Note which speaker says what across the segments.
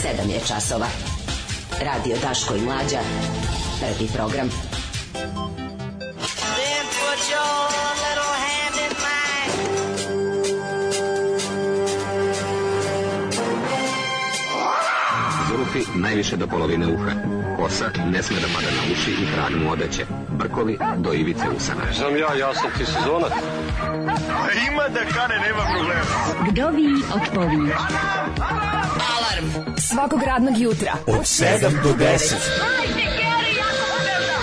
Speaker 1: 7 je časova. Radio Daško i Mlađa. Prvi program.
Speaker 2: Then put your little hand in mine.
Speaker 3: Zulufi najviše do polovine uha. Kosa ne sme da pada na uši i hranu odeće. Brkovi do ivice usana.
Speaker 4: Znam ja sam ti sezonac.
Speaker 5: Ima da kane, nema problema.
Speaker 6: Vdovi odpovi.
Speaker 7: Alarm svakog radnog jutra
Speaker 5: Od 7 do 10.
Speaker 2: Hajde, Geri, jako se velda.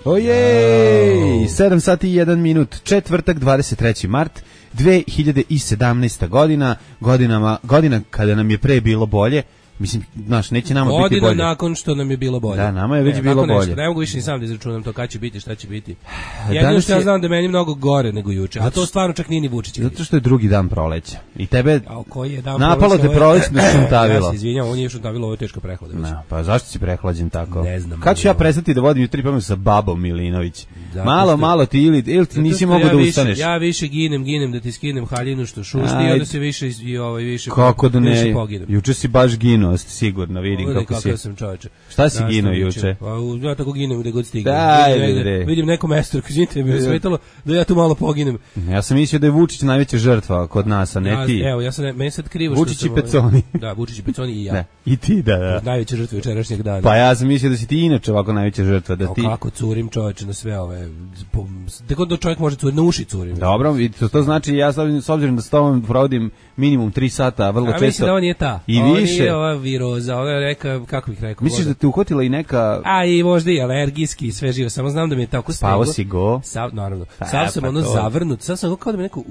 Speaker 8: Ojej, 7 sati i 1 minut, četvrtak, 23. mart, 2017. godina kada nam je pre bilo bolje. Mislim, znaš, neće nama biti bolje.
Speaker 9: Godina nakon što nam je bilo bolje.
Speaker 8: Da, nama je već bilo bolje.
Speaker 9: Ne mogu više ni sam da izračunam to kada će biti, šta će biti. Jedino što ja znam da je meni mnogo gore nego juče, a to stvarno čak nije ni Vučić.
Speaker 8: Zato što je drugi dan proleća. I tebe
Speaker 9: koji je dan
Speaker 8: napalo te prolećno šuntavilo.
Speaker 9: Ja se izvinjam, ovo nije šuntavilo, ovo je teško prehladan.
Speaker 8: No, pa zašto si prehlađen tako?
Speaker 9: Ne znam.
Speaker 8: Kad ću ja prestati da vodim jutri pamet sa babom Milinović? Malo ti ili ti nisi mogao da ustaneš.
Speaker 9: Ja više ginem da ti skinem haljinu što šušti i onda se više
Speaker 8: kako da ne?
Speaker 9: Poginem.
Speaker 8: Juče si baš ginuo, sigurno. Vidim kako si.
Speaker 9: Sam čoveče.
Speaker 8: Šta si ginuo juče?
Speaker 9: Pa ja tako ginem gde god stignem. Vidim neko mesto, izvinite, mi je smetalo da ja tu malo poginem.
Speaker 8: Ja sam mislio da je Vučić najveća žrtva kod nas, a ne ti.
Speaker 9: Evo, ja sam meni sad krivo
Speaker 8: što Vučić i Peconi.
Speaker 9: Da, Vučić i Peconi i ja.
Speaker 8: Da, i ti da.
Speaker 9: Najveća žrtva jučerašnjeg dana.
Speaker 8: Pa ja sam mislio da si ti inače ovako najveća žrtva, da ti.
Speaker 9: Kako curim čoveče na sve ove. Tako da čovjek može curiti, na uši curim.
Speaker 8: Dobro, to znači ja s obzirom da s tobom provodim minimum 3 sata, vrlo često.
Speaker 9: Mislim da on je ta.
Speaker 8: I više.
Speaker 9: On je ova viroza, ona je reka, kako bih rekao.
Speaker 8: Misliš da te uhvatila i neka...
Speaker 9: A i možda i alergijski i sve živo, samo znam da mi je tako steglo.
Speaker 8: Spavo si go.
Speaker 9: Naravno. Sav sam ono zavrnut, sad sam kao da mi neko,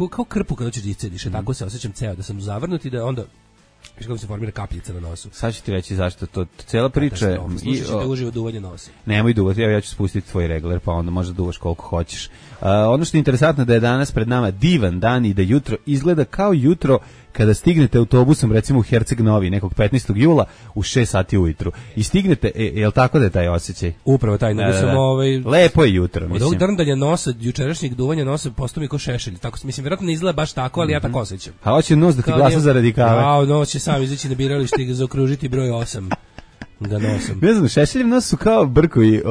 Speaker 9: kao krpu kada ćeš iscediš, tako se osjećam ceo, da sam zavrnut i da onda... Viš kako se formira kapljica na nosu.
Speaker 8: Sad ću ti reći zašto to cijela priča je...
Speaker 9: Slušaj ćete uživo duvanje nosa.
Speaker 8: Nemoj duvati, ja ću spustiti tvoj regler, pa onda možda duvaš koliko hoćeš. Ono što je interesantno da je danas pred nama divan dan i da jutro izgleda kao jutro kada stignete autobusom recimo u Herceg Novi nekog 15. jula u 6 sati ujutru. I stignete, je li tako da je taj osjećaj?
Speaker 9: Upravo taj, nego sam
Speaker 8: lepo je jutro, mislim.
Speaker 9: Od ovog drndanja nosa, jučerašnjeg duvanja nosa postao mi ko šešelj. Tako, mislim, vjerojatno ne izgleda baš tako, ali ja tako osjećam.
Speaker 8: A hoće nos da ti glasa za radikale?
Speaker 9: A nos će sam izaći na biralište i ga zaokružiti broj 8. Da nosim.
Speaker 8: Ne znam, Šešeljev nos su kao Brkovi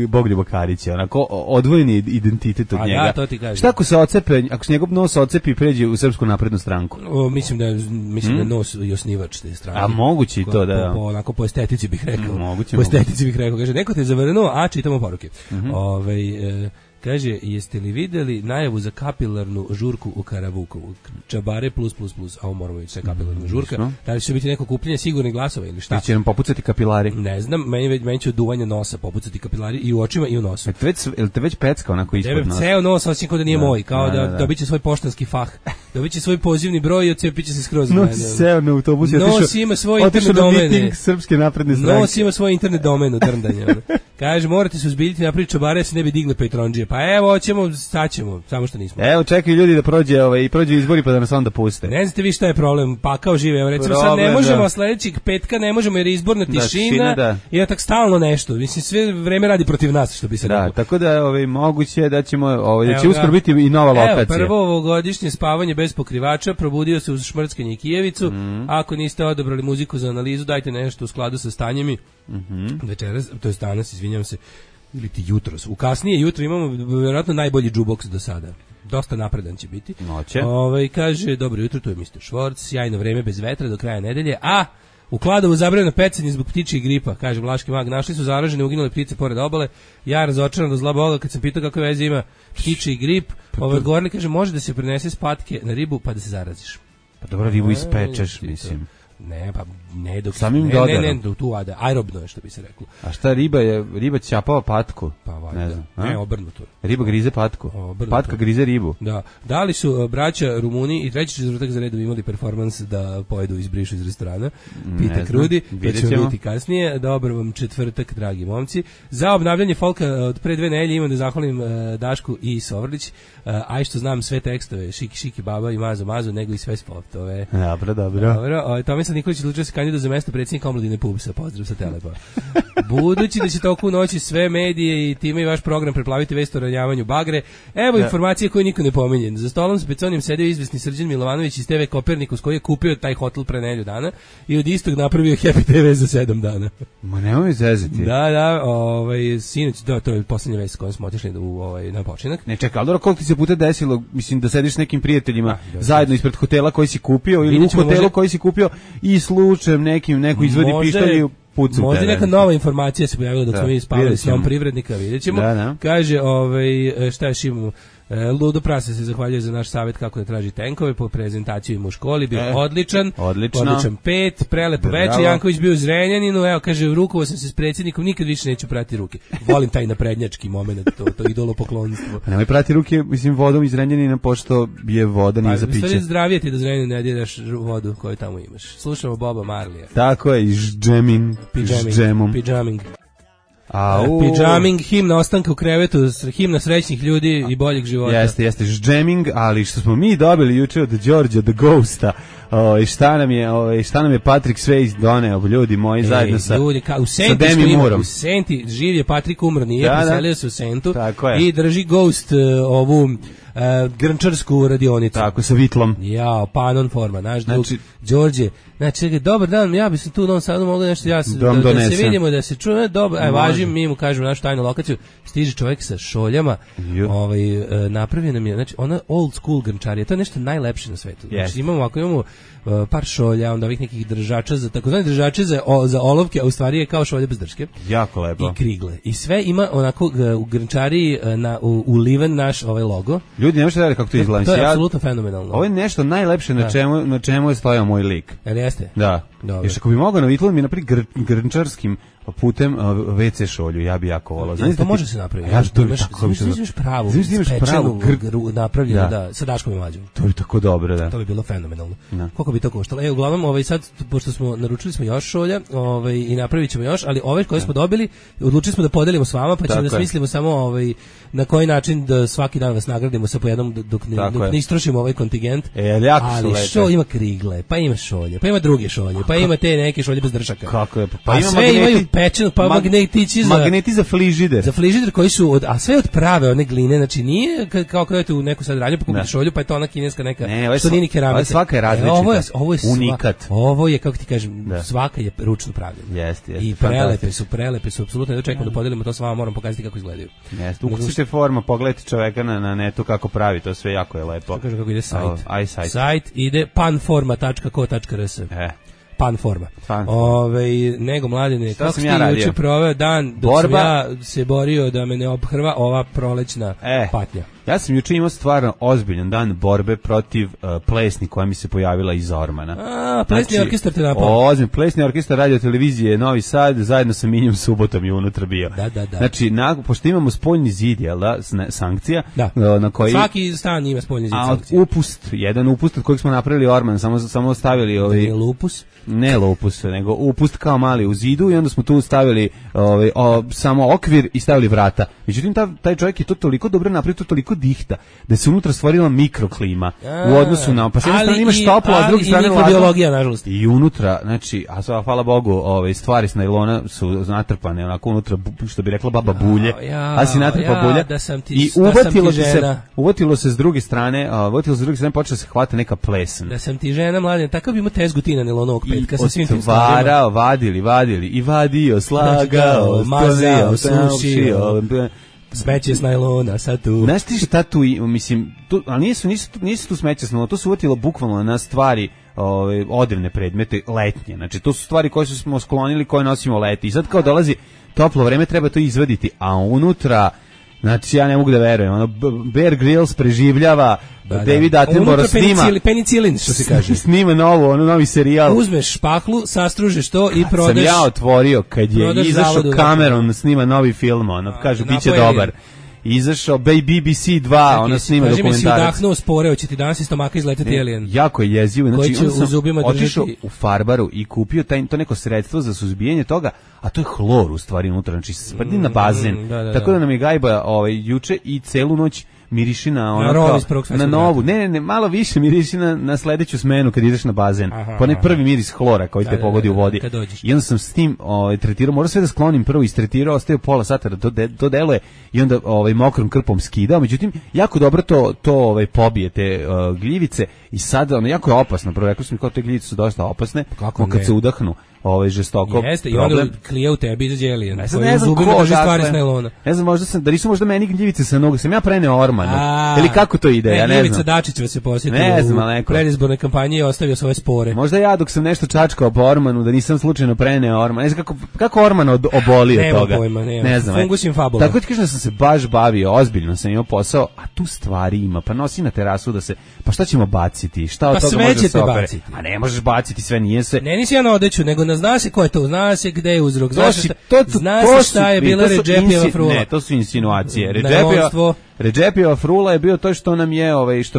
Speaker 8: Bogljubo Karića, onako odvojeni identitet od njega.
Speaker 9: Ja, to ti kažem.
Speaker 8: Šta ako se ocepe, ako se njegov nos ocepi i pređe u Srpsku naprednu stranku?
Speaker 9: Mislim da je nos i osnivač te strane.
Speaker 8: A moguće i to da...
Speaker 9: Onako po estetici bih rekao.
Speaker 8: Moguće.
Speaker 9: Po estetici bih rekao. Kaže, neko te zavrnuo, a čitamo poruke. Kaže, jeste li videli najavu za kapilarnu žurku u Karavukovu? Čabare plus, a ovo moramo ići sa kapilarna žurka. Da li će biti neko kupljenje sigurnih glasova ili šta?
Speaker 8: Ili će nam popucati kapilari?
Speaker 9: Ne znam, meni će od duvanja nosa popucati kapilari i u očima i u nosu.
Speaker 8: Jel te već pecka onako ispod nosa?
Speaker 9: Ceo nos osjećam kao da nije moj, kao da dobit će svoj poštanski fah, dobit će svoj pozivni broj i odcepit će se skroz.
Speaker 8: Seo na autobus i
Speaker 9: nos ima svoj internet domen.
Speaker 8: Srpske napredne stranke.
Speaker 9: Nos ima svoj internet domen u drndanja. Kaže, morate se uzbiljiti napraviti čabare, se ne bi digle Patreonđije. Pa evo, hoćemo, staćemo, samo što nismo.
Speaker 8: Evo, čekaju ljudi da prođu izbori pa da nas onda puste.
Speaker 9: Ne znate vi šta je problem, pakao žive. Evo, recimo sad ne možemo, sledećeg petka ne možemo jer je izborna tišina i tak stalno nešto. Mislim, sve vreme radi protiv nas, što bi se reklo.
Speaker 8: Da, tako da moguće da ćemo, da će uskoro biti i nova lokacija.
Speaker 9: Evo, prvo ovogodišnje spavanje bez pokrivača, probudio se uz šmrckanje i Kijevicu. Ako niste odabrali muziku za analizu, dajte nešto u skladu sa stanjemi. Večeras, to je danas, izvinjam se, ili ti jutros. U kasnije jutro imamo vjerojatno najbolji jukebox do sada. Dosta napredan će biti.
Speaker 8: Noće.
Speaker 9: Kaže, dobro jutro, tu je Mr. Švorc, sjajno vreme bez vetra do kraja nedelje, a u Kladovu zabranjeno pecanje zbog ptičjih gripa, kaže Vlaški mag. Našli su zaražene uginule ptice pored obale. Ja razočaran do zla Boga kad sam pitao kakve veze ima ptičji grip. Odgovorili, kaže, može da se prenese s patke na ribu pa da se zaraziš.
Speaker 8: Pa dobro, ribu ispečeš, mislim.
Speaker 9: Ne, pa ne dok
Speaker 8: samim dodarom.
Speaker 9: Ne, tu aerobno je što bi se reklo.
Speaker 8: A šta riba ćapava patku?
Speaker 9: Pa valjda. Ne, obrnuto.
Speaker 8: Riba grize patku. Patka grize ribu.
Speaker 9: Da li su braća Rumuni i treći četvrtak za redom imali performans da pojedu i izbrišu iz restorana? Pita Krudi, to ćemo vidjeti kasnije. Dobar vam četvrtak, dragi momci. Za obnavljanje folka od pre 2 nedelje imam da zahvalim Dašku i Sovrlić. Aj što znam sve tekstove, Šiki baba i Mazo, nego i sve spotove.
Speaker 8: Dobro.
Speaker 9: Tomislav Nikolić odlučio se kandidovati za mesto predsjednika omladine PUBS-a. Pozdrav sa Telepa. Budući da će toku noći sve medije i time time i vaš program preplaviti vest o ranjavanju bagre. Evo informacije koje niko ne pominje. Za stolom s Peconijom sedeo izvesni Srđan Milovanović iz TV Kopernikus koji je kupio taj hotel pre nedelju dana i od istog napravio Happy TV za 7 dana.
Speaker 8: Ma nemoj zezati.
Speaker 9: Da, sinoć, to je poslednja vest s kojom smo otišli na počinak.
Speaker 8: Ne, čekaj, ali koliko ti se puta desilo, mislim, da sediš s nekim prijateljima zajedno ispred hotela koji si kupio ili u hotelu koji si kupio i slučajem neko izvodi pištolj i pucu.
Speaker 9: Možda neka nova informacija se pojavila dok smo mi spavali s njom privrednika, vidjet ćemo. Kaže, šta još imamo? Ludo Prase se zahvaljuje za naš savjet kako da traži tenkove po prezentaciju im u školi, bio odličan 5, prelepo večer, Janković bio u Zrenjaninu, evo kaže, rukovao sam se s predsjednikom, nikad više neću prati ruke. Volim taj naprednjački moment, to idolopoklonstvo.
Speaker 8: Nemoj prati ruke, mislim, vodom iz Zrenjanina, pošto je voda nije za piće.
Speaker 9: Zdravije ti da Zrenjanin ne djelaš vodu koju tamo imaš. Slušamo Boba Marlija.
Speaker 8: Tako je,
Speaker 9: Pijaming. Pijaming, himna ostanka u krevetu, himna srećnih ljudi i boljeg života.
Speaker 8: Jeste, džeming, ali što smo mi dobili juče od Đorđa the Ghosta, šta nam je Patrick Swayze doneo, ljudi moji, zajedno sa Demi Moorom.
Speaker 9: U Senti, živ je Patrick, umro nije, preselio se u Sentu i drži Ghost ovu grnčarsku radionicu.
Speaker 8: Tako, sa vitlom.
Speaker 9: Panon forma, naš drug Đorđe. Znači, dobar dan, ja bi se tu u Novom Sadu mogla nešto, da se vidimo, da se čuje, dobro, važim, mi mu kažemo našu tajnu lokaciju, stiže čovjek sa šoljama, napravio nam je, znači, ona old school grnčarija, to je nešto najlepše na svetu. Znači, imamo par šolja, onda ovih nekih držača, takozvani držače za olovke, a u stvari je kao šolje bez drške.
Speaker 8: Jako lepo.
Speaker 9: I krigle. I sve ima onako u grnčariji uliven naš logo.
Speaker 8: Ljudi, ne možete da kako to izgleda.
Speaker 9: To je apsolutno fenomenalno.
Speaker 8: Ovo je nešto najlepše na čemu je stojao moj lik.
Speaker 9: Jel jeste?
Speaker 8: Da. Još ako bi mogao na vitlu mi napraviti grnčarskim putem WC šolju, ja bi jako volao.
Speaker 9: To može se napraviti. Imaš pravu, spečenu, napravljenu, sa Daškom i Mlađom.
Speaker 8: To bi tako dobro, da.
Speaker 9: To bi bilo fenomenalno. Koliko bi to koštalo? Uglavnom, sad, pošto smo naručili smo još šolja i napravit ćemo još, ali ove koje smo dobili, odlučili smo da podelimo s vama, pa ćemo da smislimo samo na koji način da svaki dan vas nagradimo sa po jednom dok ne istrošimo ovaj kontingent. Ali što ima krigle, pa ima šolje, pa ima druge šolje, pa ima te neke šolje bez dršaka.
Speaker 8: Kako je?
Speaker 9: Pa sve imaju pečeno, pa
Speaker 8: magneti za frižider.
Speaker 9: Za frižider koji su a sve od prave one gline, znači nije kao kada idete u neku sad radnju pa kupite šolju, pa je to ona kineska neka što nije ni keramika.
Speaker 8: Svaka je različita.
Speaker 9: Ovo je
Speaker 8: unikat.
Speaker 9: Ovo je, kako ti kažem, svaka je ručno pravljena.
Speaker 8: Jeste.
Speaker 9: I prelepe su, apsolutno. Da čekamo da podelimo to s vama, moram pokazati kako izgledaju.
Speaker 8: Jeste. Ukucite forma, pogledajte čoveka na netu kako pravi, to sve jako je lepo.
Speaker 9: Kaže kako ide sajt. Sajt ide panforma.co.rs. Panforma. Nego Mladine, kako si juče proveo dan dok sam ja se borio da me ne obhrva ova prolećna patnja?
Speaker 8: Ja sam juče imao stvarno ozbiljan dan borbe protiv plesni koja mi se pojavila iz Ormana.
Speaker 9: Plesni orkestar te napao.
Speaker 8: Plesni orkestar radio televizije Novi Sad, zajedno sa Minjom Subotom je unutra bio.
Speaker 9: Da.
Speaker 8: Znači, pošto imamo spoljni zid, jel da, sankcija, na koji...
Speaker 9: Svaki stan ima spoljni zid sankcija.
Speaker 8: Jedan upust od kojeg smo napravili Orman, samo stavili... Ne lupus, nego upust kao mali u zidu i onda smo tu stavili samo okvir i stavili vrata. Međutim, taj čovjek je to toliko dobro napravio, to toliko dihta, da se unutra stvorila mikroklima u odnosu na... Pa s jedne strane imaš toplo, a s druge strane
Speaker 9: mikrobiologija, nažalost.
Speaker 8: I unutra, znači, hvala Bogu, stvari s najlona su natrpane, onako unutra, što bi rekla baba bulje, a si natrpa bulja. I uvatilo se s druge strane, počela se hvata neka plesen.
Speaker 9: Da sam ti žena, Mladen, takav bi imao tezgu ti na nelonovog petka sa svim tim
Speaker 8: stvarima. Vadili, i vadio, slagao,
Speaker 9: mazao, sušio, smeće s najlona, sad tu.
Speaker 8: Znaš ti šta tu, mislim, ali nisu tu smeće s najlona, to su uvatilo bukvalno na stvari, odrevne predmete, letnje. Znači, to su stvari koje smo sklonili, koje nosimo leti. I sad kao dolazi toplo vreme, treba to izvaditi, a unutra... Znači, ja ne mogu da verujem. Bear Grylls preživljava, David Attenborough snima...
Speaker 9: Penicillin, što se kaže.
Speaker 8: Snima novi serijal.
Speaker 9: Uzmeš špahlu, sastružeš to i prodaš...
Speaker 8: Sam ja otvorio, kad je izašao Cameron, snima novi film, kaže, bit će dobar. Izašao BBC 2, ona snima dokumentarac.
Speaker 9: Kaži mi si udahnuo sporeo, će ti danas iz stomaka izleteti alien.
Speaker 8: Jako je jezivo. Znači, on sam otišao u farbaru i kupio to neko sredstvo za suzbijanje toga, a to je hlor u stvari unutra, znači sprdi na bazen. Tako da nam je gajba juče i celu noć miriši na ono
Speaker 9: Na rol
Speaker 8: kao,
Speaker 9: iz Prvog
Speaker 8: na
Speaker 9: svetskog
Speaker 8: novu.
Speaker 9: rata.
Speaker 8: Ne, malo više miriši na sledeću smenu kad ideš na bazen. Pa onaj prvi miris hlora koji te pogodi u vodi.
Speaker 9: kad dođeš.
Speaker 8: I onda sam s tim tretirao, morao sve da sklonim prvo, istretirao, ostavio pola sata da to deluje i onda mokrom krpom skidao. Međutim, jako dobro to pobije te gljivice i sad ono jako je opasno. Prvo rekao sam mi kao te gljivice su dosta opasne, kad se udahnu žestoko.
Speaker 9: Jeste, i onda klije u tebi izađe alien.
Speaker 8: Ne znam ko
Speaker 9: stvari s nailona.
Speaker 8: Ne znam, da nisu možda meni gljivice sa nogu, sam ja preneo Ormanu. Ili kako to ide, ja ne znam.
Speaker 9: Gljivica Dačić vas je posjetio u predizbornoj kampanji i ostavio svoje spore.
Speaker 8: Možda ja dok sam nešto čačkao po Ormanu, da nisam slučajno preneo Orman. Ne znam kako Orman obolio
Speaker 9: nema
Speaker 8: toga.
Speaker 9: Pojma,
Speaker 8: ne znam.
Speaker 9: Fungus infabula.
Speaker 8: Tako ti kažem da sam se baš bavio, ozbiljno sam imao posao, a tu stvari ima. Pa nosi na terasu da se, pa šta ćemo baciti? Šta od toga može se opere? A ne možeš baciti, sve nije se.
Speaker 9: Ne, nisi ja na odeću, nego zna se ko je to, zna se gde je uzrok, zna se šta je bila Redžepijeva frula.
Speaker 8: Ne, to su insinuacije. Redžepijeva frula je bio to što nam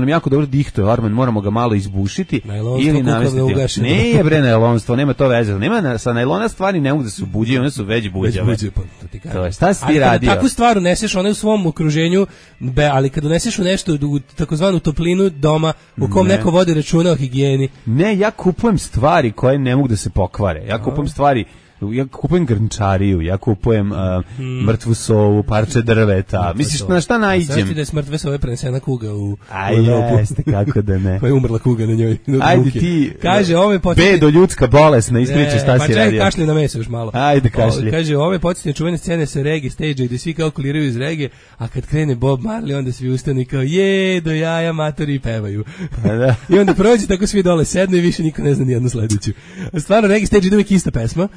Speaker 8: jako dobro dihtuje Orman, moramo ga malo izbušiti ili namestiti. Ne je bre najlonstvo, nema to veze. Nema sa najlona stvari ne mogu da se ubuđaju, one su već buđave. To je, šta si ti radio?
Speaker 9: Takvu stvar uneseš one u svom okruženju, ali kad uneseš u nešto u takozvanu toplinu doma u kom neko vodi računa o higijeni.
Speaker 8: Ne, ja kupujem stvari koje ne mogu da se pokvare. Ja kupujem grnčariju, ja kupujem mrtvu sovu, parče drveta. Misliš na šta naiđem?
Speaker 9: Znaš ti da je s mrtve sove prenesena kuga u
Speaker 8: jeste, kako da ne.
Speaker 9: Pa je umrla kuga na njoj.
Speaker 8: Ajde ti,
Speaker 9: kaže,
Speaker 8: bedo ljudska bolesna, ispričaj šta si radio.
Speaker 9: Pa kašlji na meso još malo.
Speaker 8: Ajde kašlji.
Speaker 9: Kaže, ove podsjetne čuvene scene sa reggae stage-a gde svi kalkuliraju iz reggae, a kad krene Bob Marley, onda svi ustanu i kao do jaja matori i pevaju. I onda prođe tako svi dole sednu i više niko ne zna nijednu sledeću. Stvarno, reggae stage ide uvijek ista pesma.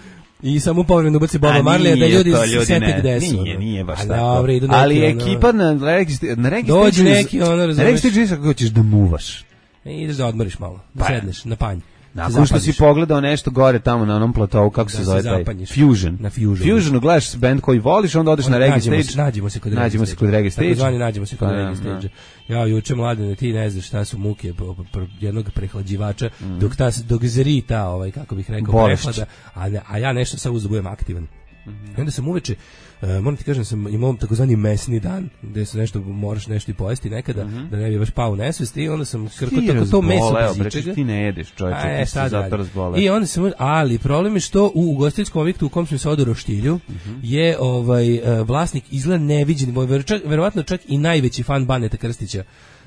Speaker 9: I samo povremeno ubaci Boba Marleya da ljudi se sete gde su.
Speaker 8: Nije baš tako.
Speaker 9: Ali
Speaker 8: ekipa na
Speaker 9: dođe neki ono, razumeš.
Speaker 8: Na reggae stage kako hoćeš da muvaš.
Speaker 9: Ideš da odmoriš malo, da sedneš na panj.
Speaker 8: Nakon što si pogledao nešto gore tamo na onom platovu, kako se zove taj? Fusion.
Speaker 9: Na Fusionu.
Speaker 8: Fusionu gledaš band koji voliš, onda odeš na reggae stage.
Speaker 9: Nađemo se kod reggae stage. Ja juče mladine, ti ne znaš šta su muke jednog prehlađivača, dok zri ta, kako bih rekao, prehlada, a ja nešto sad uzbujem aktivan. I onda sam uveče, moram ti kažem, sam imao takozvani mesni dan, gde se moraš nešto i pojesti nekada, da ne bi baš pao u nesvest, i onda sam krkao tako to meso bez ičega.
Speaker 8: Ti ne jedeš, čovječe, ti se zato razboleo.
Speaker 9: I onda sam, ali problem je što u ugostiteljskom objektu u kom smo se odu Roštilju je vlasnik izgleda neviđen, verovatno čak i najveći fan Baneta Krstića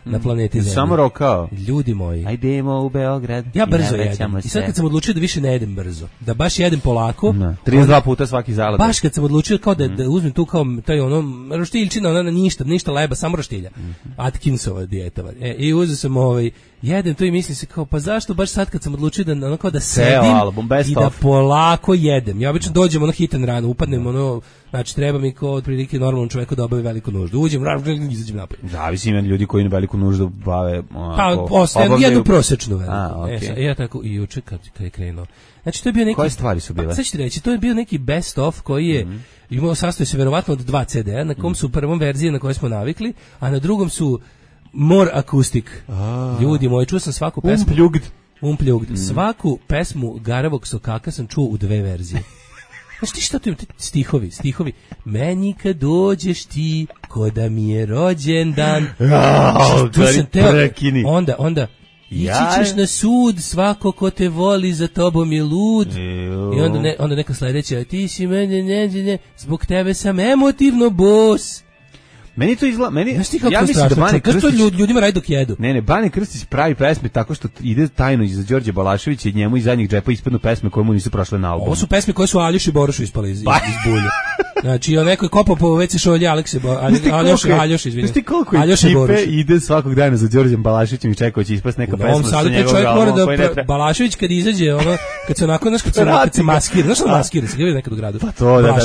Speaker 9: na planeti Zemlji.
Speaker 8: Samo rokao.
Speaker 9: Ljudi moji.
Speaker 8: Ajdemo u Beograd.
Speaker 9: Ja brzo jedem. I sad kad sam odlučio da više ne jedem brzo, da baš jedem polako.
Speaker 8: 32 puta svaki zalad.
Speaker 9: Baš kad sam odlučio kao da uzmem tu kao taj roštiljčina, ona ništa leba, samo roštilja. Atkinsova dijeta. I uzeo sam jedem to i mislim se kao, pa zašto baš sad kad sam odlučio da kao da sedim i da polako jedem. Ja obično dođem hitan rano, upadnem znači treba mi kao otprilike normalnom čoveku da obavi veliku nuždu. Uđem, izađem napolje.
Speaker 8: Zavisi ima ljudi koji veliku nuždu bave
Speaker 9: jednu prosečnu veliku.
Speaker 8: Okay.
Speaker 9: Ja tako i juče kad je krenuo. Znači to je bio neki...
Speaker 8: Koje stvari su bile?
Speaker 9: Sad ću ti reći, to je bio neki best of koji je imao, sastoji se verovatno od 2 CD-a, na kom su u prvom verziji na kojoj smo navikli, a na drugom su more acoustic. Ljudi moji, čuo sam svaku pesmu. Unplugged. Svaku pesmu Garavog Sokaka sam čuo u 2 verzije. Znaš ti šta tu ima? Stihovi. Meni kad dođeš ti, ko da mi je rođendan. Onda ići ćeš na sud, svako ko te voli za tobom je lud. I onda neka sledeća, ti si mene, zbog tebe sam emotivno bos.
Speaker 8: Meni to izgleda,
Speaker 9: ja mislim da Bane Krstić ljudima radi dok jedu.
Speaker 8: Ne, Bane Krstić pravi pesme tako što ide tajno iza Đorđe Balaševića i njemu iz zadnjih džepa ispadnu pesme koje mu nisu prošle na albumu.
Speaker 9: Ovo su pesme koje su Aljoši Borošu ispale iz bulje. Znači, neko je kopao po WC šolje Aljoši, izvinjam.
Speaker 8: Znaš ti koliko ekipe ide svakog dana za Đorđem Balaševićem i čeka će ispast neka pesma sa njegovog albuma.
Speaker 9: Balašević kad izađe, kad se onako, kad se maskira, znaš što maskira, se gleda nekad u gradu.
Speaker 8: Pa to, da.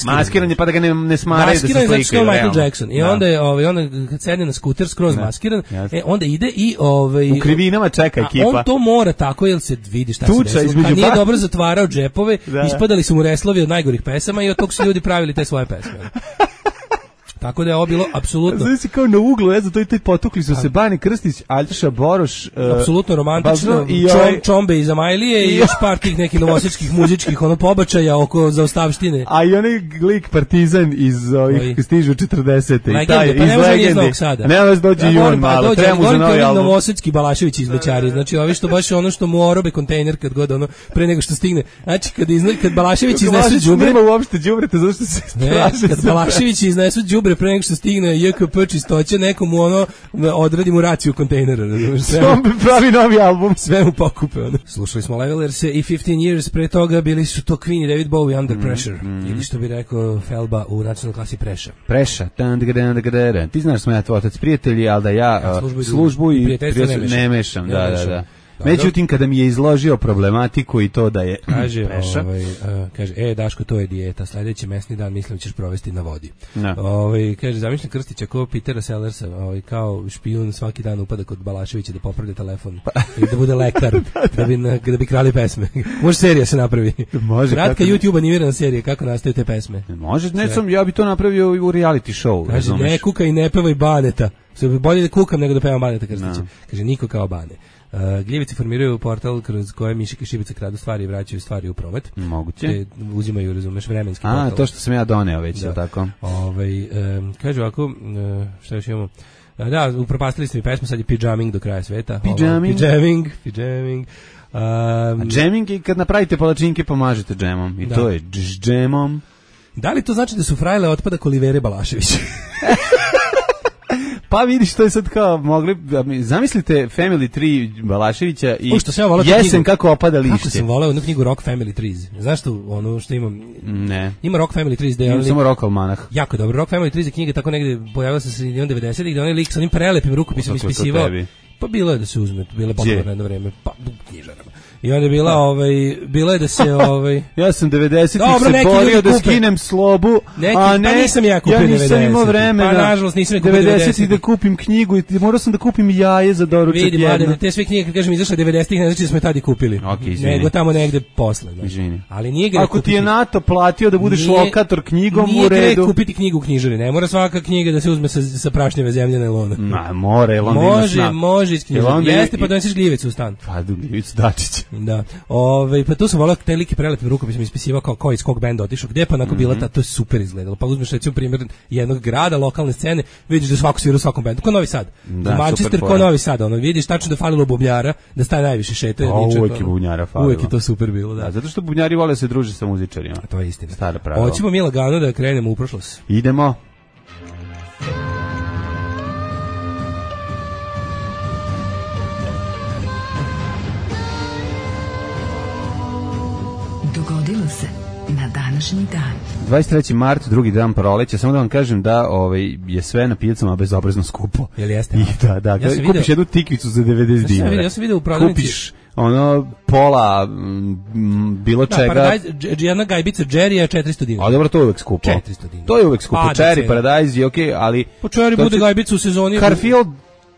Speaker 8: Maskiran je pa da ga ne smaraju da se slikaju.
Speaker 9: I onda kad sedne na skuter skroz maskiran, onda ide i
Speaker 8: u krivinama čeka ekipa.
Speaker 9: On to mora tako, jer se vidi šta se desilo. Kad nije dobro zatvarao džepove, ispadali su mu reslovi od najgorih pesama i od tog su ljudi pravili te svoje pesme. Tako da je ovo bilo apsolutno...
Speaker 8: Znači kao na uglu, ne znam, to i potukli su se Bane Krstić, Aljoša Boroš...
Speaker 9: apsolutno romantično,
Speaker 8: i
Speaker 9: čombe iz Amajlije i još par tih nekih novosadskih muzičkih pobačaja oko zaostavštine.
Speaker 8: A i onaj lik Partizan iz ovih stižu 40.
Speaker 9: Legende, pa ne može nije iz Novog Sada.
Speaker 8: Ne može dođe i on malo, treba mu za novi album.
Speaker 9: Novosadski Balašević izmećari, znači ovi što baš ono što mu orobe kontejner kad god ono, pre nego što stigne. Znači kad Balašević iznesu đubre...
Speaker 8: Nema uopšte đubreta, zato što se straše.
Speaker 9: Kad Balašević iznesu đubre pre nego što stigne JKP čistoće, nekomu ono odradi mu raciju kontejnera.
Speaker 8: Čombe pravi novi album.
Speaker 9: Sve mu pokupe. Ono. Slušali smo Levelers i 15 Years, pre toga bili su to Queen i David Bowie, Under Pressure. Ili što bi rekao Felba u nacionalnoj klasi Preša.
Speaker 8: Preša. Ti znaš smo ja tvoj otac prijatelji, ali da ja službu i prijateljstvo ne mešam. Da. Međutim, kada mi je izložio problematiku i to da je Preša.
Speaker 9: Kaže, Daško, to je dijeta, sledeći mesni dan mislim ćeš provesti na vodi.
Speaker 8: No.
Speaker 9: Kaže, zamišljam Krstića kao Petera Sellersa, kao špijun svaki dan upada kod Balaševića da popravlja telefon i da bude lekar, da bi krali pesme. Može serija se napravi.
Speaker 8: Može.
Speaker 9: Kratka YouTube animirana serija, kako nastaju te pesme.
Speaker 8: Može, ja bi to napravio u reality show.
Speaker 9: Kaže, ne kuka i ne pevaj Baneta. Bolje da kukam nego da pevam Baneta Krstića. Kaže, niko kao Bane. Gljevice formiraju portal kroz koje mišike šibice kradu stvari i vraćaju stvari u promet.
Speaker 8: Moguće.
Speaker 9: Te uzimaju, razumeš, vremenski portal.
Speaker 8: To što sam ja doneo već,
Speaker 9: da.
Speaker 8: Tako.
Speaker 9: Kaže ovako, šta još imamo? Da, upropastili ste mi pesmu, sad je pijaming do kraja sveta.
Speaker 8: Pijaming. Džeming i kad napravite palačinke pomažete džemom. I to je džemom.
Speaker 9: Da li to znači da su frajle otpada Kolivere Balašević?
Speaker 8: Pa vidiš, to je sad kao mogli, zamislite Family Tree Balaševića i jesen kako opada lišće.
Speaker 9: Kako sam voleo onu knjigu Rock Family Trees. Znaš što, ono što imam?
Speaker 8: Ne.
Speaker 9: Ima Rock Family Trees.
Speaker 8: Imam samo Rock Almanah.
Speaker 9: Jako dobro. Rock Family Trees je knjiga tako negde, pojavila se sredinom 90-ih, gde onaj lik sa onim prelepim rukopisom ispisivao. Pa bilo je da se uzme, bilo je popularno jedno vreme, pa u knjižarama. I onda je bila je da se
Speaker 8: ja sam 90-ih se borio da skinem slobu, a ne,
Speaker 9: pa nisam ja kupio 90-ih.
Speaker 8: Ja nisam imao vremena.
Speaker 9: Pa nažalost nisam kupio
Speaker 8: 90-ih da kupim knjigu i morao sam da kupim jaje za doručak jedno.
Speaker 9: Vidi, mladene, te sve knjige kad kažem izašle 90-ih, ne znači da smo je tada kupili.
Speaker 8: Okay,
Speaker 9: nego tamo negde posle. Izvini. Ali nije greh.
Speaker 8: Ako ti je NATO platio da budeš lokator knjigom u redu.
Speaker 9: Nije greh kupiti knjigu u knjižari. Ne mora svaka knjiga da se uzme sa prašnjeve zemljane lona.
Speaker 8: Mora, jel onda imaš na.
Speaker 9: Može iz knjižara. Jeste, pa donesiš gljivicu u stan.
Speaker 8: Pa gljivicu Dačića.
Speaker 9: Da. Pa tu sam volao te like prelepim rukopisom ispisivao kao iz kog benda otišao, gde pa onako bila to je super izgledalo. Pa uzmeš recimo primjer jednog grada, lokalne scene, vidiš da svako svira u svakom bendu, kao Novi Sad. Da, Manchester kao Novi Sad, vidiš tačno da falilo bubnjara, da staje najviše šetaju.
Speaker 8: Uvijek je bubnjara falilo.
Speaker 9: Uvijek je to super bilo, da.
Speaker 8: Zato što bubnjari vole se druže sa muzičarima.
Speaker 9: To je istina.
Speaker 8: Stara pravila.
Speaker 9: Hoćemo mi lagano da krenemo u prošlost.
Speaker 8: Idemo.
Speaker 1: Dogodilo se na današnji dan.
Speaker 8: 23. mart, drugi dan proleća, samo da vam kažem da je sve na pijacama bezobrazno skupo.
Speaker 9: Jel jeste?
Speaker 8: I da, kupiš jednu tikvicu za 90 dinara.
Speaker 9: Ja sam vidio u prodavnici.
Speaker 8: Kupiš pola bilo čega.
Speaker 9: Jedna gajbica Jerry je 400 dinara.
Speaker 8: A dobro, to je uvek skupo.
Speaker 9: 400 dinara.
Speaker 8: To je uvek skupo. Cherry Paradise je okej, ali...
Speaker 9: Po Cherry bude gajbica u sezoni...
Speaker 8: Garfield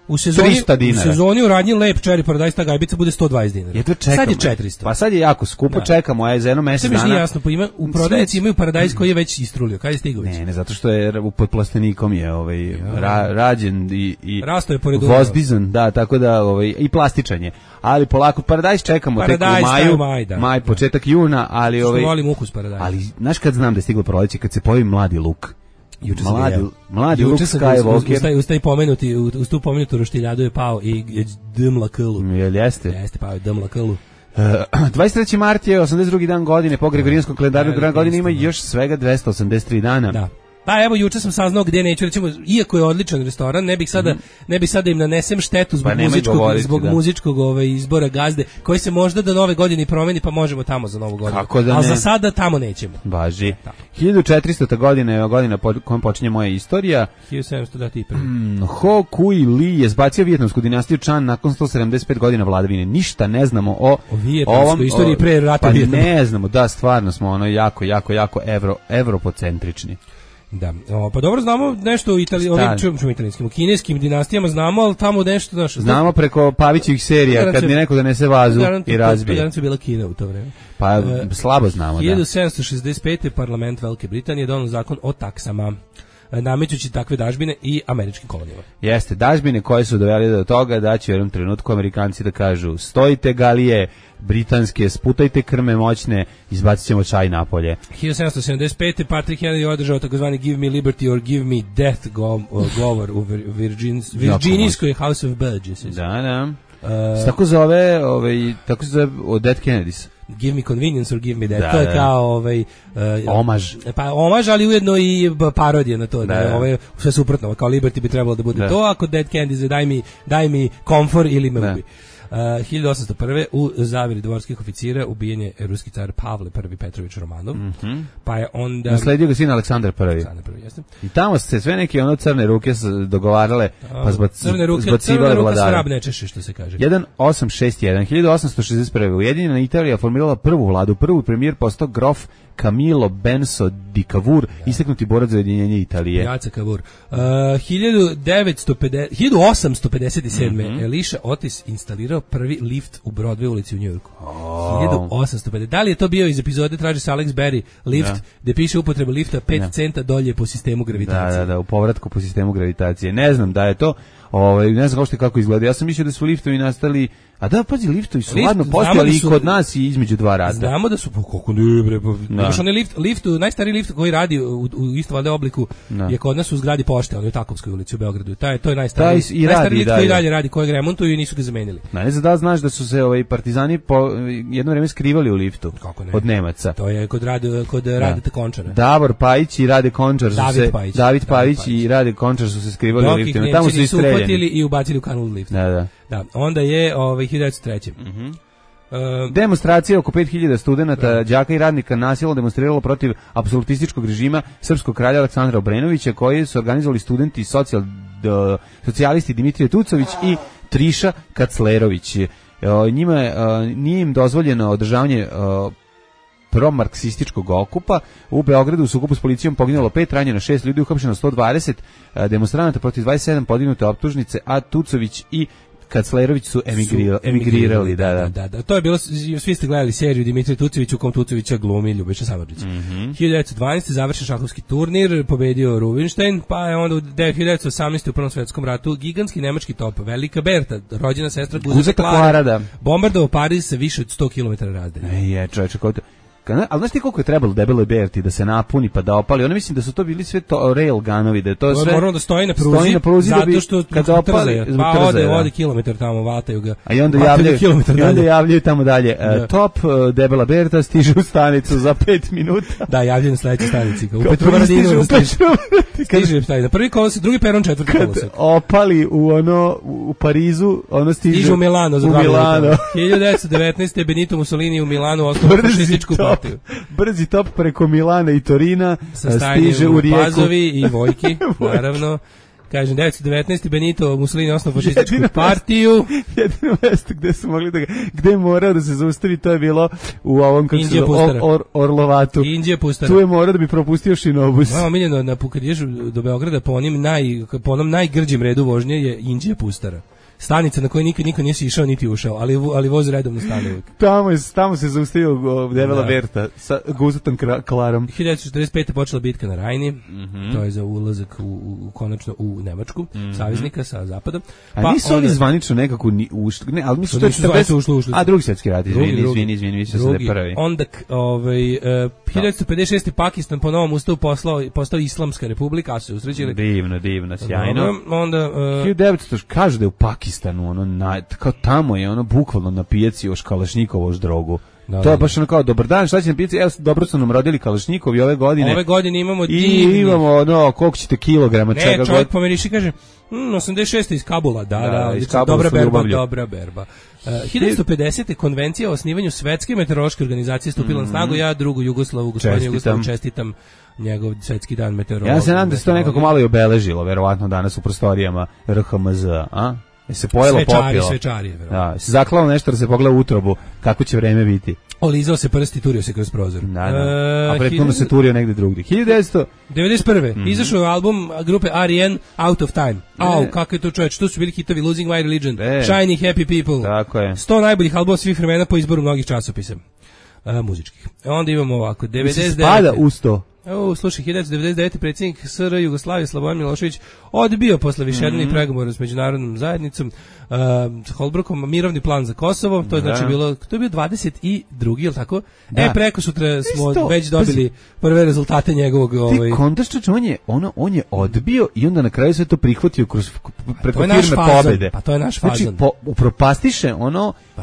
Speaker 9: u sezoni
Speaker 8: 300 dinara.
Speaker 9: U sezoni u radnji Lep Cherry Paradise ta gajbica bude 120 dinara.
Speaker 8: Ja to čekam.
Speaker 9: Sad je 400.
Speaker 8: Pa sad je jako skupo, čekamo za jedno mjesec dana.
Speaker 9: Sve mi nije jasno, u prodavnici imaju Paradise koji je već istrulio. Kad je stigao već?
Speaker 8: Ne, zato što je pod plastenikom je rađen i
Speaker 9: rasto je pored
Speaker 8: vozdizan, da, tako da i plastičan je. Ali polako Paradise čekamo tek u maju, maj, početak juna, ali
Speaker 9: što volim ukus Paradise.
Speaker 8: Ali znaš kad znam da je stiglo proleće, kad se pojavi mladi luk. Mladi Luke Skywalker.
Speaker 9: Uz tu pomenutu roštiljadu je pao i Dmla Klu.
Speaker 8: Jeste?
Speaker 9: Jeste, pao je Dmla Klu.
Speaker 8: 23. mart je 82. dan godine, po Gregorijanskom kalendaru dan godine ima još svega 283 dana.
Speaker 9: Da. Pa evo, juče sam saznao gdje neću, recimo, iako je odličan restoran, ne bih sada im nanesem štetu zbog muzičkog izbora gazde, koji se možda do nove godine promeni, pa možemo tamo za novu godinu. Ali za sada tamo nećemo.
Speaker 8: Važi. 1400. godina je godina kojom počinje moja istorija.
Speaker 9: 1700 da ti
Speaker 8: Ho Kui Li je zbacio vijetnamsku dinastiju Chan nakon 175 godina vladavine. Ništa ne znamo o
Speaker 9: vijetnamskoj istoriji pre rata Vijetnama.
Speaker 8: Ne znamo, da, stvarno smo jako evropocentrični.
Speaker 9: Da, pa dobro znamo nešto o italijanskim, o kineskim dinastijama znamo, ali tamo nešto naše.
Speaker 8: Znamo preko Pavićevih serija, kad mi neko donese vazu i razbije.
Speaker 9: Garancija bila Kina u to vreme.
Speaker 8: Pa slabo znamo,
Speaker 9: 1765. parlament Velike Britanije donio zakon o taksama. namećući takve dažbine i američkim kolonijama.
Speaker 8: Jeste, dažbine koje su doveli do toga da će u jednom trenutku Amerikanci da kažu stojite galije, britanske, sputajte krme moćne, izbacit ćemo čaj napolje.
Speaker 9: 1775. Patrick Henry održao takozvani Give me liberty or give me death govor u Virginijskoj House of Burgesses.
Speaker 8: Da. Tako zove, tako se zove Dead Kennedys.
Speaker 9: Give me convenience or give me death.
Speaker 8: Da,
Speaker 9: to je kao
Speaker 8: omaž.
Speaker 9: Pa omaž, ali ujedno i parodija na to. Sve suprotno, kao Liberty bi trebalo da bude to, ako Dead Kennedys daj mi komfor ili me ubi. 1801. u zaveri dvorskih oficira ubijen je ruski car Pavle I Petrović Romanov. Pa je onda
Speaker 8: nasledio ga sin Aleksandar I.
Speaker 9: Jeste.
Speaker 8: I tamo se sve neke crne ruke dogovarale, pa
Speaker 9: crne ruke svrab ne češe, što se kaže.
Speaker 8: 1861. 1861. Ujedinjena Italija formirala prvu vladu, prvi premijer postao grof Camillo Benso di Cavour, istaknuti borac za ujedinjenje Italije.
Speaker 9: Jaca Cavour. 1857. Elisha Otis instalirao prvi lift u Broadway ulici u Njujorku. 1850. Da li je to bio iz epizode Traži se Alex Berry lift, gde piše upotreba lifta 5 centa dolje po sistemu gravitacije?
Speaker 8: Da, u povratku po sistemu gravitacije. Ne znam da je to, ne znam kako izgleda. Ja sam mislio da su liftovi nastali, a da, pazi, liftovi su ladno postojali i kod nas i između dva rata.
Speaker 9: Znamo da su, kako ne bre, baš onaj najstariji lift koji radi u isto valjda obliku je kod nas u zgradi pošte, on je u Takovskoj ulici u Beogradu. To je najstariji lift koji dalje radi, kojeg remontuju i nisu ga zamenili.
Speaker 8: Ne znam da znaš da su se partizani jedno vreme skrivali u liftu od Nemaca.
Speaker 9: To je kod Radeta Končara.
Speaker 8: Davor Pajić i Rade Končar David Pajić i Rade Končar su se skrivali u liftu. Tamo su istreljeni. Uhvatili
Speaker 9: i ubacili u kanal lifta. Da. Onda je 1903.
Speaker 8: Demonstracija oko 5000 studenata, đaka i radnika nasilno demonstriralo protiv apsolutističkog režima srpskog kralja Aleksandra Obrenovića, koji su organizovali studenti socijalisti Dimitrije Tucović i Triša Kaclerović. Njima nije im dozvoljeno održavanje promarksističkog okupa. U Beogradu u sukobu s policijom poginulo 5, ranjeno 6 ljudi, uhapšeno 120 demonstranata, protiv 27 podignute optužnice, a Tucović i Kaclerović su emigrirali. Da.
Speaker 9: To je bilo, svi ste gledali seriju Dimitrije Tucović u kom Tucovića glumi Ljubiša Samardžić. 1912. završen šahovski turnir, pobedio Rubinstein, pa je onda u 1918. u Prvom svetskom ratu gigantski nemački top Velika Berta, rođena sestra Guzeta Klara, bombardovao Pariz sa više od 100 km razdalje.
Speaker 8: Čovječe, ali znaš ti koliko je trebalo debeloj Berti da se napuni pa da opali? Ono mislim da su to bili sve rail gunovi, da je to sve...
Speaker 9: Moralo da stoji na pruzi zato što
Speaker 8: kada opali,
Speaker 9: pa ode kilometar tamo, vataju ga.
Speaker 8: A i onda javljaju tamo dalje. Top debela Berta stiže u stanicu za 5 minuta.
Speaker 9: Da, javljaju na sledećoj stanici. U Petrovaradinu stiže na prvi kolosek, drugi peron, četvrti kolosek.
Speaker 8: Opali u Parizu, ono stiže
Speaker 9: u Milano za 2 minuta. 1919. Benito Mussolini u Milanu osnovao fašističku partiju.
Speaker 8: Brzi top preko Milana i Torina stiže u Rijeku.
Speaker 9: Pazovi i Vojki, naravno. Kažem, 1919. Benito Mussolini osnovao fašističku partiju.
Speaker 8: Jedino mesto gde su mogli gde je morao da se zaustavi, to je bilo u ovom, kako se Orlovatu.
Speaker 9: Indija Pustara.
Speaker 8: Tu je morao da bi propustio šinobus.
Speaker 9: Omiljeno, kad ideš do Beograda po onom najgrđim redu vožnje je Indija Pustara. Stanica na kojoj niko nisi išao niti ušao, ali voz redovno stane uvijek.
Speaker 8: Tamo se zaustavio debela Berta sa Guzetom Klarom.
Speaker 9: 1945. počela bitka na Rajni, to je za ulazak konačno u Nemačku, saveznika sa zapada.
Speaker 8: A nisu oni zvanično nekako ušli, ali mislim da je
Speaker 9: ušli.
Speaker 8: A drugi svjetski rat, izvini, više se da prvi.
Speaker 9: Onda 1956. Pakistan po novom ustavu postao Islamska republika, a su se usrećili.
Speaker 8: Divno, sjajno.
Speaker 9: Onda
Speaker 8: 1900 kažu da je u Pakistanu kao tamo je ono bukvalno na pijaci još Kalašnjikovo drogu. To je baš ono kao, dobar dan, šta će na pijaci? Evo, dobro su nam rodili Kalašnjikovi ove godine.
Speaker 9: Ove godine imamo
Speaker 8: imamo koliko ćete kilograma čega god.
Speaker 9: Ne, čovjek pomeriši kaže 86. iz Kabula,
Speaker 8: iz Kabula
Speaker 9: dobra berba. 1950. konvencija o osnivanju Svetske meteorološke organizacije stupila na snagu. Ja drugu Jugoslavu, gospodinu Jugoslavu, čestitam njegov svetski dan meteorologije.
Speaker 8: Ja se nadam da se to nekako malo i obeležilo, verovatno danas u prostorijama RHMZ, a? Se pojelo popilo.
Speaker 9: Svečari,
Speaker 8: da, se zaklao nešto da se pogleda u utrobu, kako će vreme biti.
Speaker 9: Olizao se prst i turio se kroz prozor.
Speaker 8: A prethodno se turio negde drugdje.
Speaker 9: 1991. Izašao je album grupe R.E.M. Out of Time. Kako je to čovječ, tu su bili hitovi Losing My Religion, Shiny Happy People.
Speaker 8: Tako je.
Speaker 9: 100 najboljih albuma svih vremena po izboru mnogih časopisa. Muzičkih. Onda imamo ovako, 99.
Speaker 8: Spada u 100.
Speaker 9: Slušaj, 1999. predsjednik SR Jugoslavije Slobodan Milošević odbio posle višednevnih pregovora s međunarodnom zajednicom Holbrookom mirovni plan za Kosovo. To je znači bilo, to je bio 22. je li tako? Preko sutra smo već dobili prve rezultate njegovog
Speaker 8: Ti kontaš, on je odbio i onda na kraju sve to prihvatio preko firme pobede.
Speaker 9: Pa to je naš fazon.
Speaker 8: Znači, upropastiše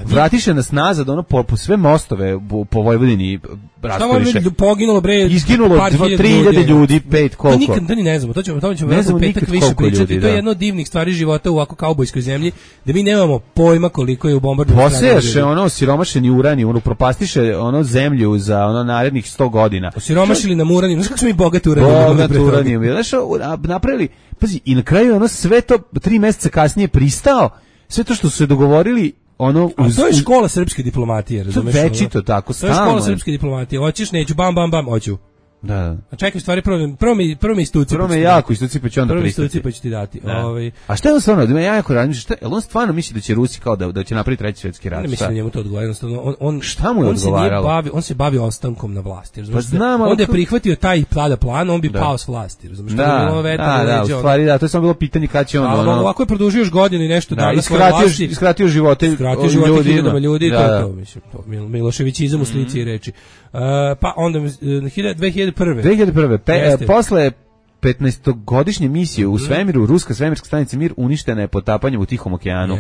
Speaker 8: vratiše nas nazad, po sve mostove po Vojvodini raskoriše.
Speaker 9: Poginulo
Speaker 8: izginulo 3.000 ljudi, 5 koliko.
Speaker 9: To nikad ni ne znamo, to ćemo petak više pričati. To je jedno od divnih stvari života u ovako kaubojskoj zemlji, da mi nemamo pojma koliko je u bombardovanju.
Speaker 8: Posejaše siromašeni uranijum, propastiše zemlju za narednih 100 godina.
Speaker 9: Siromašili nam uranijum, znaš kako smo mi bogati uranijum.
Speaker 8: Znaš, napravili, pazi, i na kraju sve to 3 meseca kasnije pristao, sve to što su se dogovorili,
Speaker 9: to je škola srpske diplomatije, razumeš?
Speaker 8: To je večito tako, stalno.
Speaker 9: To je škola srpske diplomatije, hoćeš, neću, bam, hoću.
Speaker 8: Da.
Speaker 9: A čekaj, stvari, prvo mi istuci.
Speaker 8: Prvo me jako istuci, pa ću onda pristati.
Speaker 9: Prvo istuci, pa ću ti dati.
Speaker 8: A šta je on stvarno, ja jako razmišljam, jel on stvarno misli da će Rusi kao da će napraviti treći svjetski rat?
Speaker 9: Ne mislim da njemu to odgovara, jednostavno.
Speaker 8: Šta mu je odgovaralo?
Speaker 9: On se bavi ostankom na vlasti,
Speaker 8: pa znam,
Speaker 9: onda je prihvatio taj tada plan, on bi pao s vlasti, razumiješ?
Speaker 8: Da, u stvari da, to je samo bilo pitanje kada će on...
Speaker 9: Ovako je produžio još godinu i nešto dana svoje vlasti.
Speaker 8: Iskratio živote
Speaker 9: ljudi, to je to, mislim, Miloševićizam u slici i reči. Pa onda 2001.
Speaker 8: Posle 15-godišnje misije u svemiru, ruska svemirska stanica Mir uništena je potapanjem u Tihom okeanu.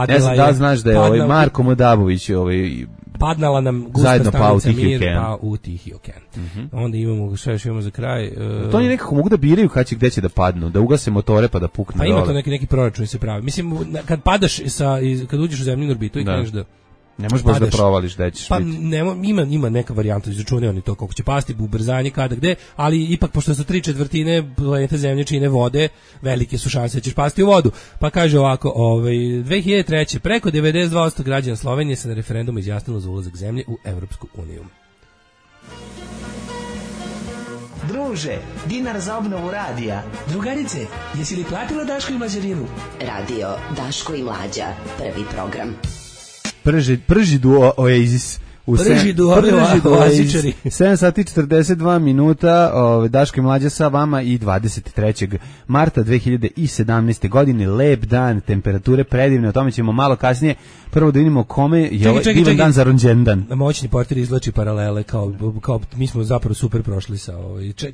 Speaker 8: Ne znam da znaš da je Marko Modabović
Speaker 9: padnala nam gusta stanica Mir u Tihi okean. Onda imamo, šta još imamo za kraj?
Speaker 8: To oni nekako mogu da biraju gde će da padnu, da ugase motore pa da puknu.
Speaker 9: Pa ima to neki proračun se pravi. Mislim, kad padaš, kad uđeš u zemljinu orbitu i kreneš da...
Speaker 8: Ne možeš baš da provališ da ćeš
Speaker 9: biti. Ima neka varijanta, izračunaju oni to koliko će pasti, ubrzanje, kada, gde, ali ipak pošto su 3/4 planete Zemlje čine vode, velike su šanse da ćeš pasti u vodu. Pa kaže ovako, 2003. preko 92% građana Slovenije se na referendumu izjasnilo za ulazak zemlje u Evropsku uniju.
Speaker 10: Druže, dinar za obnovu radija.
Speaker 11: Drugarice, jesi li platila Daško i Mlađarinu?
Speaker 1: Radio Daško i Mlađa, prvi program.
Speaker 8: Prži duo Oasis.
Speaker 9: Prži duo Oasičari.
Speaker 8: 7 sati 42 minuta, Daško i Mlađa sa vama i 23. marta 2017. godine, lep dan, temperature predivne, o tome ćemo malo kasnije. Prvo da vidimo kome je divan dan za rođendan.
Speaker 9: Moćni portir izvlači paralele kao mi smo zapravo super prošli sa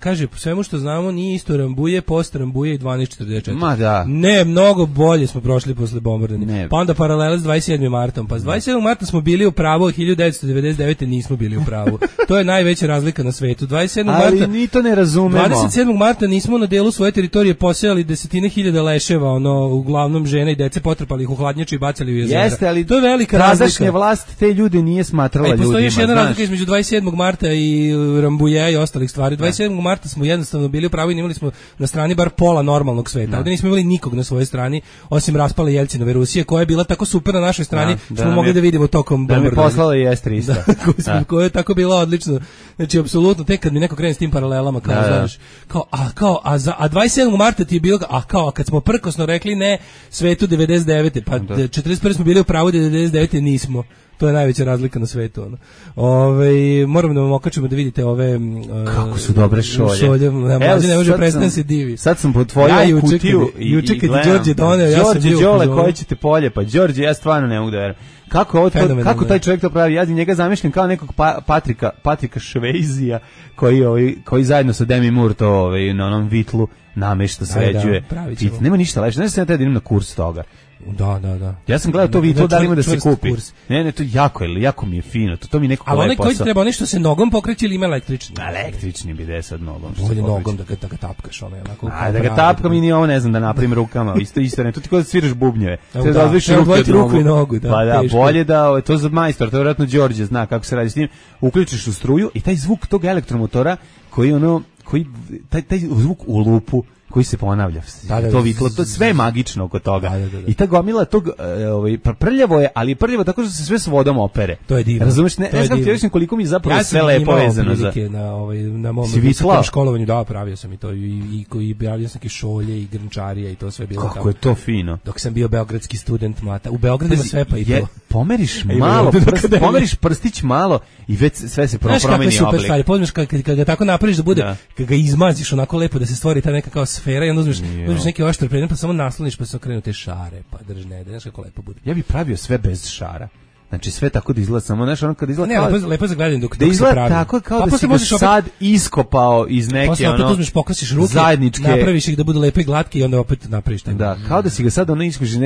Speaker 9: kaže, svemu što znamo nije isto Rambuje, post Rambuje i 1244.
Speaker 8: Ma da.
Speaker 9: Ne, mnogo bolje smo prošli posle bombardovanja. Pa onda paralele s 27. martom. Pa s 27. marta smo bili u pravu, 1999. nismo bili u pravu. To je najveća razlika na svetu. 27. marta.
Speaker 8: Ali ni to ne razumemo.
Speaker 9: 27. marta nismo na delu svoje teritorije posejali desetine hiljada leševa, uglavnom žene i dece, potrpali ih u hladnjaču i bacali u jezera.
Speaker 8: Jeste, ali
Speaker 9: to je velika razlika.
Speaker 8: Tadašnja vlast te ljude nije smatrala ljudima.
Speaker 9: Postoji još jedna razlika između 27. marta i Rambuja i ostalih stvari. 27. marta smo jednostavno bili u pravu i imali smo na strani bar pola normalnog sveta. Ovdje nismo imali nikog na svojoj strani, osim raspale Jelcinove Rusije, koja je bila tako super na našoj strani, smo mogli da vidimo tokom bombardovanja.
Speaker 8: Da mi poslala i S-300.
Speaker 9: Koja je tako bila odlično. Znači, apsolutno, tek kad mi neko krene s tim paralelama, kao, znaš, a 27. marta ti je bilo, kad smo prkosno rekli ne svetu 99. Pa 41. smo bili u pravu, 99. nismo. To je najveća razlika na svetu. Moramo da vam okačimo da vidite ove...
Speaker 8: Kako su dobre šolje.
Speaker 9: Mlađe ne može prestane se divi.
Speaker 8: Sad sam potvorio kutiju i gledam.
Speaker 9: Đorđe doneo, ja sam bio...
Speaker 8: Đole, koje ćete polje? Pa Đorđe, ja stvarno ne mogu da verujem. Kako taj čovjek to pravi? Ja njega zamišljam kao nekog Patrika Švejzija koji zajedno sa Demi Moore to na onom vitlu namešta, sređuje. Nema ništa lepše. Znaš da sam ja idem na kurs toga.
Speaker 9: Da.
Speaker 8: Ja sam gledao to vitlo, da li ima da se kupi. Ne, to jako mi je fino. To mi nekako lepo.
Speaker 9: Ali onaj koji treba nešto se nogom pokreće ili ima električni?
Speaker 8: Električni bi da sad nogom.
Speaker 9: Bolje nogom da ga tapkaš.
Speaker 8: Da ga tapkam i nije ovo, ne znam, da napravim rukama. Isto ne, to ti kao da sviraš bubnjeve.
Speaker 9: Sve da razliš ruku i nogu.
Speaker 8: Pa da, bolje da, to za majstor, to vjerojatno Đorđe zna kako se radi s njim. Uključiš u struju i taj zvuk tog elektromotora koji taj zvuk u lupu koji se ponavlja. To vitlo, to sve je magično oko toga.
Speaker 9: Da.
Speaker 8: I ta gomila tog prljavo je, ali prljavo tako što se sve s vodom opere.
Speaker 9: To je divno.
Speaker 8: Razumeš, ne znam ti reći koliko mi zapravo sve lepo vezano za.
Speaker 9: Na mom visokom školovanju, da, pravio sam i to i pravio sam šolje i grnčarija i to sve bilo tamo.
Speaker 8: Kako je to fino.
Speaker 9: Dok sam bio beogradski student mlata. U Beogradu ima sve pa i to.
Speaker 8: Pomeriš malo, pomeriš prstić malo i već sve se promeni oblik.
Speaker 9: Znaš kako je super stvari, pozmiš kad ga tako napraviš da bude, kad ga izmaziš onako lepo da se stvori ta neka kao sfera i onda uzmeš neki oštar predmet pa samo nasloniš pa se okrenu te šare, pa držne, znaš kako lepo bude.
Speaker 8: Ja bih pravio sve bez šara. Znači sve tako da izgleda, samo znaš ono kad izgleda
Speaker 9: ne, lepo za gledanje dok
Speaker 8: da izgleda
Speaker 9: se pravi.
Speaker 8: Tako kao da si ga sad iskopao iz neke
Speaker 9: posle opet uzmeš, pokrasiš ruke,
Speaker 8: zajedničke,
Speaker 9: napraviš ih da budu lepe i glatke i onda opet napraviš tako.
Speaker 8: Da, kao da si ga sad ono iskoži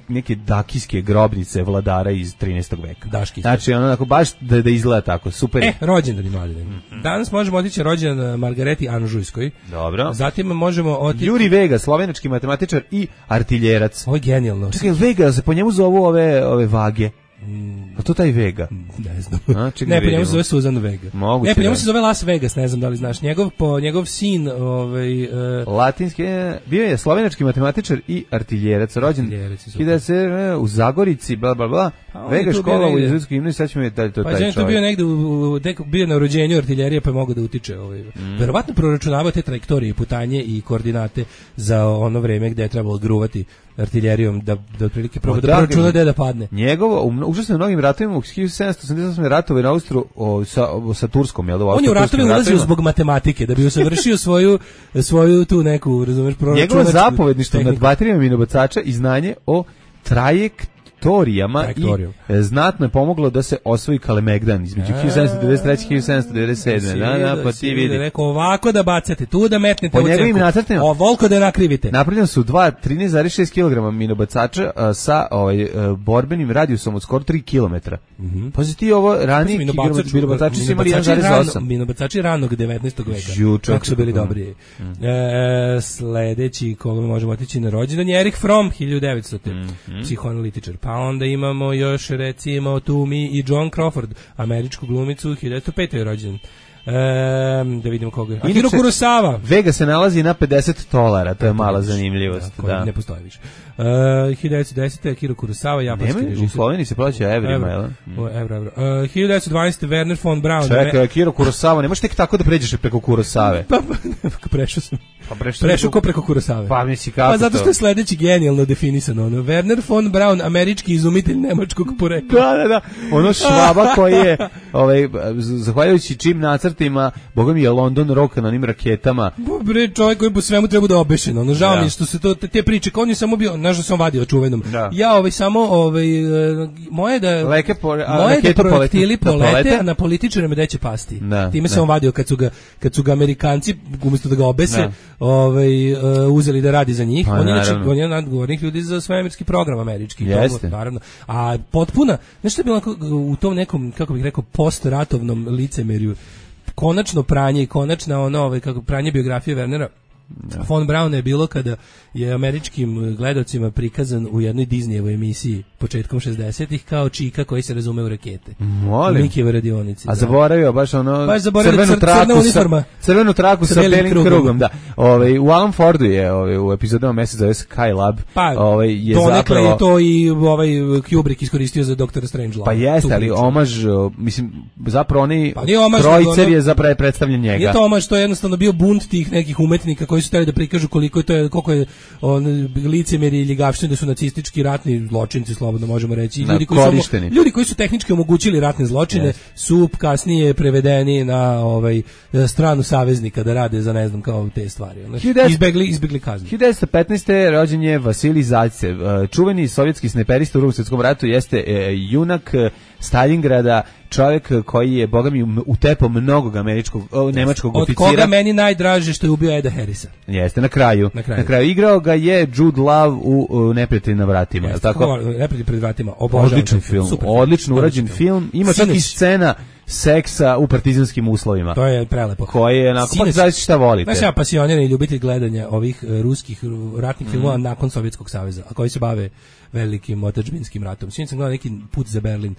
Speaker 8: neke dakijske grobnice vladara iz 13. veka.
Speaker 9: Daški.
Speaker 8: Znači ono onako baš da izgleda tako, super.
Speaker 9: Rođendan mladine. Danas možemo otići rođendan Margareti Anžujskoj.
Speaker 8: Dobro.
Speaker 9: Zatim možemo otići
Speaker 8: Juri Vega, slovenački matematičar i artiljerac.
Speaker 9: Ovo je genijalno.
Speaker 8: Čekaj, Vega, se po njemu zovu ove vage. A to taj Vega?
Speaker 9: Ne znam. Ne, po njemu se zove Suzan Vega.
Speaker 8: Moguće,
Speaker 9: ne, po njemu se zove Las Vegas, ne znam da li znaš. Njegov sin,
Speaker 8: latinski, bio je slovenački matematičar i artiljerac, rođen u Zagorici, bla bla bla. Vega škola u jezuitsku himnu i sad ćemo je to taj čovjek.
Speaker 9: Pa je bio negde, bio na rođenju artiljerije pa je mogao da utiče. Verovatno proračunavao te trajektorije, putanje i koordinate za ono vreme gde je trebalo gruvati artiljerijom da otprilike proba da proračuna gde da padne.
Speaker 8: Njegovo, užasno mnogim ratovima u 1788. ratove na Austru sa Turskom, jel da?
Speaker 9: On je u ratove ulazio zbog matematike, da bi usavršio svoju tu neku, razumeš, proračunačku.
Speaker 8: Njegovo zapovedništvo nad baterijama minobacača i znanje o trajektorijama i znatno je pomoglo da se osvoji Kalemegdan između 1793 i 1797. Pa ti vidi.
Speaker 9: Rekao ovako da bacate, tu da metnete
Speaker 8: po njegovim nacrtima.
Speaker 9: Ovoliko da nakrivite.
Speaker 8: Napravljeno su 13,6 kg minobacača sa borbenim radijusom od skoro 3 km. Pazi ti ovo, ranije minobacači su imali 1,8.
Speaker 9: Minobacači ranog 19. veka. Kako su bili dobri. Sledeći koga možemo otići na rođendan je Erich Fromm, 1900. Psihoanalitičar. Pa onda imamo još recimo tu mi i John Crawford, američku glumicu, 1905. je rođen. Da vidimo koga je. Akira Kurosawa.
Speaker 8: Vega se nalazi na $50, to je mala zanimljivost.
Speaker 9: Da. Ne postoji više. 1910. Akira Kurosawa, japanski režiser.
Speaker 8: U Sloveniji se plaća evrima, jel?
Speaker 9: Evro. 1912. Werner von Braun.
Speaker 8: Čekaj, Akira Kurosawa, ne možeš tek tako da pređeš preko Kurosave.
Speaker 9: Pa prešao sam. Prešao ko preko Kurosave.
Speaker 8: Pa misli kako
Speaker 9: to? Pa zato što je sledeći genijalno definisano. Werner von Braun, američki izumitelj nemačkog porekla.
Speaker 8: Da. Ono Švaba koji je, zahvaljujući čim nacrtima, boga mi je London Rock na onim raketama.
Speaker 9: Bre, čovjek koji po svemu treba da obešen. Ono žao mi što se to te priče, on je samo bio, znaš da sam vadio čuvenom. Da. Ja samo moje da projektili polete, a na političare me deće pasti. Time sam vadio kad su ga Amerikanci umjesto da ga obese, uzeli da radi za njih. On je nadgovornik ljudi za svemirski program američki.
Speaker 8: Jeste.
Speaker 9: Naravno. A potpuna, nešto je bilo u tom nekom, kako bih rekao, postratovnom licemerju, konačno pranje i konačna kako pranje biografije Wernera von Brauna je bilo kada je američkim gledalcima prikazan u jednoj Disneyevoj emisiji početkom 60-ih kao čika koji se razume u rakete.
Speaker 8: Molim.
Speaker 9: Mikijeve radionice.
Speaker 8: A zaboravio baš crvenu traku sa belim krugom. Da. U Alan Fordu je u epizodama Mesec zove Skylab.
Speaker 9: Je donekle je to i Kubrick iskoristio za Dr. Strangelove.
Speaker 8: Pa jeste, ali omaž, mislim, zapravo oni trojicer je zapravo predstavljen njega.
Speaker 9: Nije to omaž, to je jednostavno bio bunt tih nekih umetnika koji su hteli da prikažu koliko je licemeri i ljigavštine, da su nacistički ratni zločinci, slobodno možemo reći. Ljudi koji su tehnički omogućili ratne zločine su kasnije prevedeni na stranu saveznika da rade za ne znam kao te stvari. Izbegli kaznu.
Speaker 8: 1915. rođen je Vasilij Zajcev, čuveni sovjetski snajperista u Drugom svjetskom ratu, jeste junak Stalingrada, čovjek koji je, boga mi, utepao mnogog nemačkog oficira.
Speaker 9: Od koga meni najdraže što je ubio Eda Harrisa.
Speaker 8: Jeste, na kraju. Igrao ga je Jude Law u Neprijatelji na vratima.
Speaker 9: Jeste, Neprijatelji pred vratima.
Speaker 8: Odličan film. Odlično urađen film. Ima čak i scena seksa u partizanskim uslovima.
Speaker 9: To je prelepo.
Speaker 8: Koje je onako, pa znači šta volite.
Speaker 9: Znaš, ja pasioniran i ljubitelj gledanja ovih ruskih ratnih filmova nakon Sovjetskog saveza, a koji se bave velikim otadžbinskim ratom. Sinoć sam gledao neki Put za Berlin.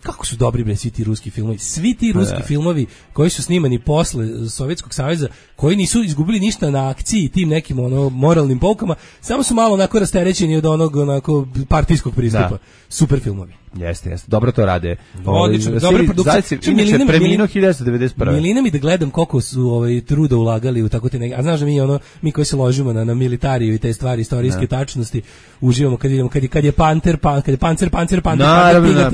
Speaker 9: kako su dobri bre svi ti ruski filmovi. Svi ti ruski filmovi koji su snimani posle Sovjetskog saveza, koji nisu izgubili ništa na akciji tim nekim moralnim poukama, samo su malo onako rasterećeni od onog onako partijskog pristupa. Super filmovi.
Speaker 8: Jeste. Dobro to rade.
Speaker 9: Odlično, dobra produkcija.
Speaker 8: Inače preminuo 1991.
Speaker 9: Milina mi da gledam koliko su truda ulagali u tako te neke. A znaš da mi koji se ložimo na militariju i te stvari istorijske tačnosti, uživamo kad vidimo kad je pancer.
Speaker 8: Naravno,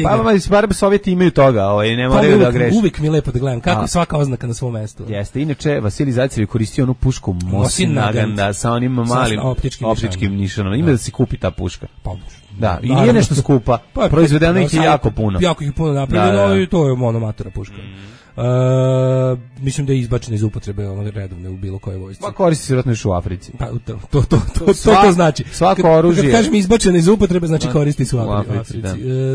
Speaker 8: pa Sovjeti imaju toga, ne moraju da greše.
Speaker 9: Uvijek mi je lepo da gledam kako je svaka oznaka na svom mestu.
Speaker 8: Jeste, inače Vasilij Zajev je koristio onu pušku Mosin Nagant sa onim malim optičkim nišanom. Ima da se kupi ta puška. Da, i nije nešto skupa. Proizvedeno ih je jako puno.
Speaker 9: Jako ih puno napravljeno i to je monomatora puška. Mislim da je izbačena iz upotrebe redovne u bilo kojoj vojsci.
Speaker 8: Pa koristi se vjerojatno još u Africi.
Speaker 9: Pa to znači.
Speaker 8: Svako oružje.
Speaker 9: Kad kažem izbačena iz upotrebe, znači koristi se u Africi.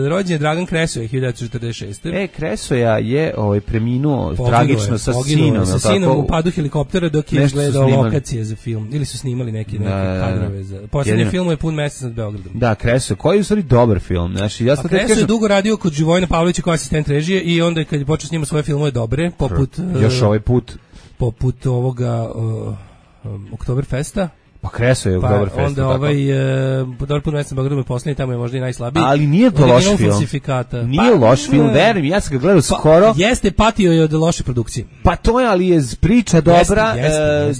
Speaker 9: Rođen je Dragan Kresoja 1946.
Speaker 8: Kresoja je preminuo tragično sa sinom.
Speaker 9: Sa sinom u padu helikoptera dok je gledao lokacije za film. Ili su snimali neke kadrove za. Poslednji film je Pun mesec nad Beogradom.
Speaker 8: Da, Kresoja, koji je u stvari dobar film.
Speaker 9: Kresoja je dugo radio kod Živojina Pavlovića kao asistent režije i onda kad je počeo snimati svoje filmove dobre, poput
Speaker 8: još ovaj put
Speaker 9: poput ovoga Oktoberfesta.
Speaker 8: Pa Kresoje je Oktoberfesta.
Speaker 9: Onda Dobar put mesec na Beogradu poslednji, tamo je možda i najslabiji.
Speaker 8: Ali nije to loš film. Nije loš film, verujem, ja sam ga gledao skoro.
Speaker 9: Jeste, patio je od loše produkcije.
Speaker 8: Pa to je, ali je priča dobra,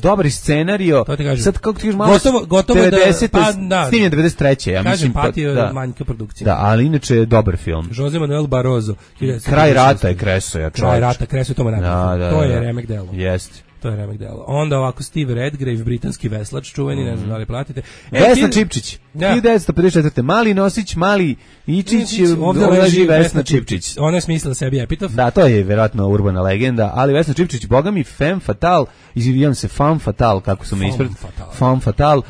Speaker 8: dobar scenario. Sad kako ti kažeš malo
Speaker 9: gotovo
Speaker 8: 90, snimljen 93. Ja
Speaker 9: kažem, patio je manjka produkcije.
Speaker 8: Da, ali inače je dobar film.
Speaker 9: Jose Manuel Barroso.
Speaker 8: Kraj rata je Kresoja.
Speaker 9: Kraj rata, Kresoja to to je remek delo.
Speaker 8: Jeste.
Speaker 9: To je remek delo. Onda ovako Steve Redgrave, britanski veslač, čuveni, ne znam da li platite.
Speaker 8: Vesna Čipčić, 1954. Mali nosić, mali Ičić, ovdje leži Vesna Čipčić.
Speaker 9: Ona je smislila sebi epitaf.
Speaker 8: Da, to je vjerojatno urbana legenda, ali Vesna Čipčić, boga mi, femme fatale, izvijem se, femme fatale, kako su me ispred, femme fatale,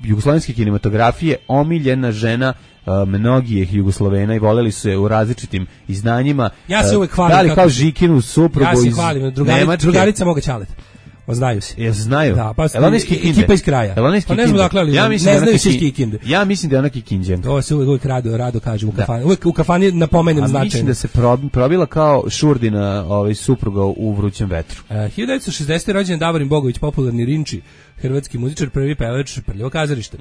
Speaker 8: jugoslovenske kinematografije, omiljena žena mnogih Jugoslovena i voleli su je u različitim izdanjima.
Speaker 9: Ja se uvek hvalim.
Speaker 8: Da li kao Žikinu suprugu iz Nemačke?
Speaker 9: Drugarica moga čaleta. Znaju se.
Speaker 8: Ja znaju.
Speaker 9: Da, pa ekipa iz kraja. Pa ne znam dakle, ali ne znaju se Kikinde.
Speaker 8: Ja mislim da je ona Kikinđanka.
Speaker 9: To se uvek rado kaže u kafani. Uvek u kafani napomenem značajno.
Speaker 8: Mislim da se probila kao Šurdina supruga u Vrućem vetru.
Speaker 9: 1960. rođen Davorin Bogović, popularni Rinči, hrvatski muzičar, prvi pevač Prljavo kazalište.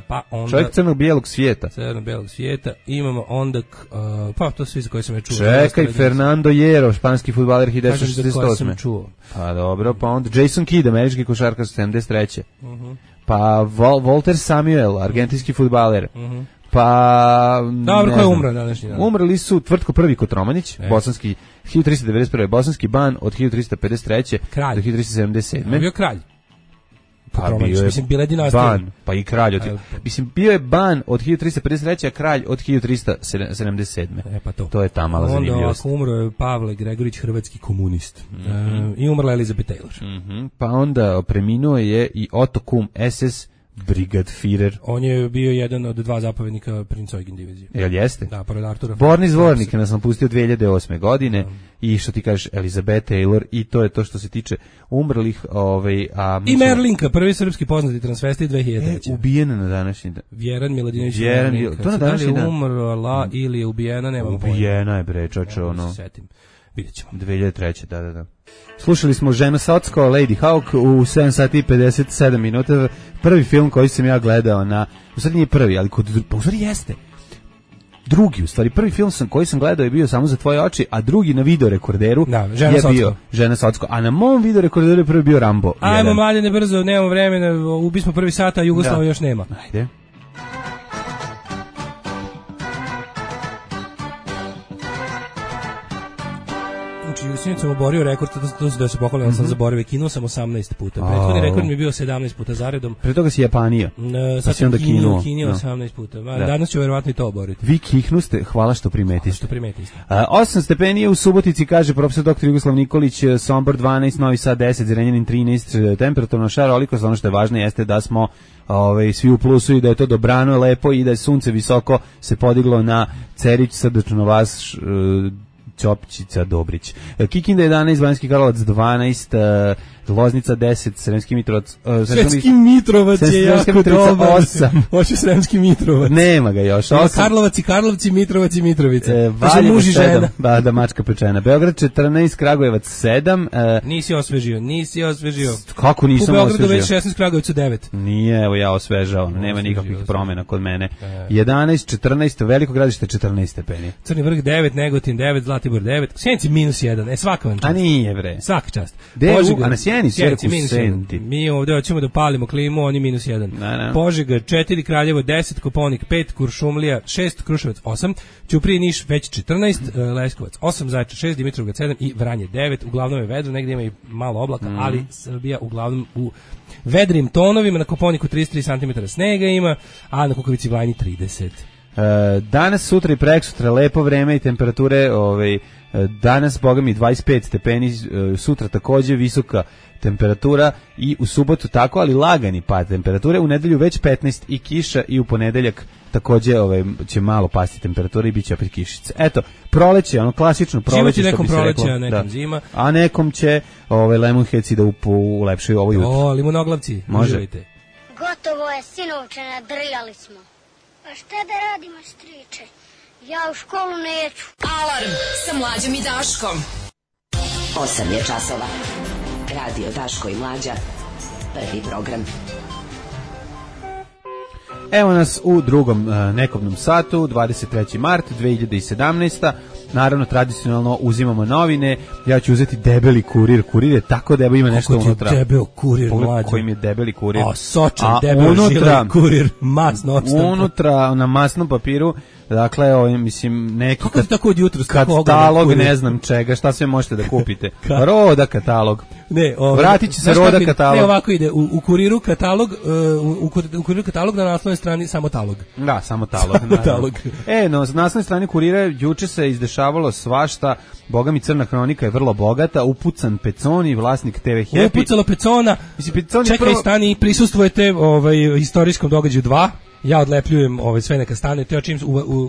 Speaker 9: Pa onda
Speaker 8: čovjek crno-bijelog svijeta.
Speaker 9: Crno-bijelog svijeta. Imamo onda pa to svi za koje sam je čuo.
Speaker 8: Čekaj, Fernando Hierro, španski fudbaler 1968. Pa dobro, pa onda Jason Kidd, američki košarkaš 73. Pa Walter Samuel, argentinski fudbaler. Pa
Speaker 9: dobro, ko je umro današnji dan?
Speaker 8: Umrli su Tvrtko Prvi Kotromanić, bosanski 1391. bosanski ban od 1353. do 1377.
Speaker 9: Bio kralj.
Speaker 8: Pa bio je ban, pa i kralj. Mislim, bio je ban od 1353. a kralj od 1377.
Speaker 9: Pa
Speaker 8: to je ta mala zanimljivost.
Speaker 9: Onda umro je Pavle Gregorić, hrvatski komunist. I umrla Elizabeth Taylor.
Speaker 8: Pa onda preminuo je i Otto Kuhn, SS Brigadführer.
Speaker 9: On je bio jedan od dva zapovjednika Princ Eugen divizije.
Speaker 8: Jel jeste?
Speaker 9: Da, pored Artura.
Speaker 8: Borni zvornik nas nam pustio 2008. godine i što ti kažeš Elizabeth Taylor i to je to što se tiče umrlih. I
Speaker 9: Merlinka, prvi srpski poznati transvestit 2003.
Speaker 8: Ubijena na današnji dan.
Speaker 9: Vjeran Miladinović.
Speaker 8: To na današnji dan.
Speaker 9: Umrla ili je ubijena, nemam pojma.
Speaker 8: Ubijena je bre, čoče, ono.
Speaker 9: Vidjet ćemo.
Speaker 8: 2003. Da. Slušali smo Žena Socko, Lady Hawk u 7 sati i 57 minuta. Prvi film koji sam ja gledao u stvari nije prvi, ali u stvari jeste. Drugi, u stvari, prvi film koji sam gledao je bio Samo za tvoje oči, a drugi na videorekorderu je bio Žena Socko. A na mom videorekorderu je prvi bio Rambo 1.
Speaker 9: Ajmo, Mlađane, brzo, nemamo vremena, ubismo prvi sat, a Jugoslava još nema.
Speaker 8: Ajde.
Speaker 9: Sinoć sam oborio rekord, to da se pohvalim, sam zaboravio, kinuo sam 18 puta. Prethodni rekord mi je bio 17 puta zaredom.
Speaker 8: Pre toga si Japanija.
Speaker 9: Sad sam kinuo 18 puta. Danas ću verovatno i to oboriti.
Speaker 8: Vi kihnuste, hvala što primetiste. 8 stepeni je u Subotici, kaže profesor dr. Jugoslav Nikolić, Sombor 12, Novi Sad 10, Zrenjanin 13, temperaturno šarolikost, ono što je važno jeste da smo svi u plusu i da je to dobrano, lepo i da je sunce visoko se podiglo na Cerić, srdačno vas, Ćopčica, Dobrić. Kikinda 11, Banjski Karlovac 12, Loznica 10, Sremski Mitrovac.
Speaker 9: Sremski Mitrovac je jako dobar.
Speaker 8: 8.
Speaker 9: Hoće Sremski Mitrovac.
Speaker 8: Nema ga još.
Speaker 9: 8. Karlovac i Karlovci, Mitrovac i Mitrovica.
Speaker 8: Valjevo muž i žena. Da, mačka pečena. Beograd 14, Kragujevac 7.
Speaker 9: Nisi osvežio.
Speaker 8: Kako nisam osvežio?
Speaker 9: U Beogradu već 16, Kragujevcu 9.
Speaker 8: Nije, evo ja osvežavam. Nema nikakvih promjena kod mene. 11, 14, Veliko Gradište 14 stepeni.
Speaker 9: Crni vrh 9, Negotin 9, Zlatibor 9. Sjenica -1. Svaka vam čast.
Speaker 8: A nije bre.
Speaker 9: Svaka čast.
Speaker 8: A na Sjenici -1.
Speaker 9: Mi ovdje hoćemo da palimo klimu, oni -1. Požega 4, Kraljevo 10, Koponik 5, Kuršumlija 6, Kruševac 8, Ćuprija Niš već 14, Leskovac 8, Zaječar 6, Dimitrovgrad 7 i Vranje 9. Uglavnom je vedro, negdje ima i malo oblaka, ali Srbija uglavnom u vedrim tonovima. Na Koponiku 33 cm snega ima, a na Kukavici Vlajni 30.
Speaker 8: Danas, sutra i preksutra lepo vreme i temperature, danas bogami 25 stepeni, sutra takođe visoka temperatura i u subotu tako, ali lagani pad temperature, u nedelju već 15 i kiša i u ponedeljak takođe će malo pasti temperatura i bit će opet kišice. Eto, proleće, ono klasično proleće, što bi se reklo.
Speaker 9: Proleće, a nekom zima.
Speaker 8: A nekom će Lemonheadsi da ulepšaju ovo jutro.
Speaker 9: O, limonoglavci, uživajte.
Speaker 12: Gotovo je, sinovče, nadrljali smo. A šta da radimo, striče? Ja u školu neću.
Speaker 7: Alarm sa Mlađom i Daškom.
Speaker 1: 8 je časova. Radio Daško i Mlađa. Prvi program.
Speaker 8: Evo nas u drugom nekobnom satu, 23. mart 2017. Naravno, tradicionalno uzimamo novine. Ja ću uzeti debeli kurir. Kurir je tako debel, ima nešto unutra.
Speaker 9: Kako ti je debel kurir, Mlađo?
Speaker 8: Kojim je debeli kurir.
Speaker 9: Sočan, debel, žilan kurir, masno odštampa.
Speaker 8: Unutra, na masnom papiru, dakle, mislim, neki
Speaker 9: kako ti tako od jutra
Speaker 8: katalog, ne znam čega, šta sve možete da kupite. Roda katalog.
Speaker 9: Ne,
Speaker 8: vratit će se Roda katalog.
Speaker 9: Ne, ovako ide, u kuriru katalog, u kuriru katalog na naslovnoj strani samo talog.
Speaker 8: Da, samo talog. No, na naslovnoj strani kurira juče se izdešavalo svašta. Boga mi, Crna hronika je vrlo bogata. Upucan Peconi, vlasnik TV Happy.
Speaker 9: Upucalo Pecona. Čekaj, stani, prisustvujete istorijskom događaju 2. Ja odlepljujem sve neka stane, te čim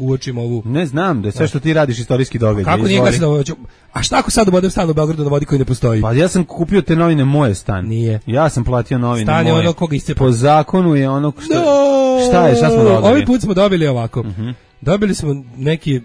Speaker 9: uočim ovu.
Speaker 8: Ne znam, da je sve što ti radiš istorijski događaj.
Speaker 9: Kako nije glasno da a šta ako sad ubodem stan u Beogradu na vodi koji ne postoji?
Speaker 8: Pa ja sam kupio te novine moje stan.
Speaker 9: Nije.
Speaker 8: Ja sam platio novine
Speaker 9: stan
Speaker 8: moje.
Speaker 9: Stan je ono koga iscepa.
Speaker 8: Po zakonu je ono šta je, šta smo dobili?
Speaker 9: Ovaj put smo dobili ovako. Dobili smo neki,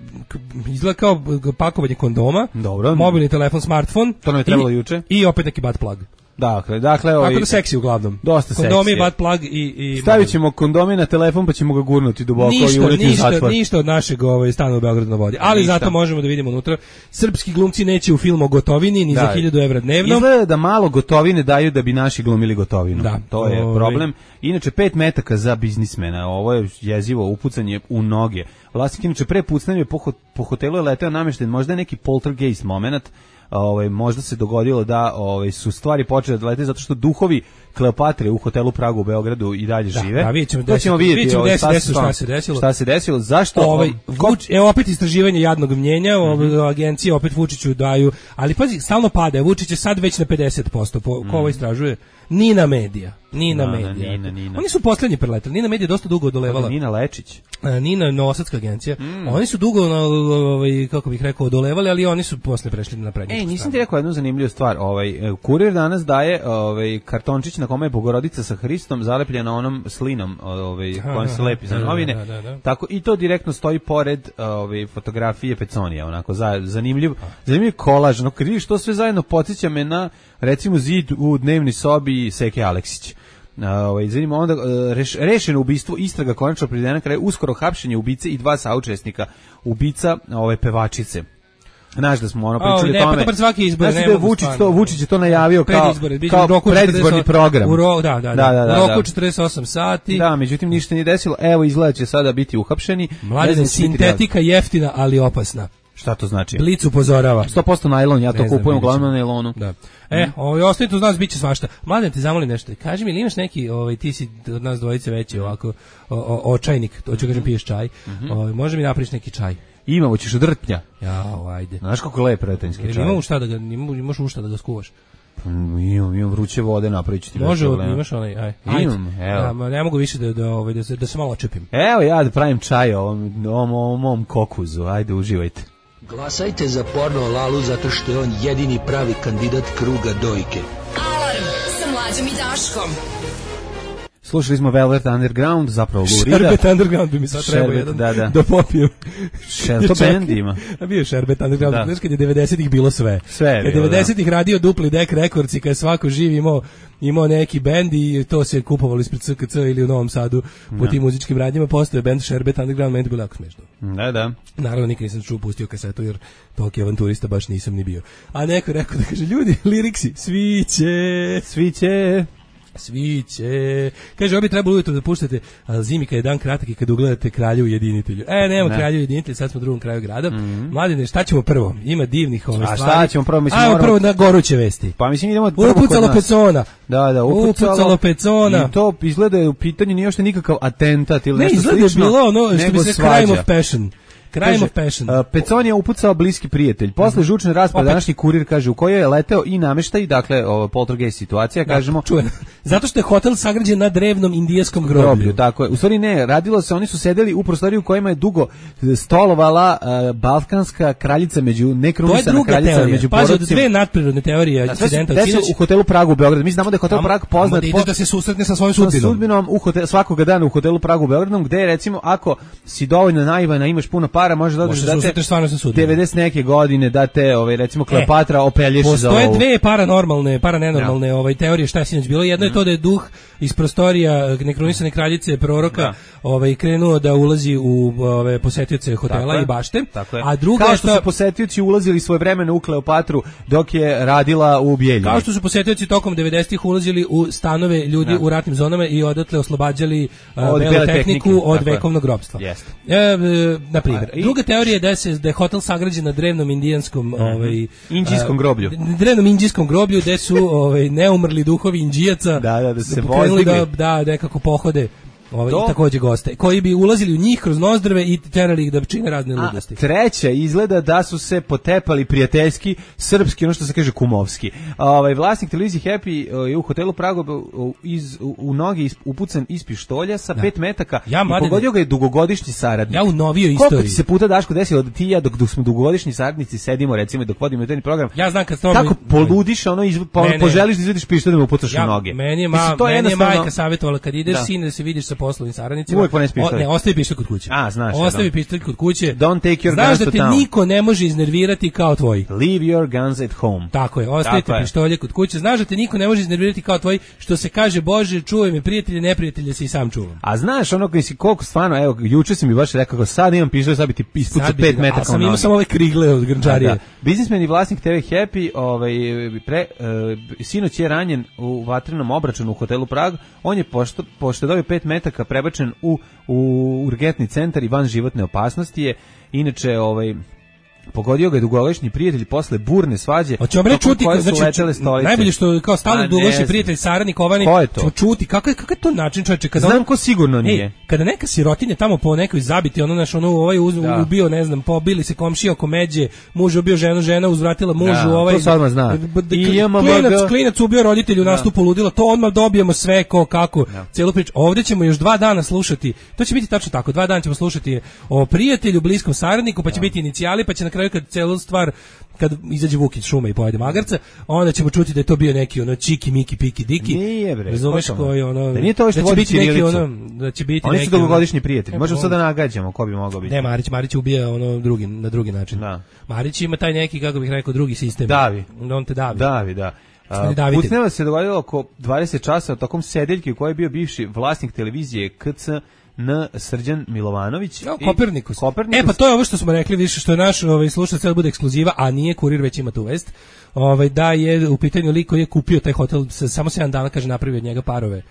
Speaker 9: izgleda kao pakovanje kondoma.
Speaker 8: Dobro.
Speaker 9: Mobilni telefon, smartfon.
Speaker 8: To nam je trebalo juče.
Speaker 9: I opet neki butt plug.
Speaker 8: Dakle,
Speaker 9: tako da seksi uglavnom.
Speaker 8: Dosta seksi.
Speaker 9: Kondomi, butt plug i
Speaker 8: stavit ćemo kondome na telefon pa ćemo ga gurnuti duboko i ureti u zatvor.
Speaker 9: Ništa od našeg stana u Beogradu na vodi. Ali zato možemo da vidimo unutra. Srpski glumci neće u filmu o Gotovini ni za 1000 evra dnevno.
Speaker 8: Izgleda da malo Gotovine daju da bi naši glumili Gotovinu. Da, to je problem. Inače 5 metaka za biznismena. Ovo je jezivo upucanje u noge. Vlasnik inače pre pucnjave po hotelu je leteo namešten, možda je neki poltergeist moment. Možda se dogodilo da su stvari počele da lete zato što duhovi Kleopatre u hotelu Pragu u Beogradu i dalje žive.
Speaker 9: Da, vidjet ćemo vidjeti
Speaker 8: šta se desilo. Zašto?
Speaker 9: Evo opet istraživanje jadnog mnjenja, agencije opet Vučiću daju, ali pazi, stalno pada. Vučić je sad već na 50%. Ko ovo istražuje? Nina Medija. Nina. Oni su poslednji preletali. Nina Medija dosta dugo odolevala.
Speaker 8: Nina Lečić.
Speaker 9: Nina Novosadska agencija. Oni su dugo, kako bih rekao, odolevali, ali oni su posle prešli na prednju stranu.
Speaker 8: Nisam ti rekao jednu zanimljivu stvar. Kurir danas daje kartončić na kome je Bogorodica sa Hristom zalepljena onom slinom kojom se lepi za novine. Tako, i to direktno stoji pored fotografije Peconija. Onako, zanimljiv kolaž. Kad vidiš to sve zajedno, podsjeća me na, recimo, zid u dnevnoj sobi Seke Aleksić. Zanima onda rešeno ubistvo, istraga konačno privedena kraj, uskoro hapšenje ubice i 2 saučesnika ubica pevačice. Znaš da smo pričali o tome.
Speaker 9: Pa svaki izbor,
Speaker 8: znači da Vučić je to najavio kao predizborni program.
Speaker 9: U roku 48 sati.
Speaker 8: Da, međutim ništa nije desilo. Evo, izgleda će sada biti uhapšeni.
Speaker 9: Mladen, sintetika jeftina, ali opasna.
Speaker 8: Šta to znači?
Speaker 9: Blic upozorava.
Speaker 8: 100% najlon, ja to kupujem uglavnom na najlonu.
Speaker 9: Da. Ostavite uz nas, bit će svašta. Mladen, te zamolim nešto. Kaži mi, ili imaš neki, ti si od nas dvojice veći ovako, očajnik, to ću kažem piješ čaj. Može mi napriš neki čaj?
Speaker 8: Imamo, ćeš od rtnja.
Speaker 9: Jao, ajde.
Speaker 8: Znaš kako lep retenjski čaj.
Speaker 9: Imaš ušta da ga skuvaš?
Speaker 8: Imam vruće vode, napravit ću ti.
Speaker 9: Može, imaš onaj, aj.
Speaker 8: Imam, evo.
Speaker 9: Ne mogu više da se malo očepim.
Speaker 8: Evo ja da pravim čaj ovom mom kokuzu, ajde, uživajte.
Speaker 11: Glasajte za Porno Lalu zato što je on jedini pravi kandidat kruga dojke.
Speaker 7: Alarm Mlađom i Daškom.
Speaker 8: Slušali smo Velvet Underground, zapravo Lurida.
Speaker 9: Sherbet Underground bi mi sad trebao jedan da popijem.
Speaker 8: To band ima.
Speaker 9: A bio je Sherbet Underground, znaš kad je 90-ih bilo sve. Kad je 90-ih radio dupli Deck Records i kad je svako živ imao neki bend i to se kupovalo ispred SKC ili u Novom Sadu po tim muzičkim radnjima, postoje band Sherbet Underground, meni je bilo jako smešno.
Speaker 8: Da.
Speaker 9: Naravno, nikad nisam pustio kasetu jer toliki avanturista baš nisam ni bio. A neko je rekao da kaže, ljudi, liriksi, sviće. Kaže, obi trebalo ujutro da puštate, ali zimi kad je dan kratak i kad ugledate Kralju ujedinitelju. Nema Kralju ujedinitelju, sad smo u drugom kraju grada. Mladine, šta ćemo prvo? Ima divnih stvari.
Speaker 8: A šta ćemo prvo?
Speaker 9: Ajmo prvo na goruće vesti.
Speaker 8: Pa mislim idemo prvo kod nas.
Speaker 9: Upucalo Pecona.
Speaker 8: Da,
Speaker 9: upucalo Pecona.
Speaker 8: I to izgleda u pitanju nije uopšte nikakav atentat ili nešto slično.
Speaker 9: Ne, izgleda bilo ono što bi se crime of passion. Crime of passion.
Speaker 8: Pecon je upucao bliski prijatelj. Posle žučne rasprave današnji Kurir kaže u kojoj je leteo i nameštaj, dakle poltergeist situacija, kažemo.
Speaker 9: Čujeno. Zato što je hotel sagrađen na drevnom indijskom groblju.
Speaker 8: Tako je. U stvari ne, radilo se, oni su sedeli u prostoriji u kojima je dugo stolovala balkanska kraljica među nekrunisana kraljica među
Speaker 9: porodcima. Pazi, od dve nadprirodne teorije incidenta
Speaker 8: u hotelu Pragu u Beogradu. Mi znamo da je hotel Prag poznat
Speaker 9: po da se susretne sa svojom sudbinom.
Speaker 8: Svakog dana u hotelu Pragu u Beogradu, gde recimo ako si dovoljno naivan, imaš puno para, možeš da odeš da te 90 neke godine da te recimo Kleopatra opelješ za ovo.
Speaker 9: Postoje dve paranormalne teorije šta je sinoć bilo. Jedno je to da je duh iz prostorija nekronisane kraljice proroka krenuo da ulazi u posetioce hotela i bašte. A druga
Speaker 8: kao što su posetioci ulazili svojevremeno u Kleopatru dok je radila u Bijeljini.
Speaker 9: Kao što su posetioci tokom 90-ih ulazili u stanove ljudi u ratnim zonama i odatle oslobađali belu tehniku od vekovnog robstva. Na primjer, druga teorija je da je hotel sagrađen na drevnom indijanskom
Speaker 8: indijskom groblju.
Speaker 9: Drevnom indijskom groblju gde su neumrli duhovi Indžijaca
Speaker 8: da se
Speaker 9: vozili da nekako pohode takođe goste, koji bi ulazili u njih kroz nozdrve i terali ih da čine razne ludosti.
Speaker 8: Treća izgleda da su se potepali prijateljski, srpski, ono što se kaže kumovski. Vlasnik televizije Happy je u hotelu Prago u noge upucan iz pištolja sa 5 metaka i pogodio ga je dugogodišnji saradnik.
Speaker 9: Ja u novijoj istoriji.
Speaker 8: Koliko ti se puta, Daško, desilo da ti ja dok smo dugogodišnji saradnici sedimo recimo dok vodimo taj program.
Speaker 9: Ja znam
Speaker 8: kako poludiš, poželiš da izvediš pištolj da mu upucaš u noge.
Speaker 9: Meni je majka savjetovala kad ideš sine da se vidiš sa poslovnim saradnicima.
Speaker 8: Uvijek ponesi pištolj.
Speaker 9: Ne, ostavi pištolj kod kuće.
Speaker 8: Znaš.
Speaker 9: Ostavi pištolj kod kuće.
Speaker 8: Don't take your
Speaker 9: znaš
Speaker 8: guns to town.
Speaker 9: Znaš da te niko ne može iznervirati kao tvoj.
Speaker 8: Leave your guns at home.
Speaker 9: Tako je, ostavite pištolje kod kuće. Znaš da te niko ne može iznervirati kao tvoj, što se kaže, Bože, čuvaj me prijatelje, neprijatelje se i sam čuvam.
Speaker 8: A znaš ono koji si koliko stvarno, evo, juče si mi baš rekao kako sad imam pištolj, sad bi ti ispucao 5 metaka.
Speaker 9: A sam imao samo ove krigle od grnčarije.
Speaker 8: Biznismen i vlasnik TV Happy, sinoć je ranjen u vatrenom obračunu u hotelu Prag. On je pošto dobio 5 metaka prebačen u urgentni centar i van životne opasnosti je. Inače, pogodio ga je dugogodišnji prijatelj posle burne svađe.
Speaker 9: Hoćemo reći čuti, znači najbolje što kao stalno dugogodišnji prijatelj saradnik ovani, ćemo čuti kakav je to način, čoveče, kada
Speaker 8: znam ko sigurno nije.
Speaker 9: Kada neka sirotinja tamo po nekoj zabiti, ubio, ne znam, pobili se komšija oko međe, muž ubio žena uzvratila mužu,
Speaker 8: to se odmah zna.
Speaker 9: Klinac ubio roditelju, nastupu ludila, to odmah dobijemo sve kako, celu priču. Ovdje ćemo još 2 dana slušati, to će biti tačno tako, 2 dana ćemo slušati o prijatelju, bliskom saradniku, pa će biti inicijali, pa će na kraju kad celu stvar, kad izađe Vuk iz šume i pojede magarca, onda ćemo čuti da je to bio neki čiki, miki, piki, diki.
Speaker 8: Nije bre.
Speaker 9: Razumeš koji
Speaker 8: da nije to što vodi ćirilicu.
Speaker 9: Da će biti
Speaker 8: oni su dugogodišnji prijatelji. Možemo sad da nagađamo ko bi mogao biti.
Speaker 9: Ne, Marić ubija na drugi način.
Speaker 8: Da.
Speaker 9: Marić ima taj neki, kako bih rekao, drugi sistem.
Speaker 8: Davi.
Speaker 9: On te davi.
Speaker 8: Davi, da. Pucnjava se dogodilo oko 20 časa u tokom sedeljke u kojoj je bio bivši vlasnik televizije KC Srđan Milovanović.
Speaker 9: Kopernikus. Pa to je ovo što smo rekli više, što je naš slušalac da bude ekskluziva, a nije Kurir, već ima tu vest. Da je u pitanju lik koji je kupio taj hotel, samo 7 dana, kaže, napravio od njega parove.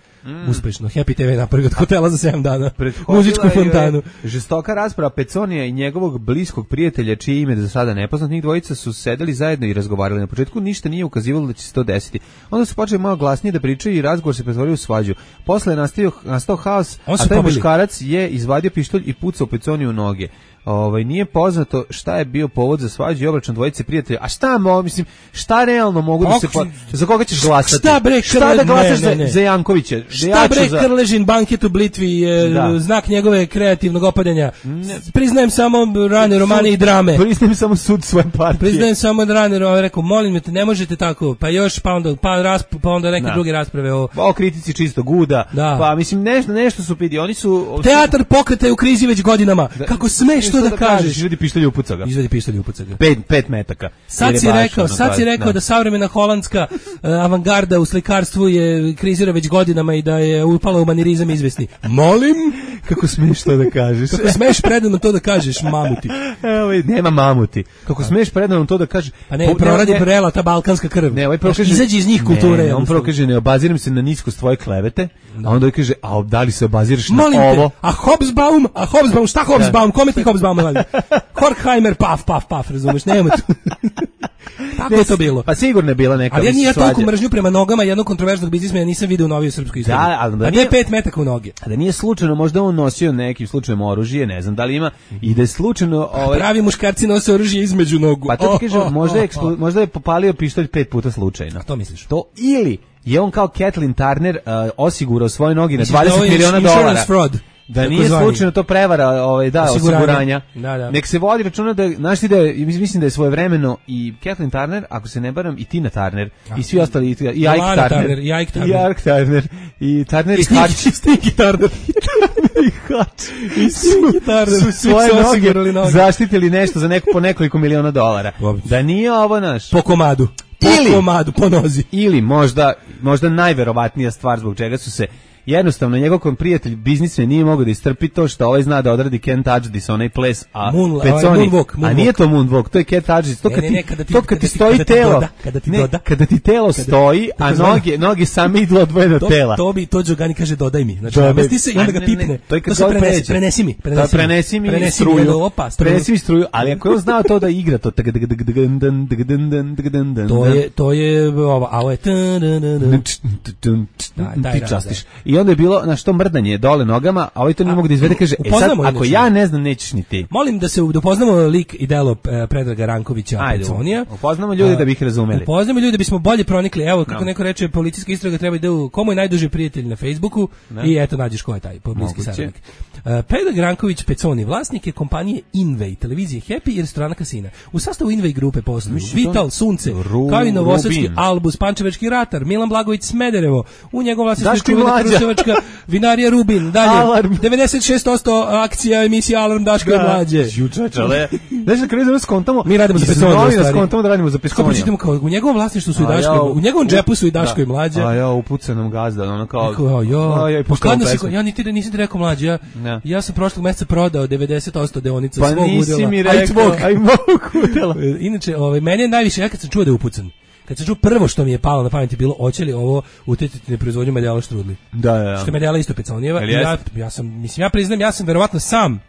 Speaker 9: Uspešno. Happy TV napravio od hotela za 7 dana. Muzičku fontanu.
Speaker 8: Žestoka rasprava Peconija i njegovog bliskog prijatelja, čije ime za sada nepoznat, njih dvojica su sedeli zajedno i razgovarali. Na početku ništa nije ukazivalo da će se to desiti. Onda su počeli malo glasnije da pričaju i razgovor se pretvorio u svađu. Posle je nastao haos, a taj muškarac je izvadio pištolj i pucao Peconiju u noge. nije poznato šta je bio povod za svađu i obračun dvojice prijatelja. A šta realno mogu da se za koga ćeš glasati? Šta da glasaš za Jankovića?
Speaker 9: Šta bre Krležin banket u Blitvi je znak njegove kreativnog opadanja. Priznajem samo rane romane i drame.
Speaker 8: Priznajem samo sud svoje partije.
Speaker 9: Priznajem samo rane romane, rekao molim te ne možete tako. Pa još pa onda neke druge rasprave
Speaker 8: o kritici čistog uda. Pa mislim nešto su pidi, oni su
Speaker 9: teatar pokreta je u krizi već godinama. Kako smeš to da kažeš?
Speaker 8: Izvedi pištolj u puca ga. 5 metaka.
Speaker 9: Sad si rekao da savremena holandska avangarda u slikarstvu je krizira već godinama i da je upala u manirizam izvesni. Molim?
Speaker 8: Kako smeš to da kažeš?
Speaker 9: Kako smeš predano to da kažeš, mamuti?
Speaker 8: Evo, nema mamuti. Kako smeš predano to da kažeš?
Speaker 9: Pa ne, proradi prela ta balkanska krv.
Speaker 8: Ne, kaže
Speaker 9: izađi iz njih kulture.
Speaker 8: Ne, on prvo kaže ne obaziram se na niskost tvoje klevete, a onda kaže a da li se obaziraš na ovo?
Speaker 9: A Hobsbawm, šta Hobsbawm? Kome ti Hobsbawm radi? Horkheimer, paf, razumeš, nema tu. Tako je to bilo.
Speaker 8: Pa sigurno je bila neka.
Speaker 9: Ali ja nije toliko mržnju prema nogama jednog kontroverznog biznismena nisam video u novijoj srpskoj istoriji.
Speaker 8: Da, ali
Speaker 9: nije 5 metaka u noge.
Speaker 8: A da nije slučajno, možda on nosio nekim slučajem oružje, ne znam da li ima, i da je slučajno
Speaker 9: pravi muškarci nose oružje između nogu.
Speaker 8: Pa to ti kažem, možda je popalio pištolj 5 puta slučajno.
Speaker 9: A to misliš?
Speaker 8: To ili je on kao Kathleen Turner osigurao svoje nogi na $20 miliona. Da nije slučajno to prevara osiguranja. Nek se vodi računa da, znaš ti da je, mislim da je svojevremeno i Kathleen Turner, ako se ne baram, i Tina Turner, i svi ostali, i Ike Turner, i Ike Turner, i Turner i Hatch,
Speaker 9: Stinky Turner,
Speaker 8: i Hatch, i su svoje noge zaštitili nešto za po nekoliko miliona dolara. Da nije ovo naš.
Speaker 9: Po komadu, po nozi.
Speaker 8: Ili možda najverovatnija stvar zbog čega su se jednostavno njegov prijatelj biznismen nije mogao da istrpi to što ovaj zna da odradi Can't Touch This, onaj ples, a Peconi, a nije to Moonwalk, to je Can't Touch This, to kad ti stoji telo, kada ti telo stoji, a noge same idu odvojeno od tela.
Speaker 9: To Đogani kaže dodaj mi, znači namesti se i onda ga pipne, to se prenesi mi struju, ali ako je on znao to da igra to, to je ovo je
Speaker 8: ti častiš. I onda je bilo na što mrdanje dole nogama, a ovaj to nije mogu da izvede, kaže, sad, ako ja ne znam, nećeš ni ti.
Speaker 9: Molim da se upoznamo lik i delo Predraga Rankovića Peconija.
Speaker 8: Upoznamo ljudi da bi ih razumeli.
Speaker 9: Upoznamo ljudi da bismo bolje pronikli. Evo, kako neko reče, policijska istraga treba da komu je najduži prijatelj na Facebooku i eto, nađeš ko je taj bliski saradnik. Predrag Ranković Peconi, vlasnik je kompanije Invej, televizije Happy i restorana Kasina. U sastavu Invej grupe posluju Vital, Sunce, kao i Novosadski Albus, Pančevački Ratar, Milan Blagović Smederevo, u njegov vlasništvu Kruševačka vinarija Rubin, dalje, Alarm. 96% akcija emisija Alarm Daško i Mlađe.
Speaker 8: Znači, kada idemo skontamo,
Speaker 9: mi radimo za Peconija.
Speaker 8: Skontamo da radimo za Peconija.
Speaker 9: U njegovom vlasništvu su i Daško, u njegovom džepu su i Daško i Mlađe.
Speaker 8: A ja, upuca nam gazda, ono kao...
Speaker 9: Ja nisi ti rekao Mlađe, ja sam prošlog mjeseca prodao 90% deonica svog udjela.
Speaker 8: Pa nisi mi rekao, aj mog udjela.
Speaker 9: Inače, meni je najviše, ja kad sam čuo da je upucan, kad sam čuo prvo što mi je palo na pamet je bilo hoće li ovo utjecati na proizvodnju medijala štrudli.
Speaker 8: Da.
Speaker 9: Što je medijala isto Peconijeva. Ja priznam, ja sam verovatno sam.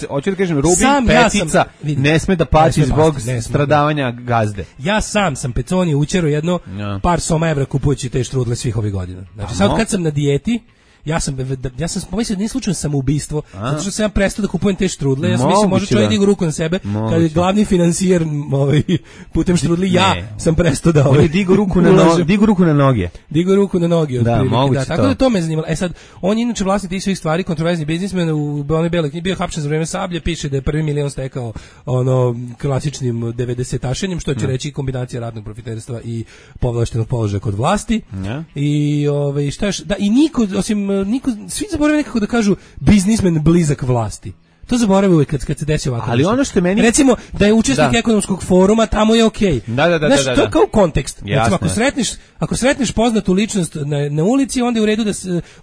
Speaker 8: Hoću da kažem, Rubin, Petica ne sme da paći zbog stradavanja gazde.
Speaker 9: Ja sam Peconije učero jedno par soma evra kupujući te štrudle svih ovih godina. Znači sad kad sam na dijeti, ja sam pomislio da nije slučajno samoubistvo, zato što sam ja prestao da kupujem te štrudle. Ja sam mislio može čovjek digu ruku na sebe, kad je glavni financijer putem štrudli, ja sam prestao da
Speaker 8: digu ruku na noge.
Speaker 9: Digu ruku na noge,
Speaker 8: otprilike.
Speaker 9: Tako da to me zanimalo. Svsad, on je inače vlasnik tih svih stvari, kontroverzni biznismen, u onoj beloj knjigi bio hapšen za vreme Sablje, piše da je $1 milion stekao klasičnim 90-tašenjem, što će reći kombinacija radnog profiterstva i povlaštenog položaja kod vlasti. I šta još, da i niko osim svi zaboravaju nekako da kažu biznismen blizak vlasti. To zaboravaju uvijek kad se desi ovako.
Speaker 8: Ali ono što meni...
Speaker 9: Recimo, da je učesnik ekonomskog foruma, tamo je okej. Znaš, to je kao kontekst.
Speaker 8: Jasne.
Speaker 9: Recimo, ako sretneš poznatu ličnost na ulici, onda je u redu da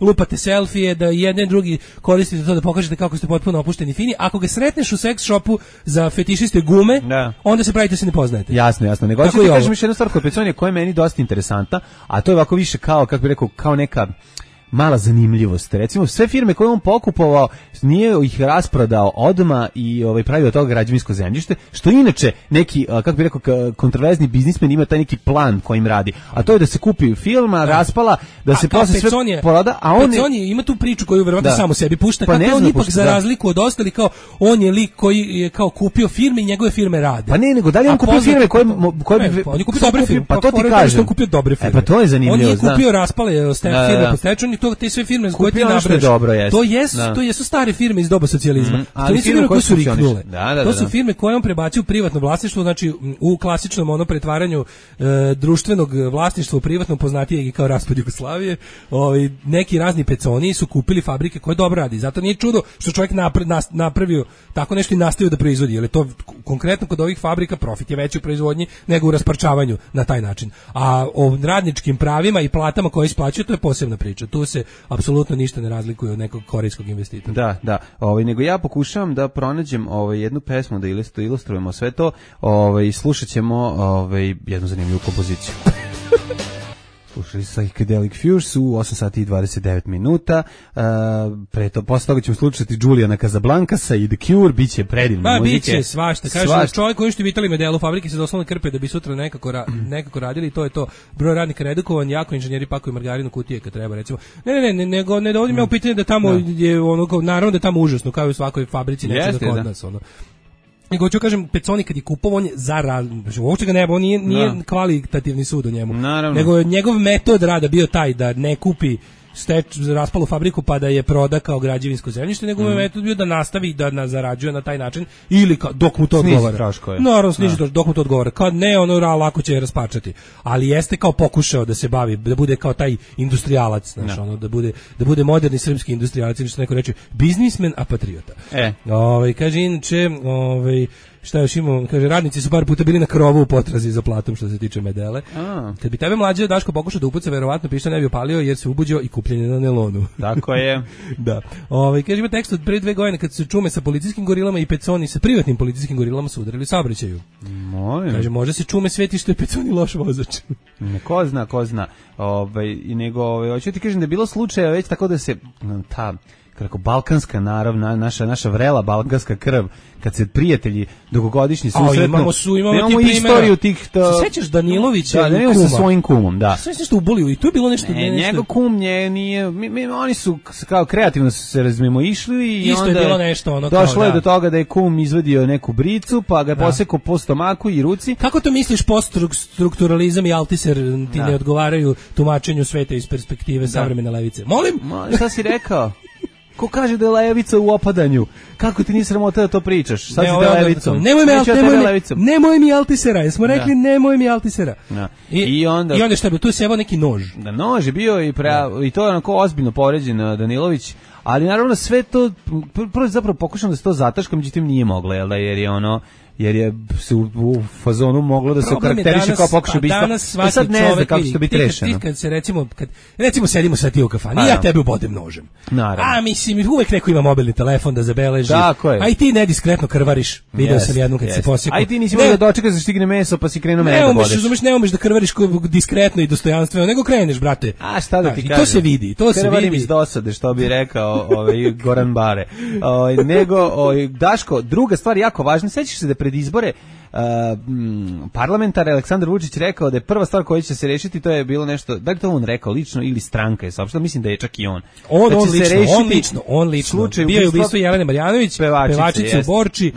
Speaker 9: lupate selfije, da jedne i drugi koristite to da pokažete kako ste potpuno opušteni i fini. Ako ga sretneš u seks shopu za fetišiste gume, onda se pravite se ne poznajete.
Speaker 8: Jasno. Nego ću ti kažem još jednu stvar kod Peconija koja je meni dosta interesantna, a to je ovako više kao, kako bih rekao, kao neka... mala zanimljivost. Recimo, sve firme koje on pokupovao, nije ih rasprodao odma i pravio od toga građevinsko zemljište, što inače neki, kako bi rekao, kontroverzni biznismen ima taj neki plan kojim radi. A to je da se kupi firma, raspala, da se posle sve proda, a on
Speaker 9: ima tu priču koju verovatno samo sebi pušta, kako on ipak za razliku od ostalih, kao on je lik koji je kao kupio firme i njegove firme rade.
Speaker 8: Pa ne, nego da li on kupio firme koje
Speaker 9: on je kupio dobre firme,
Speaker 8: pa to ti kažem.
Speaker 9: On kupio dobre firme.
Speaker 8: Pa to je zanimljivo.
Speaker 9: On nije kupio raspale firme po stečaju, ni to te sve firme koje ti nabrajaš. To jesu stare firme iz doba socijalizma. To nisu firme koje su riknule. To su firme koje on prebacio u privatno vlasništvo, znači u klasičnom pretvaranju društvenog vlasništva u privatno, poznatije i kao raspad Jugoslavije. Neki razni peconi su kupili fabrike koje dobro radi. Zato nije čudo što čovjek napravio tako nešto i nastavio da proizvodi, jer je to konkretno kod ovih fabrika profit je veći u proizvodnji nego u rasparčavanju na taj način. A o radničkim pravima i platama koje isplaćuju, to je posebna priča. Tu se apsolutno ništa ne razlikuje od nekog korejskog investitora.
Speaker 8: Da. Nego ja pokušavam da pronađem jednu pesmu da ilustrujemo sve to. Slušat ćemo jednu zanimljivu kompoziciju. Slušali su Psychedelic Fuse u 8 sati i 29 minuta. Posle toga ćemo slušati Juliana Casablancasa i The Cure, bit će predivne muzike.
Speaker 9: Bit će svašta. Kaže, čovjek koji što vitali medelu fabrike se doslovno krpe da bi sutra nekako radili, to je to. Broj radnika redukovan, jako inženjeri pakuju margarinu kutije kad treba, recimo. Ne dovodim ja u pitanje da tamo je naravno da je tamo užasno, kao i u svakoj fabrici, neće da kod nas, Nego ću kažem, Peconi kad je kupovao, on je uopće ga neba, on nije kvalitativni sud o njemu.
Speaker 8: Naravno.
Speaker 9: Nego je njegov metod rada bio taj da ne kupi raspalu fabriku pa da je proda kao građevinsko zemljište, nego je metod bio da nastavi da zarađuje na taj način ili dok mu to odgovara. Naravno, sniži dok mu to odgovara. Kad ne, lako će je raspačati. Ali jeste kao pokušao da se bavi, da bude kao taj industrijalac, znaš, da bude moderni srpski industrijalac, ili što neko reče, biznismen, a patriota. Kaže, inače, šta još imamo? Kaže, radnici su par puta bili na krovu u potrazi za platom što se tiče medele. Kad bi tebe mlađe Daško pokušao da upuca, verovatno pišta ne bi opalio jer se ubuđio i kupljenje na nelonu.
Speaker 8: Tako je.
Speaker 9: Da. Kaže, ima tekst od pre 2 godine kad su čume sa policijskim gorilama i Peconi sa privatnim policijskim gorilama su udarili saobraćaju. Kaže, može se čume sveti što je Peconi loš vozač.
Speaker 8: Ko zna. Hoću ti kažem da je bilo slučaja već tako da se kako balkanska narav, naša vrela balkanska krv, kad se prijatelji dugogodišnji susretnu, imamo istoriju tih...
Speaker 9: Se sećaš Danilovića
Speaker 8: i kuma? Sa svojim kumom, da.
Speaker 9: Sve nešto ubolio i tu je bilo nešto...
Speaker 8: Njegov kum nije... Oni su kao kreativno se razmimo išli i
Speaker 9: isto
Speaker 8: onda...
Speaker 9: je bilo nešto
Speaker 8: došlo je do toga da je kum izvadio neku bricu, pa ga posekao po stomaku i ruci.
Speaker 9: Kako to misliš, poststrukturalizam i Altiser ti ne odgovaraju tumačenju sveta iz perspektive savremene levice? Molim?
Speaker 8: Šta si rekao? Ko kaže da je levica u opadanju? Kako ti nisi sramota da to pričaš? Sad si da levicom.
Speaker 9: Nemoj mi Altisera. Jesmo rekli nemoj mi Altisera. I onda šta bi tu sevao neki nož.
Speaker 8: Da, nož je bio i to je onako ozbiljno povređen Danilović. Ali naravno sve to, prvo zapravo pokušam da se to zataška, međutim nije moglo, jer je se u fazonu moglo da se okarakteriše kao pokušaj ubistva. Sad ne zna kako će to biti rešeno.
Speaker 9: Kad se recimo sedimo sad ti u kafani, ja tebe ubodem nožem. A mislim, uvek neko ima mobilni telefon da zabeleži. A i ti nediskretno krvariš. Video sam jednom kad se posjekao.
Speaker 8: A i ti nisi mogao da dočekaš da stigne meso pa si krenuo mene da bodeš.
Speaker 9: Ne umeš da krvariš diskretno i dostojanstveno, nego kreneš, brate.
Speaker 8: A šta da ti kažem?
Speaker 9: To se vidi.
Speaker 8: Krvarim iz dosade, što bi rekao Goran Bare. Daško, druga stvar jako važna, sećaš se da pred izbore parlamentar Aleksandar Vučić rekao da je prva stvar koja će se rešiti, to je bilo nešto, da li to on rekao lično ili stranka je saopštila, mislim da je čak i on.
Speaker 9: On lično. Bio je ubistvo Jelene Marjanović, pevačice u Borči,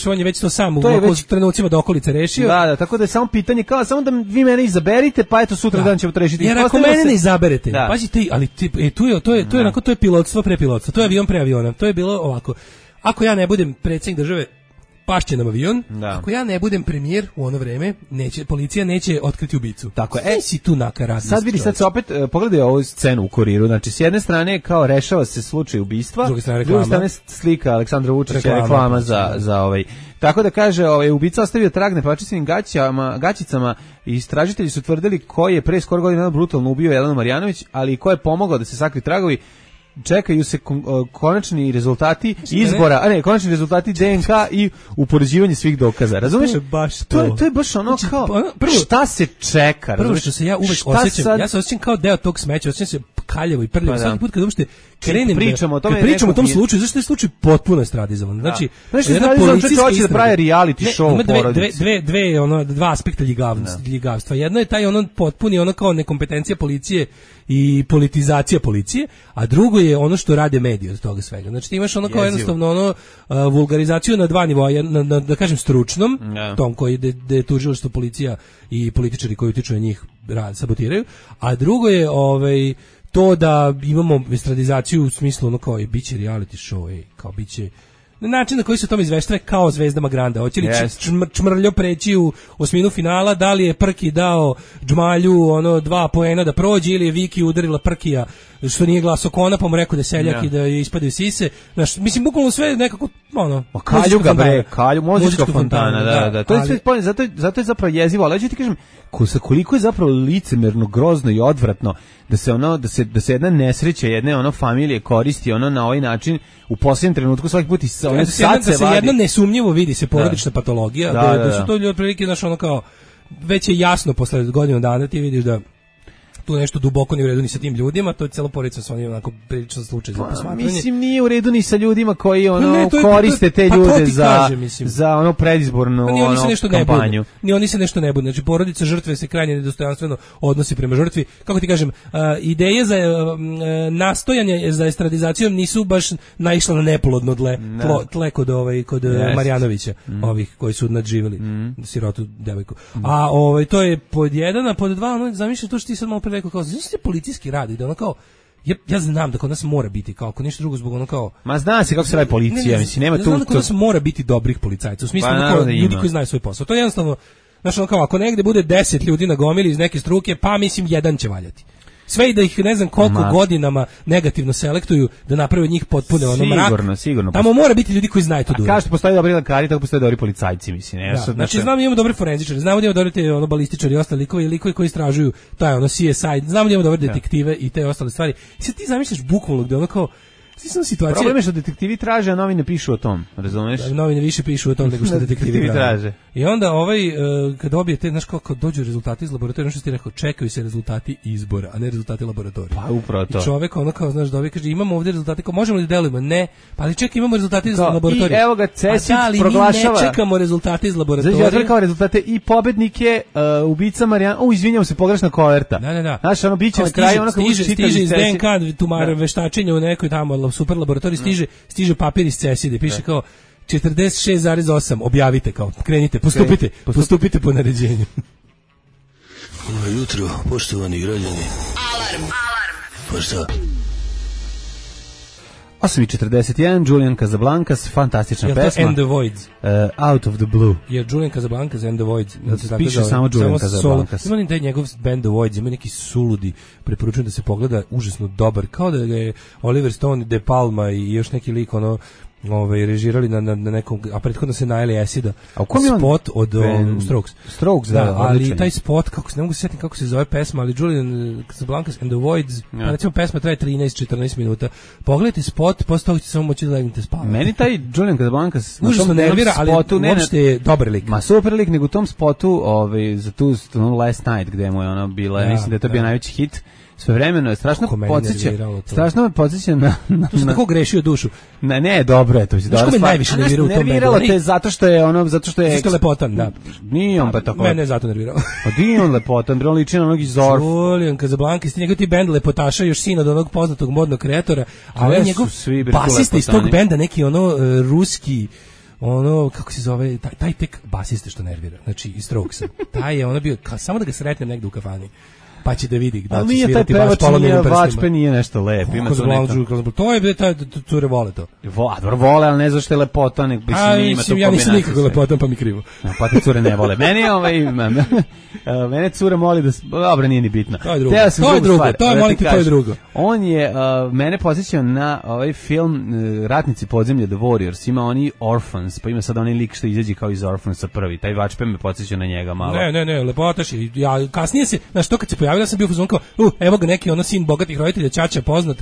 Speaker 9: on je već to sam u trenucima do okolice rešio.
Speaker 8: Da, tako da je samo pitanje, kao samo da vi mene izaberite, pa eto sutra dan ćemo to rešiti.
Speaker 9: Jer ako mene ne izaberete, pazite, ali to je pilotstvo pre pilotstva, to je avion pre aviona, to je bilo ovako. Ako ja ne budem predsjednik države, pašće nam avion. Ako ja ne budem premijer u ono vreme, policija neće otkriti ubicu.
Speaker 8: Tako je.
Speaker 9: Si tu nakaradni.
Speaker 8: Sad vidi, sad se opet pogledaj ovu scenu u Kuriru. Znači, s jedne strane kao rešava se slučaj ubistva, s druge strane slika Aleksandra Vučića, reklama za ovaj. Tako da kaže, ubica ostavio trag na pevačicinim gaćicama i istražitelji su tvrdili ko je pre skoro godina brutalno ubio Jelenu Marjanović, ali ko je pomogao da se sakri tragovi. čekaju se konačni rezultati izbora, konačni rezultati DNK i upoređivanje svih dokaza. Razumeš?
Speaker 9: To je baš to.
Speaker 8: To je baš ono kao šta se čeka,
Speaker 9: prvo što se ja uvek osjećam, ja se osjećam kao deo tog smeća, osjećam se kaljevo i prljavo. Svaki put kad uopšte krenem
Speaker 8: pričamo
Speaker 9: o tom slučaju, zašto je slučaj potpuno estradizovan. Znači,
Speaker 8: jedna policijska hoće da pravi reality show porodice.
Speaker 9: Dva aspekta ljigavstva. Jedno je taj potpuni kao nekompetencija policije i politizacija policije, a drugo je ono što rade mediji od toga svega. Znači ti imaš kao jednostavno vulgarizaciju na dva nivoa, da kažem stručnom, tom koji je tužilaštvo, policija i političari koji utiču na njih sabotiraju, a drugo je to da imamo estradizaciju u smislu kao biće reality show, kao biće na način na koji se o tome izveštava kao Zvezdama Granda. Hoće li Čmrljo preći u osminu finala, da li je Prki dao Džmalju 2 poena da prođe ili je Viki udarila Prkija što nije glasao Kona, pa mu rekao da je seljak i da je ispadaju sise. Znaš, mislim, bukvalno sve nekako,
Speaker 8: Kaljuga bre, muzička fontana, da. To je sve spoljno, zato je zapravo jezivo, ali ja ću ti kažem, koliko je zapravo licemerno, grozno i odvratno da se jedna nesreća, jedne familije koristi na ovaj način u posljednjem trenutku svaki put i
Speaker 9: da se jedno nesumnjivo vidi se porodična patologija, da su to ljudi otprilike, znaš, kao već je jasno posle godinu dana ti vidiš da tu nešto duboko nije u redu ni sa tim ljudima, to je celo porodica sa onim onako priličan slučaj za posmatranje.
Speaker 8: Mislim, nije u redu ni sa ljudima koji koriste te ljude za predizbornu kampanju.
Speaker 9: Ni oni se nešto ne bude. Znači, porodica žrtve se krajnje nedostojanstveno odnosi prema žrtvi. Kako ti kažem, ideje za nastojanje za estradizacijom nisu baš naišla na neplodno tle kod Marjanovića, ovih koji su nadživjeli sirotu devojku. A to je pod jedan, a pod dva, zamišljam to što ti sad malo pre rekao, kao, znači se policijski radi, da kao, ja znam da kod nas mora biti, kao, ako ništa drugo zbog kao...
Speaker 8: Ma zna se kako se radi policija, mislim, nema tu...
Speaker 9: Znam da kod nas mora biti dobrih policajca, u smislu ljudi koji znaju svoj posao. To je jednostavno, znači, kao, ako negde bude 10 ljudi na gomili iz neke struke, pa mislim, jedan će valjati. Sve i da ih ne znam koliko godinama negativno selektuju da naprave od njih potpune mrak.
Speaker 8: Sigurno.
Speaker 9: Tamo mora biti ljudi koji znaju to dobro.
Speaker 8: Kažete postoje dobri lekari, tako postoje dobri policajci, mislim.
Speaker 9: Znači znamo da imamo dobri forenzičari, znamo da imamo dobri balističari i ostali likovi koji istražuju taj CSI, znamo da imamo dobre detektive i te ostale stvari. I sad ti zamišljaš bukvalno gde kao situacija.
Speaker 8: Problem je što detektivi traže, a novine pišu o tom, razumeš?
Speaker 9: Novine više pišu o tom nego što detektivi traže. I onda kad dobijete, znaš, kako dođu rezultati iz laboratorija, što ti rekao, čekaju se rezultati izbora, a ne rezultati laboratorija.
Speaker 8: Pa upravo to.
Speaker 9: I čovek kao, znaš, dobije, kaže, imamo ovdje rezultate, kao, možemo li delujemo? Ne, pa ali čekaj, imamo rezultate iz laboratorija.
Speaker 8: I evo ga, CESID proglašava.
Speaker 9: Mi ne čekamo rezultate iz laboratorija.
Speaker 8: Znači, ja kao rezultate i pobednike, ubica Marijan, izvinjam se, pogrešna koverta.
Speaker 9: Da.
Speaker 8: Znaš, biće na kraju,
Speaker 9: stiže iz DNK tumar veštačenja u nekoj tamo super laboratoriji, stiže papir iz CESID-a, piše kao 46,8, objavite, kao, krenite, postupite po naređenju.
Speaker 13: Dobro jutro, poštovani građani.
Speaker 7: Alarm.
Speaker 13: Pa šta?
Speaker 8: 8:41, Julian Casablancas, fantastična pesma.
Speaker 9: Je to And the Voids?
Speaker 8: Out of the Blue.
Speaker 9: Je Julian Casablancas And the Voids.
Speaker 8: Piše samo Julian Casablancas.
Speaker 9: Ima taj njegov band The Voids, ima neki suludi, preporučujem da se pogleda, užasno dobar, kao da je Oliver Stone, De Palma i još neki lik, režirali na nekom, a prethodno se najeli Acida.
Speaker 8: A u kom je
Speaker 9: spot od
Speaker 8: Strokes, da,
Speaker 9: ali taj spot, ne mogu se sjetiti kako se zove pesma, ali Julian Casablancas and the Voids, pa recimo pesma traje 13-14 minuta. Pogledajte spot, posle toga ćete samo moći da legnete spavati.
Speaker 8: Meni taj Julian Casablancas
Speaker 9: užasno nervira, ali uopšte je dobar lik.
Speaker 8: Ma super lik, nego u tom spotu za tu Last Night, gde mu je bila, mislim da je to bio najveći hit. Svevremeno je strašno me podsjeća na
Speaker 9: tako grešio dušu.
Speaker 8: Ne, dobro je to.
Speaker 9: Što me najviše nerviralo u tom bendu?
Speaker 8: Nerviralo te zato što je
Speaker 9: lepotan, da.
Speaker 8: Nije on pa tako.
Speaker 9: Mene je zato nervirao.
Speaker 8: Pa nije on lepotan, on liči na onog iz Zorf.
Speaker 9: Julian Casablancas, njegov ti bend lepotaša, još sin od onog poznatog modnog kreatora, a njegov basista iz tog benda, neki ruski, kako se zove, taj tek basista što nervira, znači iz Strokesa. Taj je bio, samo da ga sretnem negde u kafani, pa će da vidi da će svirati baš polomljenim prstima.
Speaker 8: Vačpe nije nešto lep.
Speaker 9: To je cure vole to.
Speaker 8: Vole, ali ne znaš što je lepota.
Speaker 9: Ja nisam nikako lepotan, pa mi krivo.
Speaker 8: Pa te cure ne vole. Mene cure moli da... Dobro, nije ni bitno.
Speaker 9: To je drugo. To je drugo.
Speaker 8: On je mene posjećao na ovaj film Ratnici podzemlja, The Warriors. Ima oni Orphans, pa ima sad onaj lik što izađe kao iz Orphansa prvi. Taj Vačpe me posjećao na njega malo.
Speaker 9: Ne, lepotaš. Kasnije se, znaš, to kad se pojavila ja sam bio fuzon kao, evo ga neki ono sin bogatih roditelja, ćaća poznat,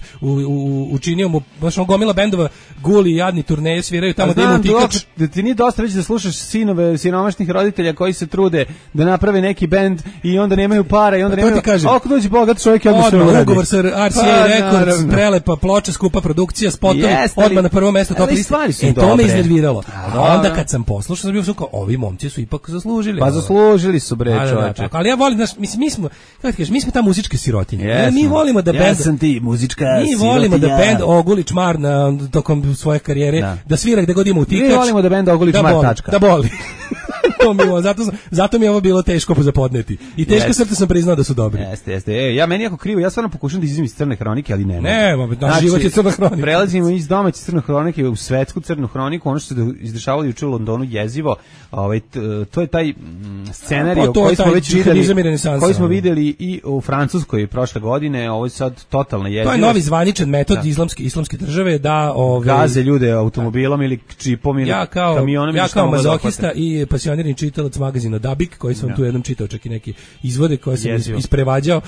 Speaker 9: učinio mu baš on gomila bendova, guli, jadni turneje sviraju tamo da ima utikač.
Speaker 8: Da ti nije dosta već da slušaš sinove siromašnih roditelja koji se trude da naprave neki bend i onda nemaju para i onda nemaju. Ako dođe bogat čovjek, ja da se uradi.
Speaker 9: Ugovor sa RCA Records, prelepa ploča, skupa produkcija, spotovi, odmah na prvo mesto top liste. To me iznerviralo. Onda kad sam poslušao, sam bio kao, ovi momci su ipak zaslužili.
Speaker 8: Pa zaslužili su, bre, čoveče.
Speaker 9: Ali ja volim, mi smo, kako ti kažeš, mi smo ta muzička sirotinja. Mi volimo da bend...
Speaker 8: Ja sam ti muzička sirotinja.
Speaker 9: Mi volimo da bend oguli čmar tokom svoje karijere, da svira gde god ima utikač.
Speaker 8: Mi volimo da bend oguli čmar, tačka.
Speaker 9: Da boli. Zato mi je ovo bilo teško zapodneti. I teško srce sam priznao da su dobri.
Speaker 8: Jeste. Ja meni jako krivo, ja stvarno pokušam da izizim iz crne hronike, ali ne.
Speaker 9: Naš život je crna hronika.
Speaker 8: Prelazimo iz domaće crne hronike u svetsku crnu hroniku, ono što se izdešavalo juče u Londonu jezivo. To je taj scenarij koji smo videli i u Francuskoj prošle godine, ovo je sad totalna jezivo.
Speaker 9: To je novi zvaničan metod islamske države da
Speaker 8: gaze ljude automobilom ili čipom ili kamionom.
Speaker 9: Ja kao mazohista i pasionirani čitalac magazina Dabik, koji sam tu jednom čitao čak i neki izvode koje sam isprevađao.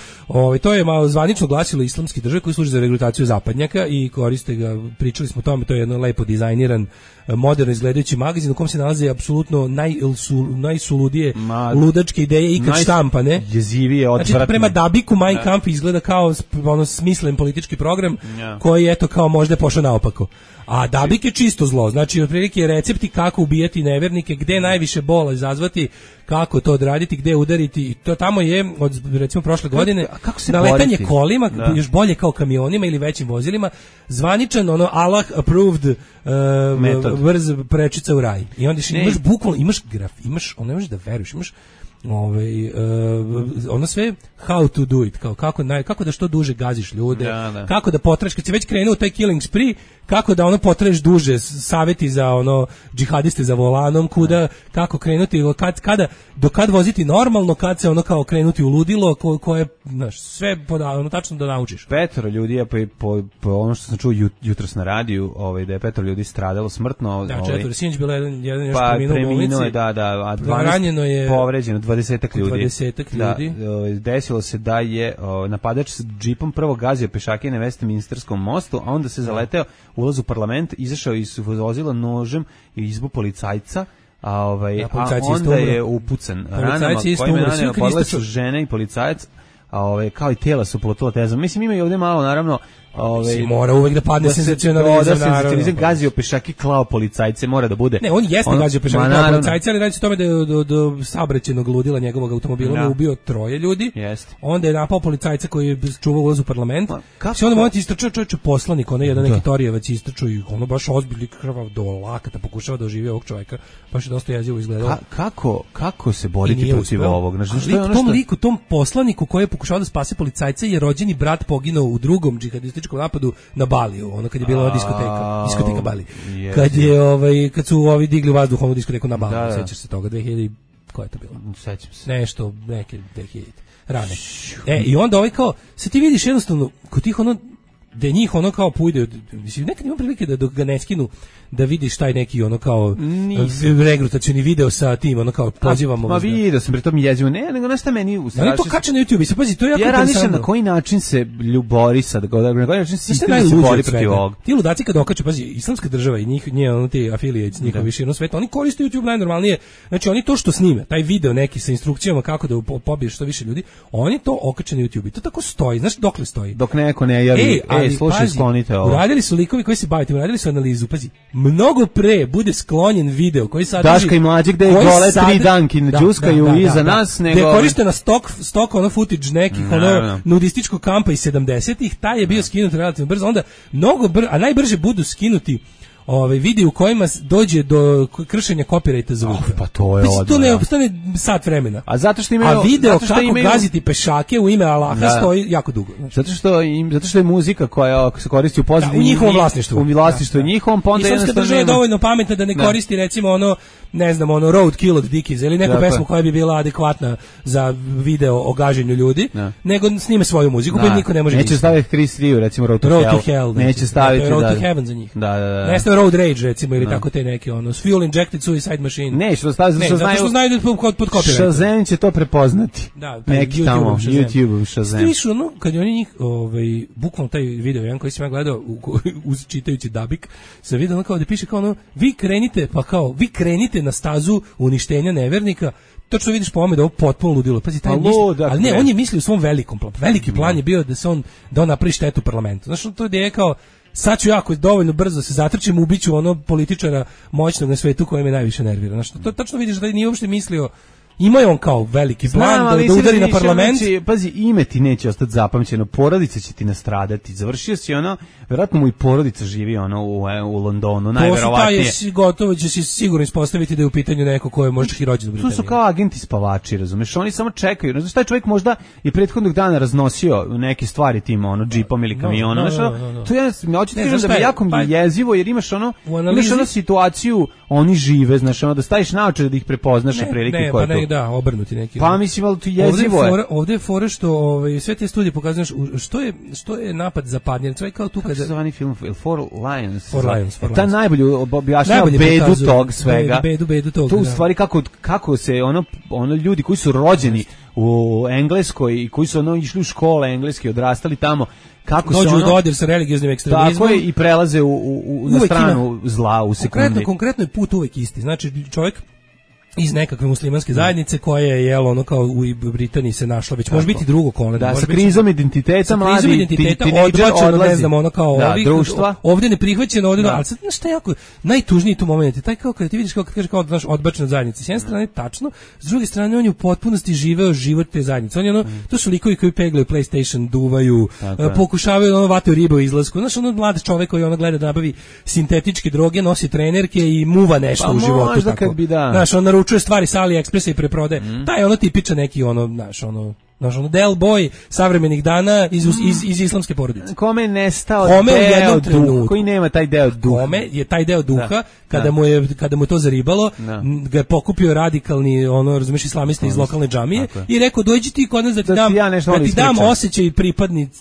Speaker 9: To je malo zvanično glasilo islamske države koji služi za regrutaciju zapadnjaka i koriste ga, pričali smo o tome, to je jedno lepo dizajniran, moderno izgledajući magazin u kom se nalaze apsolutno najsuludije ludačke ideje ikad štampane.
Speaker 8: Jezivije, odvratne.
Speaker 9: Znači, prema Dabiku Mein Kampf izgleda kao smislen politički program koji eto kao možda je pošao naopako. A Dabik je čisto zlo, znači otprilike recepti kako ubijati nevernike, gde najviše bola izazvati, kako to odraditi, gde udariti, i to tamo je od recimo prošle godine naletanje kolima, još bolje kao kamionima ili većim vozilima, zvaničan Allah approved brz prečica u raj. I onda imaš bukvalno, imaš ono, ne možeš da veruješ, imaš ono sve how to do it, kako da što duže gaziš ljude, kako da potreš, kad si već krenuo taj killing spree, kako da ono potreš duže, saveti za ono džihadiste za volanom, kako krenuti, do kad voziti normalno, kad se ono kao krenuti u ludilo, koje, znaš, sve ono tačno da naučiš.
Speaker 8: 5 ljudi je po ono što sam čuo jutros na radiju, da je 5 ljudi stradalo smrtno.
Speaker 9: Da, 4, sinoć bilo jedan još preminuo u bolnici.
Speaker 8: A
Speaker 9: 12
Speaker 8: je povređeno, 20-ak ljudi.
Speaker 9: 20-ak ljudi.
Speaker 8: Desilo se da je napadač s džipom prvo gazio pešake na Westminsterskom mostu, a onda se zaleteo ulaz u parlament, izašao iz vozila nožem i izbu policajca, a onda je upucan ranama kojima ranama podle su žene i policajac, kao i tela su polotila tezom. Mislim, ima i ovdje malo, naravno,
Speaker 9: mora uvek da padne senzacionalizam,
Speaker 8: naravno. Gazio pešaki, klao policajce, mora da bude.
Speaker 9: Ne, on jeste gazio pešaki, klao policajce, ali radi se o tome da je do saobraćajnog ludila njegovog automobila ubio 3 ljudi. Onda je napao policajca koji je čuvao ulaz u parlament. Se onda moment istrčao čovječe poslanik, ono jedan neki Torijevac istrčao i ono baš ozbiljni krvav do lakata pokušava da oživi ovog čovjeka. Baš je dosta jezivo izgledalo.
Speaker 8: Kako se boriti protiv ovog?
Speaker 9: Tom poslaniku koji je pokušao da spase policajca je rođeni brat poginuo u drugom džihadističkom napadu na Baliju, ono kad je bila diskoteka Bali. Kad su ovi digli vazduh onu diskoteku na Baliju, sećaš se toga, 2000, koja je to bilo?
Speaker 8: Sećam se.
Speaker 9: Nešto, neke 2000 rane. I onda kao, sad ti vidiš jednostavno, kod tih ono, da njih ono kao pujde, mislim, nekad imam prilike da dok ga ne skinu, da vidiš taj neki ono kao regrutacioni video sa tim, ono kao pozivamo.
Speaker 8: Ma vidio sam, pri tom jezivo, nego nešto meni
Speaker 9: ustrašio. To kače na YouTube, se pazi, to je jako interesantno.
Speaker 8: Ja razmišljam na koji način se ljubori sad, na koji način sistem se bori protiv ovog.
Speaker 9: Ti ludaci kad okaču, pazi, islamska država i nje ono ti affiliates, njihovi širom sveta, oni koriste YouTube najnormalnije, znači oni to što snime, taj video neki sa instrukcijama kako da pobiješ što više ljudi, oni to okače na YouTube i to tako stoji, znaš dokle stoji.
Speaker 8: Dok neko ne javi, slušaj, sklonite ovo.
Speaker 9: Uradili su likovi koji se bave tim, uradili su analizu, pazi, mnogo pre bude sklonjen video koji sadrži
Speaker 8: Daška i Mlađe gde gole 3 danki đuskaju iza nas, nego
Speaker 9: gde je korištena stok ono footage nekih ono nudističkog kampa iz 70-ih, taj je bio skinut relativno brzo, onda mnogo a najbrže budu skinuti vidi u kojima dođe do kršenja copyrighta zvuka.
Speaker 8: Pa to je
Speaker 9: odmah. To ne ostane sat vremena.
Speaker 8: A zato što imaju,
Speaker 9: a video kako gaziti pešake u ime Allaha stoji jako dugo.
Speaker 8: Zato što je muzika koja se koristi u pozadini
Speaker 9: u njihovom vlasništvu.
Speaker 8: U vlasništvu njihovom, pa onda
Speaker 9: islamska država je dovoljno pametna da ne koristi recimo ono, ne znam, ono Roadkill od Dickies ili neku pesmu koja bi bila adekvatna za video o gaženju ljudi, nego snime svoju muziku koju niko ne može.
Speaker 8: Neće staviti Chris Rio, recimo Road to Hell. Neće staviti
Speaker 9: Road to Heaven za njih.
Speaker 8: Da.
Speaker 9: Ne staviti Road Rage recimo ili tako te neke ono Fuel Injected Suicide Machine.
Speaker 8: Ne, što znaju
Speaker 9: da pod copyright.
Speaker 8: Shazam će to prepoznati.
Speaker 9: Da,
Speaker 8: neki tamo YouTube Shazam.
Speaker 9: Stišu, no, kad oni njih bukvalno taj video jedan koji sam ja gledao uz čitajući dabik, sam vidio ono kao da piše kao ono vi krenite na stazu uništenja nevernika. Točno vidiš po ovome da ovo potpuno ludilo. Pazi, taj ali ne, on je mislio u svom velikom planu. Veliki plan je bio da on napravi štetu parlamentu. Znaš, to je kao sad ću jako dovoljno brzo se zatrčim, ubiću ono političara moćnog na svetu koji me najviše nervira. Znaš, to tačno vidiš da nije uopšte mislio. Ima je on kao veliki plan da udari na parlament.
Speaker 8: Pazi, ime ti neće ostati zapamćeno, porodica će ti nastradati. Završio si ono, verovatno mu i porodica živi ono u Londonu, najverovatnije.
Speaker 9: To su gotovo će se sigurno ispostaviti da je u pitanju neko ko je možda i rođen u Britaniji.
Speaker 8: To su kao agenti spavači, razumeš? Oni samo čekaju. Znaš, taj čovjek možda je prethodnog dana raznosio neke stvari tim džipom ili kamionom. To ja hoću ti kažem da bi jako jezivo, jer imaš ono situaciju, oni žive, znaš, da staviš naočare da ih prepoznaš prilike koje
Speaker 9: da, obrnuti neki.
Speaker 8: Pa mislim, ali tu jezivo je.
Speaker 9: Ovdje je fora što sve te studije pokazuju što je napad zapadnjen. To je kao tu kada...
Speaker 8: Kako se zvani film? Four Lions.
Speaker 9: Ta
Speaker 8: najbolje objašnjava bedu tog svega.
Speaker 9: Bedu tog.
Speaker 8: To u stvari kako se ono ljudi koji su rođeni u Engleskoj i koji su išli u škole engleske, odrastali tamo, kako
Speaker 9: dođu u dodir sa religioznim ekstremizmom.
Speaker 8: Tako je, i prelaze na stranu zla u sekundi.
Speaker 9: Konkretno je put uvek isti. Znači, čovjek iz nekakve muslimanske zajednice koja je ono kao u Britaniji se našla, već može biti drugo koleno.
Speaker 8: Da, sa krizom identiteta mladi
Speaker 9: odbačeno, ne znam, ono kao ovih
Speaker 8: društva.
Speaker 9: Ovdje neprihvaćeno, ovdje, ali sad šta je jako najtužniji tu moment je taj kao kada ti vidiš kao kad kaže kao znaš odbačena zajednica. S jedne strane tačno, s druge strane on je u potpunosti živeo život te zajednice. On je to su likovi koji peglaju PlayStation, duvaju, pokušavaju vataju ribu u izlasku. Znaš, mlad čovjek koji gleda da nabavi sintetičke droge, nosi trenerke i muva nešto u životu tako. Znaš, on naručuje stvari sa AliExpressa i preprode. Taj ono tipičan neki znaš Del Boy savremenih dana iz islamske porodice.
Speaker 8: Komme je nestao deo duha, koji nema taj deo duha.
Speaker 9: Kome je taj deo duha, kada mu je to zaribalo, ga je pokupio radikalni, razumeš, islamista iz lokalne džamije i rekao, dođi ti kod nas da ti dam osjećaj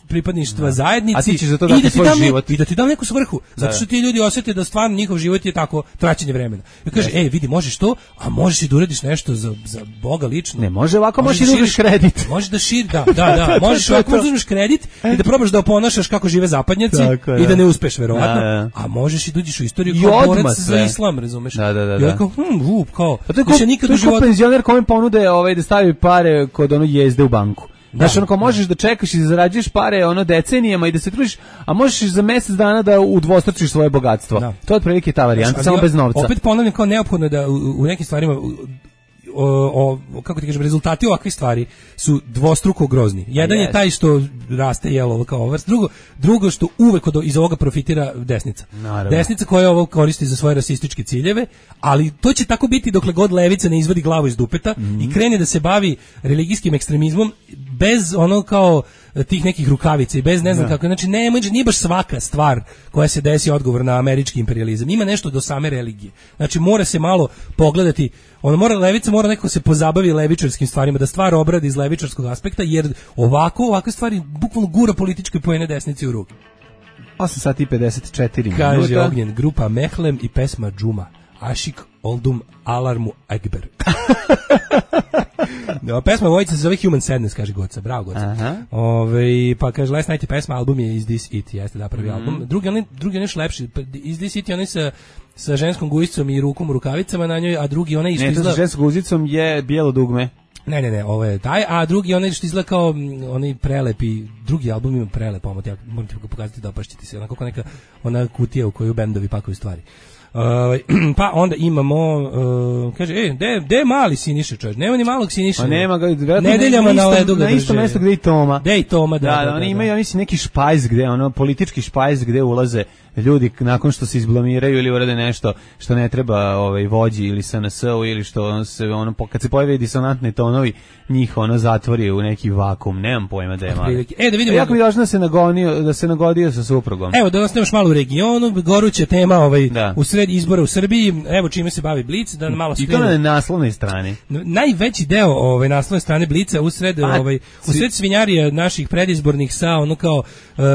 Speaker 9: pripadništva zajednici
Speaker 8: a ti ćeš za to dati svoj život.
Speaker 9: I da ti dam neku svrhu. Zato što ti ljudi osjete da stvarno njihov život je tako traćenje vremena. I kaže, vidi, možeš to, a možeš i da uradiš nešto za Boga lično.
Speaker 8: Ne, može ovako, možeš i da uzmeš kredit.
Speaker 9: Da možeš ovako uzmeš kredit i da probaš da oponašaš kako žive zapadnjaci i da ne uspeš verovatno, a možeš i dođeš u istoriju kao borac za islam, razumeš?
Speaker 8: Da.
Speaker 9: Ja kao,
Speaker 8: više nikad u životu. To je penzioner kome ponude da stavi pare kod jezde u banku. Znaš, možeš da čekaš i da zarađuješ pare decenijama i da se trudiš, a možeš za mjesec dana da udvostručiš svoje bogatstvo. To je otprilike ta varijanta, samo bez novca.
Speaker 9: Opet ponavljam, kao neophodno je da u nekim stvarima kako ti kažem, rezultati ovakvih stvari su dvostruko grozni. Jedan je taj što raste jelo kao vrst, drugo što uvek iz ovoga profitira desnica.
Speaker 8: Naravno.
Speaker 9: Desnica koja ovo koristi za svoje rasističke ciljeve, ali to će tako biti dokle god levica ne izvadi glavu iz dupeta i krene da se bavi religijskim ekstremizmom bez kao tih nekih rukavica i bez ne znam kako. Znači nije baš svaka stvar koja se desi odgovor na američki imperijalizam. Ima nešto do same religije. Znači mora se malo pogledati, levica mora nekako se pozabavi levičarskim stvarima, da stvar obradi iz levičarskog aspekta, jer ovakve stvari bukvalno gura političke poene desnici u ruke.
Speaker 8: 8:54 minuta.
Speaker 9: Kaže Ognjen, grupa Mehlem i pesma Džuma. Ašik Oldum Alarmu Ekber. Pesma Vojica se zove Human Sadness, kaže Goca. Bravo, Goca. Pa kaže Last Night pesma, album je Is This It, jeste da prvi album. Drugi je nešto lepši. Is This It je onaj sa ženskom gujicom i rukom u rukavicama na njoj, a drugi onaj što izgleda...
Speaker 8: Ne, to sa ženskom gujicom je bijelo dugme.
Speaker 9: Ne, ovo je taj, a drugi onaj što izgleda kao onaj prelepi, drugi album ima prelep omot, ja moram ti pokazati da opašćete se, onako neka ona kutija u koju bendovi pakuju stvari. Pa onda imamo kaže, gde je mali Siniša, čovječ? Nema ni malog Siniša.
Speaker 8: Pa nema ga,
Speaker 9: nedeljama na ledu ga
Speaker 8: na isto mjesto gdje i Toma.
Speaker 9: Gde i Toma,
Speaker 8: da. Oni imaju neki špajz gde, politički špajz gde ulaze ljudi nakon što se izblamiraju ili urade nešto što ne treba vođi ili SNS-u ili što se kad se pojave disonantni tonovi, njih zatvori u neki vakum, nemam pojma da je mali.
Speaker 9: Da vidimo.
Speaker 8: Jako mi važno da se nagodio sa suprugom.
Speaker 9: Evo da ostaneš malo u regionu, goruća tema u sred usred izbora u Srbiji, evo čime se bavi Blic, da malo
Speaker 8: i to na naslovnoj strani.
Speaker 9: Najveći deo naslovne strane Blica usred svinjarije naših predizbornih sa ono kao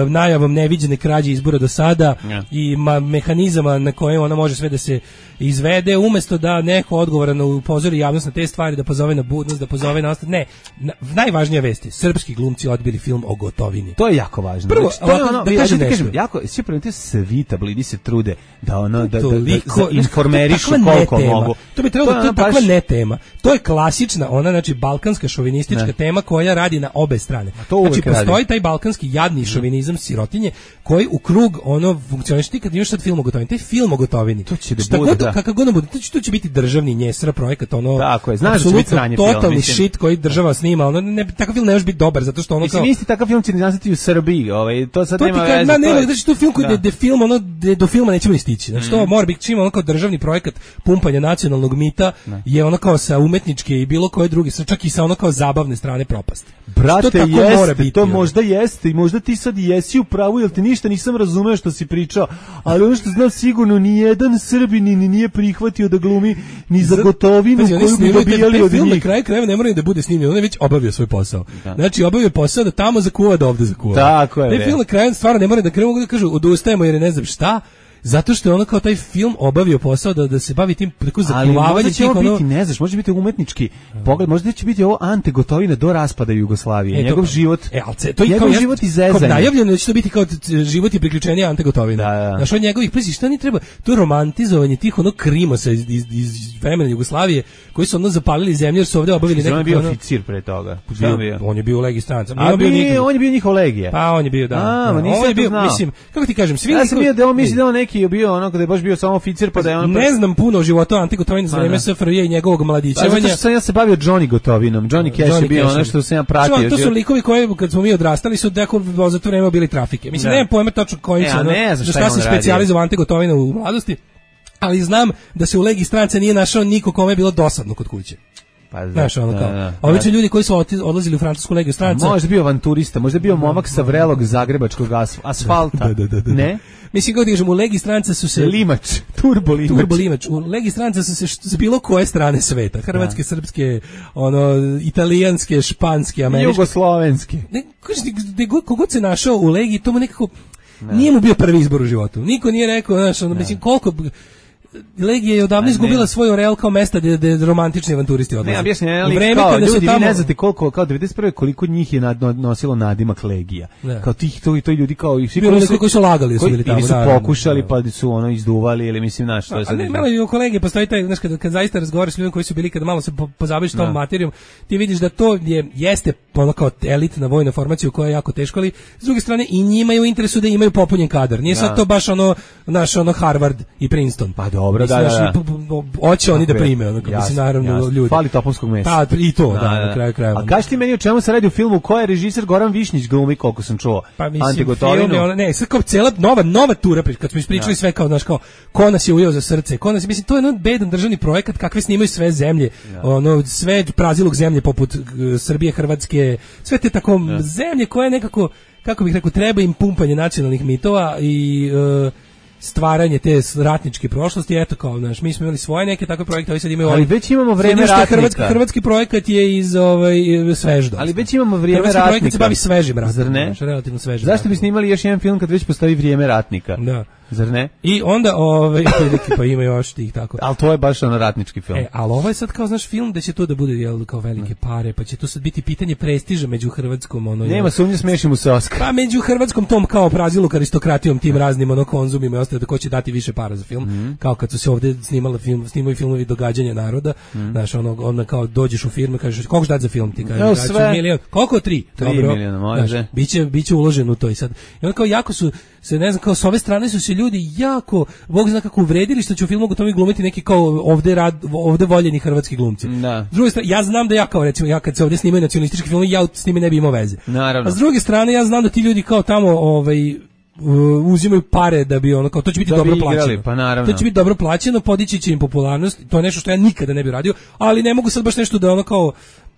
Speaker 9: najavom neviđene krađe izbora do sada i mehanizama na koje ona može sve da se izvede, umesto da neko odgovorno upozori javnost na te stvari, da pozove na budnost, da pozove na ostale. Ne, najvažnija vest je, srpski glumci odbili film o Gotovini.
Speaker 8: To je jako važno.
Speaker 9: Prvo,
Speaker 8: znači, to je ono,
Speaker 9: da kažem nešto.
Speaker 8: Jako, svi primetite svi tablidi se trude da ono da informerišu koliko mogu.
Speaker 9: To bi trebalo, to je takva ne tema. To je klasična, ona znači balkanska šovinistička tema koja radi na obe strane. Znači postoji taj balkanski jadni šovinizam sirotinje koji u krug ono funkcioniše. Ti kad imaš sad film o Gotovini, taj film o Gotovini.
Speaker 8: To će da bude,
Speaker 9: kakav god bude, to će biti državni njesra projekat, ono.
Speaker 8: Tako je, znaš da će biti sranje film.
Speaker 9: Totalni shit koji država snima, ono takav film ne može biti dobar zato što ono kao.
Speaker 8: Isti takav film će nastati u Srbiji, to sad nema veze.
Speaker 9: Znači to film koji da film ono do filma nećemo ni stići. Znači to mora biti čim ono kao državni projekat pumpanja nacionalnog mita je ono kao sa umetničke i bilo koje druge, čak i sa ono kao zabavne strane propast.
Speaker 8: Brate, to možda jeste i možda ti sad jesi u pravu, jer ti ništa nisam razumeo što si pričao, ali ono što znam sigurno ni jedan Srbin ni nije prihvatio da glumi ni za Gotovinu koju bi dobijali od njih.
Speaker 9: Na kraju krajeva ne mora da bude snimljen, on je već obavio svoj posao. Znači obavio posao da tamo zakuva, da ovde zakuva.
Speaker 8: Tako je.
Speaker 9: Taj film na kraju stvarno ne mora da krenu da kažu odustajemo jer ne znam šta. Zato što je ono kao taj film obavio posao da se bavi tim tako zakuvavanjem tih ono.
Speaker 8: Biti, ne znaš, može biti umetnički pogled, možda će biti ovo Ante Gotovina do raspada Jugoslavije, njegov život. Njegov život i zezanje.
Speaker 9: Kao najavljeno da će to biti kao život i priključenje Ante Gotovina. Znaš, od njegovih prisi, šta ni treba, to je romantizovanje tih ono krimosa iz vremena Jugoslavije, koji su ono zapalili zemlju jer su ovde obavili
Speaker 8: neko. On je bio oficir pre toga.
Speaker 9: On je bio u legiji stranca.
Speaker 8: On je bio njihov legija.
Speaker 9: Pa on je bio, da. On je bio, mislim, kako ti kažem, svi je
Speaker 8: bio ono kada je baš bio samo oficir pa da je on
Speaker 9: ne znam puno o životu Ante Gotovine za vreme SFRJ i njegovog mladićevanja.
Speaker 8: Zato što sam ja se bavio Johnny Gotovinom. Johnny Cash je bio ono što sam ja pratio.
Speaker 9: To su likovi koji kad smo mi odrastali su deko za to vreme bili trafike. Mislim nemam pojma tačno koji su. Šta se specijalizovao Ante Gotovina u mladosti, ali znam da se u legiji strance nije našao niko kome je bilo dosadno kod kuće. Znaš, ono kao, obično ljudi koji su odlazili u francusku legiju stranca.
Speaker 8: Možda bio avanturista, možda bio momak sa vrelog zagrebačkog asfalta. Ne?
Speaker 9: Mislim, kako ti kažem, u legiji stranca su se...
Speaker 8: Limač, turbolimač.
Speaker 9: U legiji stranca su se s bilo koje strane sveta. Hrvatske, srpske, italijanske, španske, američke.
Speaker 8: Jugoslovenske.
Speaker 9: Kogod se našao u legiji, to mu nekako... Nije mu bio prvi izbor u životu. Niko nije rekao, znaš, mislim, koliko... Legija je odavno izgubila svoj real kao mesta gde romantični avanturisti odlaze.
Speaker 8: Ne, objasni, kao ljudi, vi ne znate koliko, kao 91. koliko njih je nosilo nadimak Legija. Kao tih, to ljudi kao... i svi
Speaker 9: koji su lagali su bili tamo.
Speaker 8: Ili su pokušali, pa su ono izduvali, ili mislim, znaš, što je sad...
Speaker 9: Ali malo i u kolege postoji taj, znaš, kad zaista razgovaraš s ljudima koji su bili, kada malo se pozabaviš tom materijom, ti vidiš da to jeste ono kao elitna vojna formacija koja je jako teško, ali s druge strane i njima je u interesu da imaju popunjen kadar. Nije sad to baš naš Harvard i Princeton.
Speaker 8: Pa dobro, da.
Speaker 9: Hoće oni da prime, mislim, naravno, ljudi.
Speaker 8: Fali topovskog mesa.
Speaker 9: Pa, i to, na kraju krajeva.
Speaker 8: A kaži ti meni o čemu se radi u filmu, ko je režiser Goran Višnjić glumi, koliko sam čuo?
Speaker 9: Pa, mislim, film je, ne, sad kao cijela nova tura, kad smo ispričali sve kao, znaš, kao, ko nas je ujeo za srce, ko nas je, mislim, to je jedan bedan državni projekat, kakve snimaju sve zemlje, sve prazilog zemlje, poput Srbije, Hrvatske, sve te tako zemlje koje nekako, kako bih rekao, treba im pumpanje nacionalnih mitova i stvaranje te ratničke prošlosti, eto kao, znaš, mi smo imali svoje neke takve projekte, ali sad imaju...
Speaker 8: Ali već imamo vreme ratnika.
Speaker 9: Hrvatski projekat je iz svežda.
Speaker 8: Ali već imamo vrijeme
Speaker 9: ratnika.
Speaker 8: Hrvatski
Speaker 9: projekat se bavi svežim ratnikom.
Speaker 8: Zar ne?
Speaker 9: Relativno svežim.
Speaker 8: Zašto bi snimali još jedan film kad već postoji vrijeme ratnika?
Speaker 9: Da.
Speaker 8: Zar ne?
Speaker 9: I onda, pa ima još tih tako.
Speaker 8: Ali to je baš ratnički film.
Speaker 9: Ali ovo je sad kao, znaš, film da će to da bude, kao velike pare, pa će to sad biti pitanje prestiža među hrvatskom,
Speaker 8: Nema sumnje, smeši mu se Oskar.
Speaker 9: Pa među hrvatskom tom kao praziluk aristokratijom, tim raznim konzumima i ostalo, da ko će dati više para za film, kao kad su se ovdje snimaju filmovi događanja naroda, znaš, onda kao dođeš u firmu, kažeš, koliko ćeš dati za film, ti kažeš, milion, koliko? 3
Speaker 8: miliona, može.
Speaker 9: Biće uloženo u to i sad. I onda kao jako su se, ne znam, kao s ove strane su se ljudi jako, Bog zna kako uvredili što će u filmu Gotovi glumiti neki kao ovde voljeni hrvatski glumci.
Speaker 8: Da.
Speaker 9: S druge strane, ja znam da ja kao, recimo, ja kad se ovdje snimaju nacionalistički filmovi, ja s njime ne bi imao veze.
Speaker 8: Naravno.
Speaker 9: A s druge strane, ja znam da ti ljudi kao tamo, uzimaju pare da bi kao, to će biti dobro plaćeno.
Speaker 8: Pa naravno.
Speaker 9: To će biti dobro plaćeno, podići će im popularnost, to je nešto što ja nikada ne bih radio, ali ne mogu sad baš nešto da kao,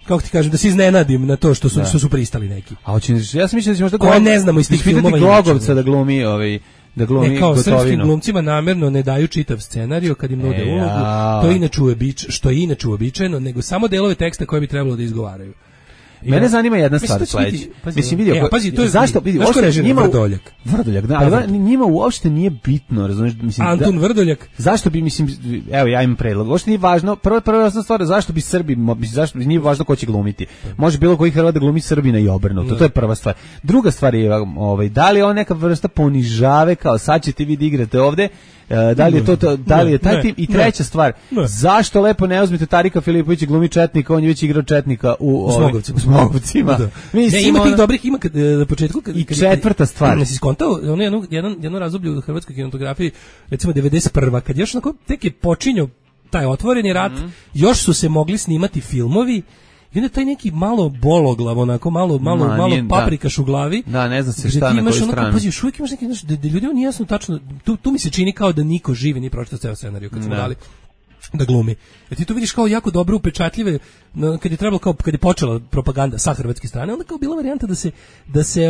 Speaker 9: kako ti kažem, da se iznenadim na to što su pristali neki.
Speaker 8: A hoćeš, ja sam mislio da ćemo
Speaker 9: koje ne znamo iz tih filmova.
Speaker 8: Glogovca da glumi da glumi
Speaker 9: kao
Speaker 8: Gotovinu.
Speaker 9: Srpskim glumcima namerno ne daju čitav scenarijo kad im nude ulogu, to je što je inače uobičajeno, nego samo delove teksta koje bi trebalo da izgovaraju.
Speaker 8: Mene zanima jedna stvar sledeća. Mislim vidio,
Speaker 9: to je
Speaker 8: zašto vidi,
Speaker 9: njima
Speaker 8: Vrdoljak, da, ali njima uopšte nije bitno, razumeš, mislim
Speaker 9: Antun Vrdoljak.
Speaker 8: Zašto bi, mislim, evo ja imam predlog. Uopšte nije važno, prva stvar, zašto bi Srbi, zašto nije važno ko će glumiti. Može bilo koji Hrvat da glumi Srbina i obrnuto. To je prva stvar. Druga stvar je da li je on neka vrsta ponižave, kao sad ćete vi da igrate ovde. Da li je da li je taj tim? I treća stvar, zašto lepo ne uzmete Tarika Filipovića glumi četnika, on je već igrao četnika u Smogovcima.
Speaker 9: Ima tih dobrih, ima na početku
Speaker 8: i četvrta stvar.
Speaker 9: Nisi skontao, ono jedno razdoblje u hrvatskoj kinematografiji, recimo 91. kad još onako tek je počinjao taj otvoreni rat, još su se mogli snimati filmovi. I onda taj neki malo bologlav, onako malo paprikaš u glavi.
Speaker 8: Da, ne zna se šta na koju stranu.
Speaker 9: Pazi, još uvijek imaš neki, da ljudima nije jasno tačno, tu mi se čini kao da niko živi nije pročitao ceo scenariju kad smo dali da glumi. Jer ti to vidiš kao jako dobro upečatljive, kad je trebalo, kao kad je počela propaganda sa hrvatske strane, onda kao bila varijanta da se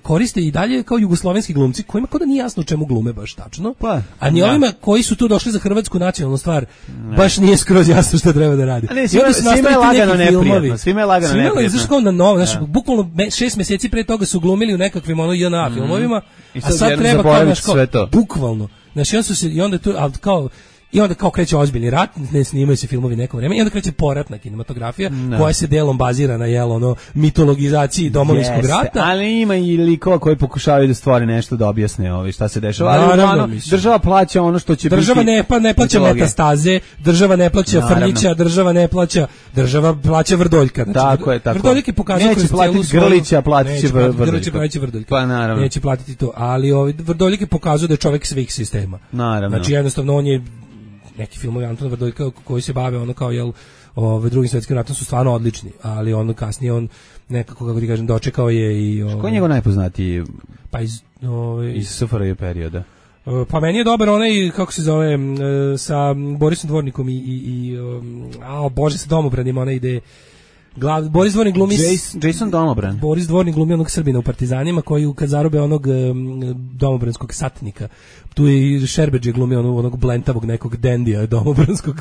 Speaker 9: koriste i dalje kao jugoslovenski glumci kojima kao da nije jasno čemu glume baš tačno. A ni ovima koji su tu došli za hrvatsku nacionalnu stvar baš nije skroz jasno šta treba da radi.
Speaker 8: Svima je lagano neprijatno. Svima je lagano neprijatno.
Speaker 9: Znaš kao na novo, znaš, bukvalno 6 mjeseci pre toga su glumili u nekakvim JNA filmovima, a sad treba kao bukvalno. Znaš, i onda tu, ali kao i onda kao kreće ozbiljni rat, ne snimaju se filmovi neko vreme, i onda kreće poratna kinematografija koja se delom bazira na mitologizaciji domovinskog rata.
Speaker 8: Ali ima i likova koji pokušavaju da stvore nešto da objasne šta se dešava. Ali država plaća ono što će
Speaker 9: država biti. Ne plaća Metastaze, država ne plaća Frljića, država plaća Vrdoljka.
Speaker 8: Znači, tako.
Speaker 9: Vrdoljak je pokazao
Speaker 8: neće platiti Grlića, platit će
Speaker 9: Vrdoljka.
Speaker 8: Pa naravno.
Speaker 9: Neće platiti to, ali Vrdoljak je pokazao da je čovjek svih sistema.
Speaker 8: Naravno.
Speaker 9: Znači jednostavno on je neki filmovi Antona Vrdoljka koji se bave kao Drugim svjetskim ratom su stvarno odlični, ali kasnije on nekako, kako ti kažem, dočekao je i
Speaker 8: ko je njegov najpoznatiji?
Speaker 9: Pa iz
Speaker 8: SFRJ perioda.
Speaker 9: Pa meni je dobar onaj, kako se zove, sa Borisom Dvornikom Bože, sa Domobranima, ona ide. Boris Dvornik glumi
Speaker 8: Jason Domobran.
Speaker 9: Boris Dvornik glumi onog Srbina u Partizanima koji kad zarobe onog domobranskog satnika. Tu je i Šerbeđe glumi onog blentavog nekog dendija domobranskog.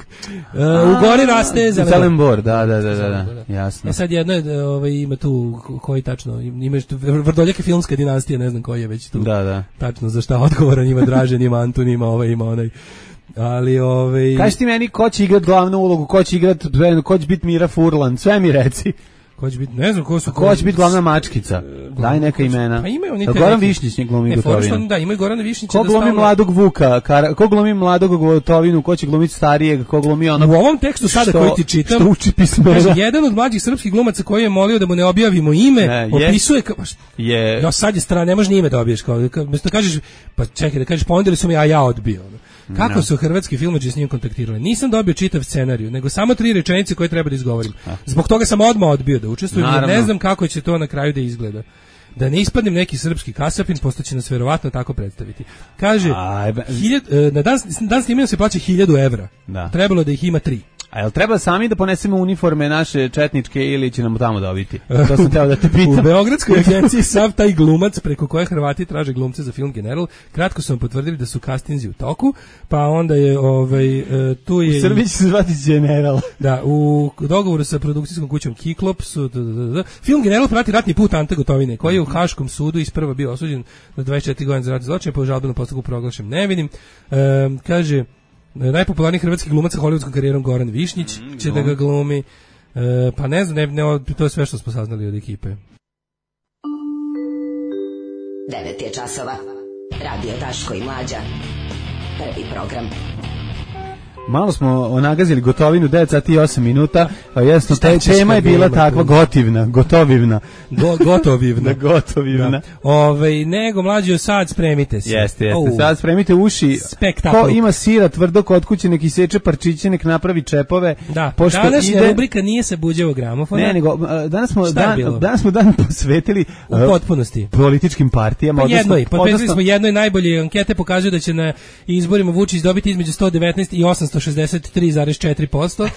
Speaker 9: U gori raste
Speaker 8: Zelenbor, da. Jasno.
Speaker 9: Sad jedno je ima tu koji tačno ima Vrdoljak je filmska dinastija, ne znam koji je već tu.
Speaker 8: Da.
Speaker 9: Tačno za šta odgovoran, ima Dražen, ima Antun, ima onaj. Ali
Speaker 8: kaži ti meni ko će igrati glavnu ulogu, ko će biti Mira Furlan, sve mi reci.
Speaker 9: Ko će biti, ne znam ko su.
Speaker 8: Ko će biti glavna mačkica? Daj neka imena.
Speaker 9: Pa imaju oni
Speaker 8: Goran Višnjić ne glumi Gotovinu.
Speaker 9: Da, imaju Gorana Višnjića.
Speaker 8: Ko glumi mladog Vuka, ko glumi mladog Gotovinu, ko će glumiti starijeg, ko glumi onog.
Speaker 9: U ovom tekstu sada koji ti čitam,
Speaker 8: što uči pismena.
Speaker 9: Jedan od mlađih srpskih glumaca koji je molio da mu ne objavimo ime, opisuje ja sad je strana, ne može ni ime da objaviš, kao da kažeš, pa čekaj da kažeš, ponudili su mi, a ja odbio. Kako su hrvatski filmađi s njim kontaktirali? Nisam dobio čitav scenariju, nego samo 3 rečenice koje treba da izgovorim. Zbog toga sam odmah odbio da učestvujem, jer ne znam kako će to na kraju da izgleda. Da ne ispadnem neki srpski kasapin, posto će nas verovatno tako predstaviti. Kaže, na dan snimanja se plaća 1000 evra. Trebalo da ih ima 3.
Speaker 8: A jel treba sami da ponesemo uniforme naše četničke ili će nam tamo dobiti? To sam teo da te pitam.
Speaker 9: U Beogradskoj agenciji sav taj glumac preko koje Hrvati traže glumce za film General, kratko su vam potvrdili da su castinzi u toku, pa onda je tu je...
Speaker 8: U Srbiji će se zvati General.
Speaker 9: Da, u dogovoru sa produkcijskom kućom Kiklop su... Film General prati ratni put Ante Gotovine, koji je u Haškom sudu isprva bio osuđen na 24 godine za ratni zločin, pa u žalbenom postupku proglašen nevinim. Kaže... Najpopularniji hrvatski glumac sa hollywoodskom karijerom Goran Višnjić će da ga glumi. Pa ne znam, to je sve što smo saznali od ekipe.
Speaker 1: 9 je časova. Radio Daško i Mlađa. Prvi program.
Speaker 8: Malo smo nagazili Gotovinu, 9 sati i 8 minuta, jasno, tema je bila takva gotovivna.
Speaker 9: Gotovivna. Nego, mlađo, sad spremite se.
Speaker 8: Jeste, sad spremite uši.
Speaker 9: Spektakl.
Speaker 8: Ko ima sira tvrdo kod kuće, nek iseče parčiće, nek napravi čepove.
Speaker 9: Da, današnja rubrika nije se buđevo gramofona.
Speaker 8: Ne, nego, danas smo dan posvetili
Speaker 9: u potpunosti
Speaker 8: političkim partijama.
Speaker 9: Posvetili smo jednoj najbolje ankete, pokazuju da će na izborima Vučić dobiti između 119 i 800 63,4%.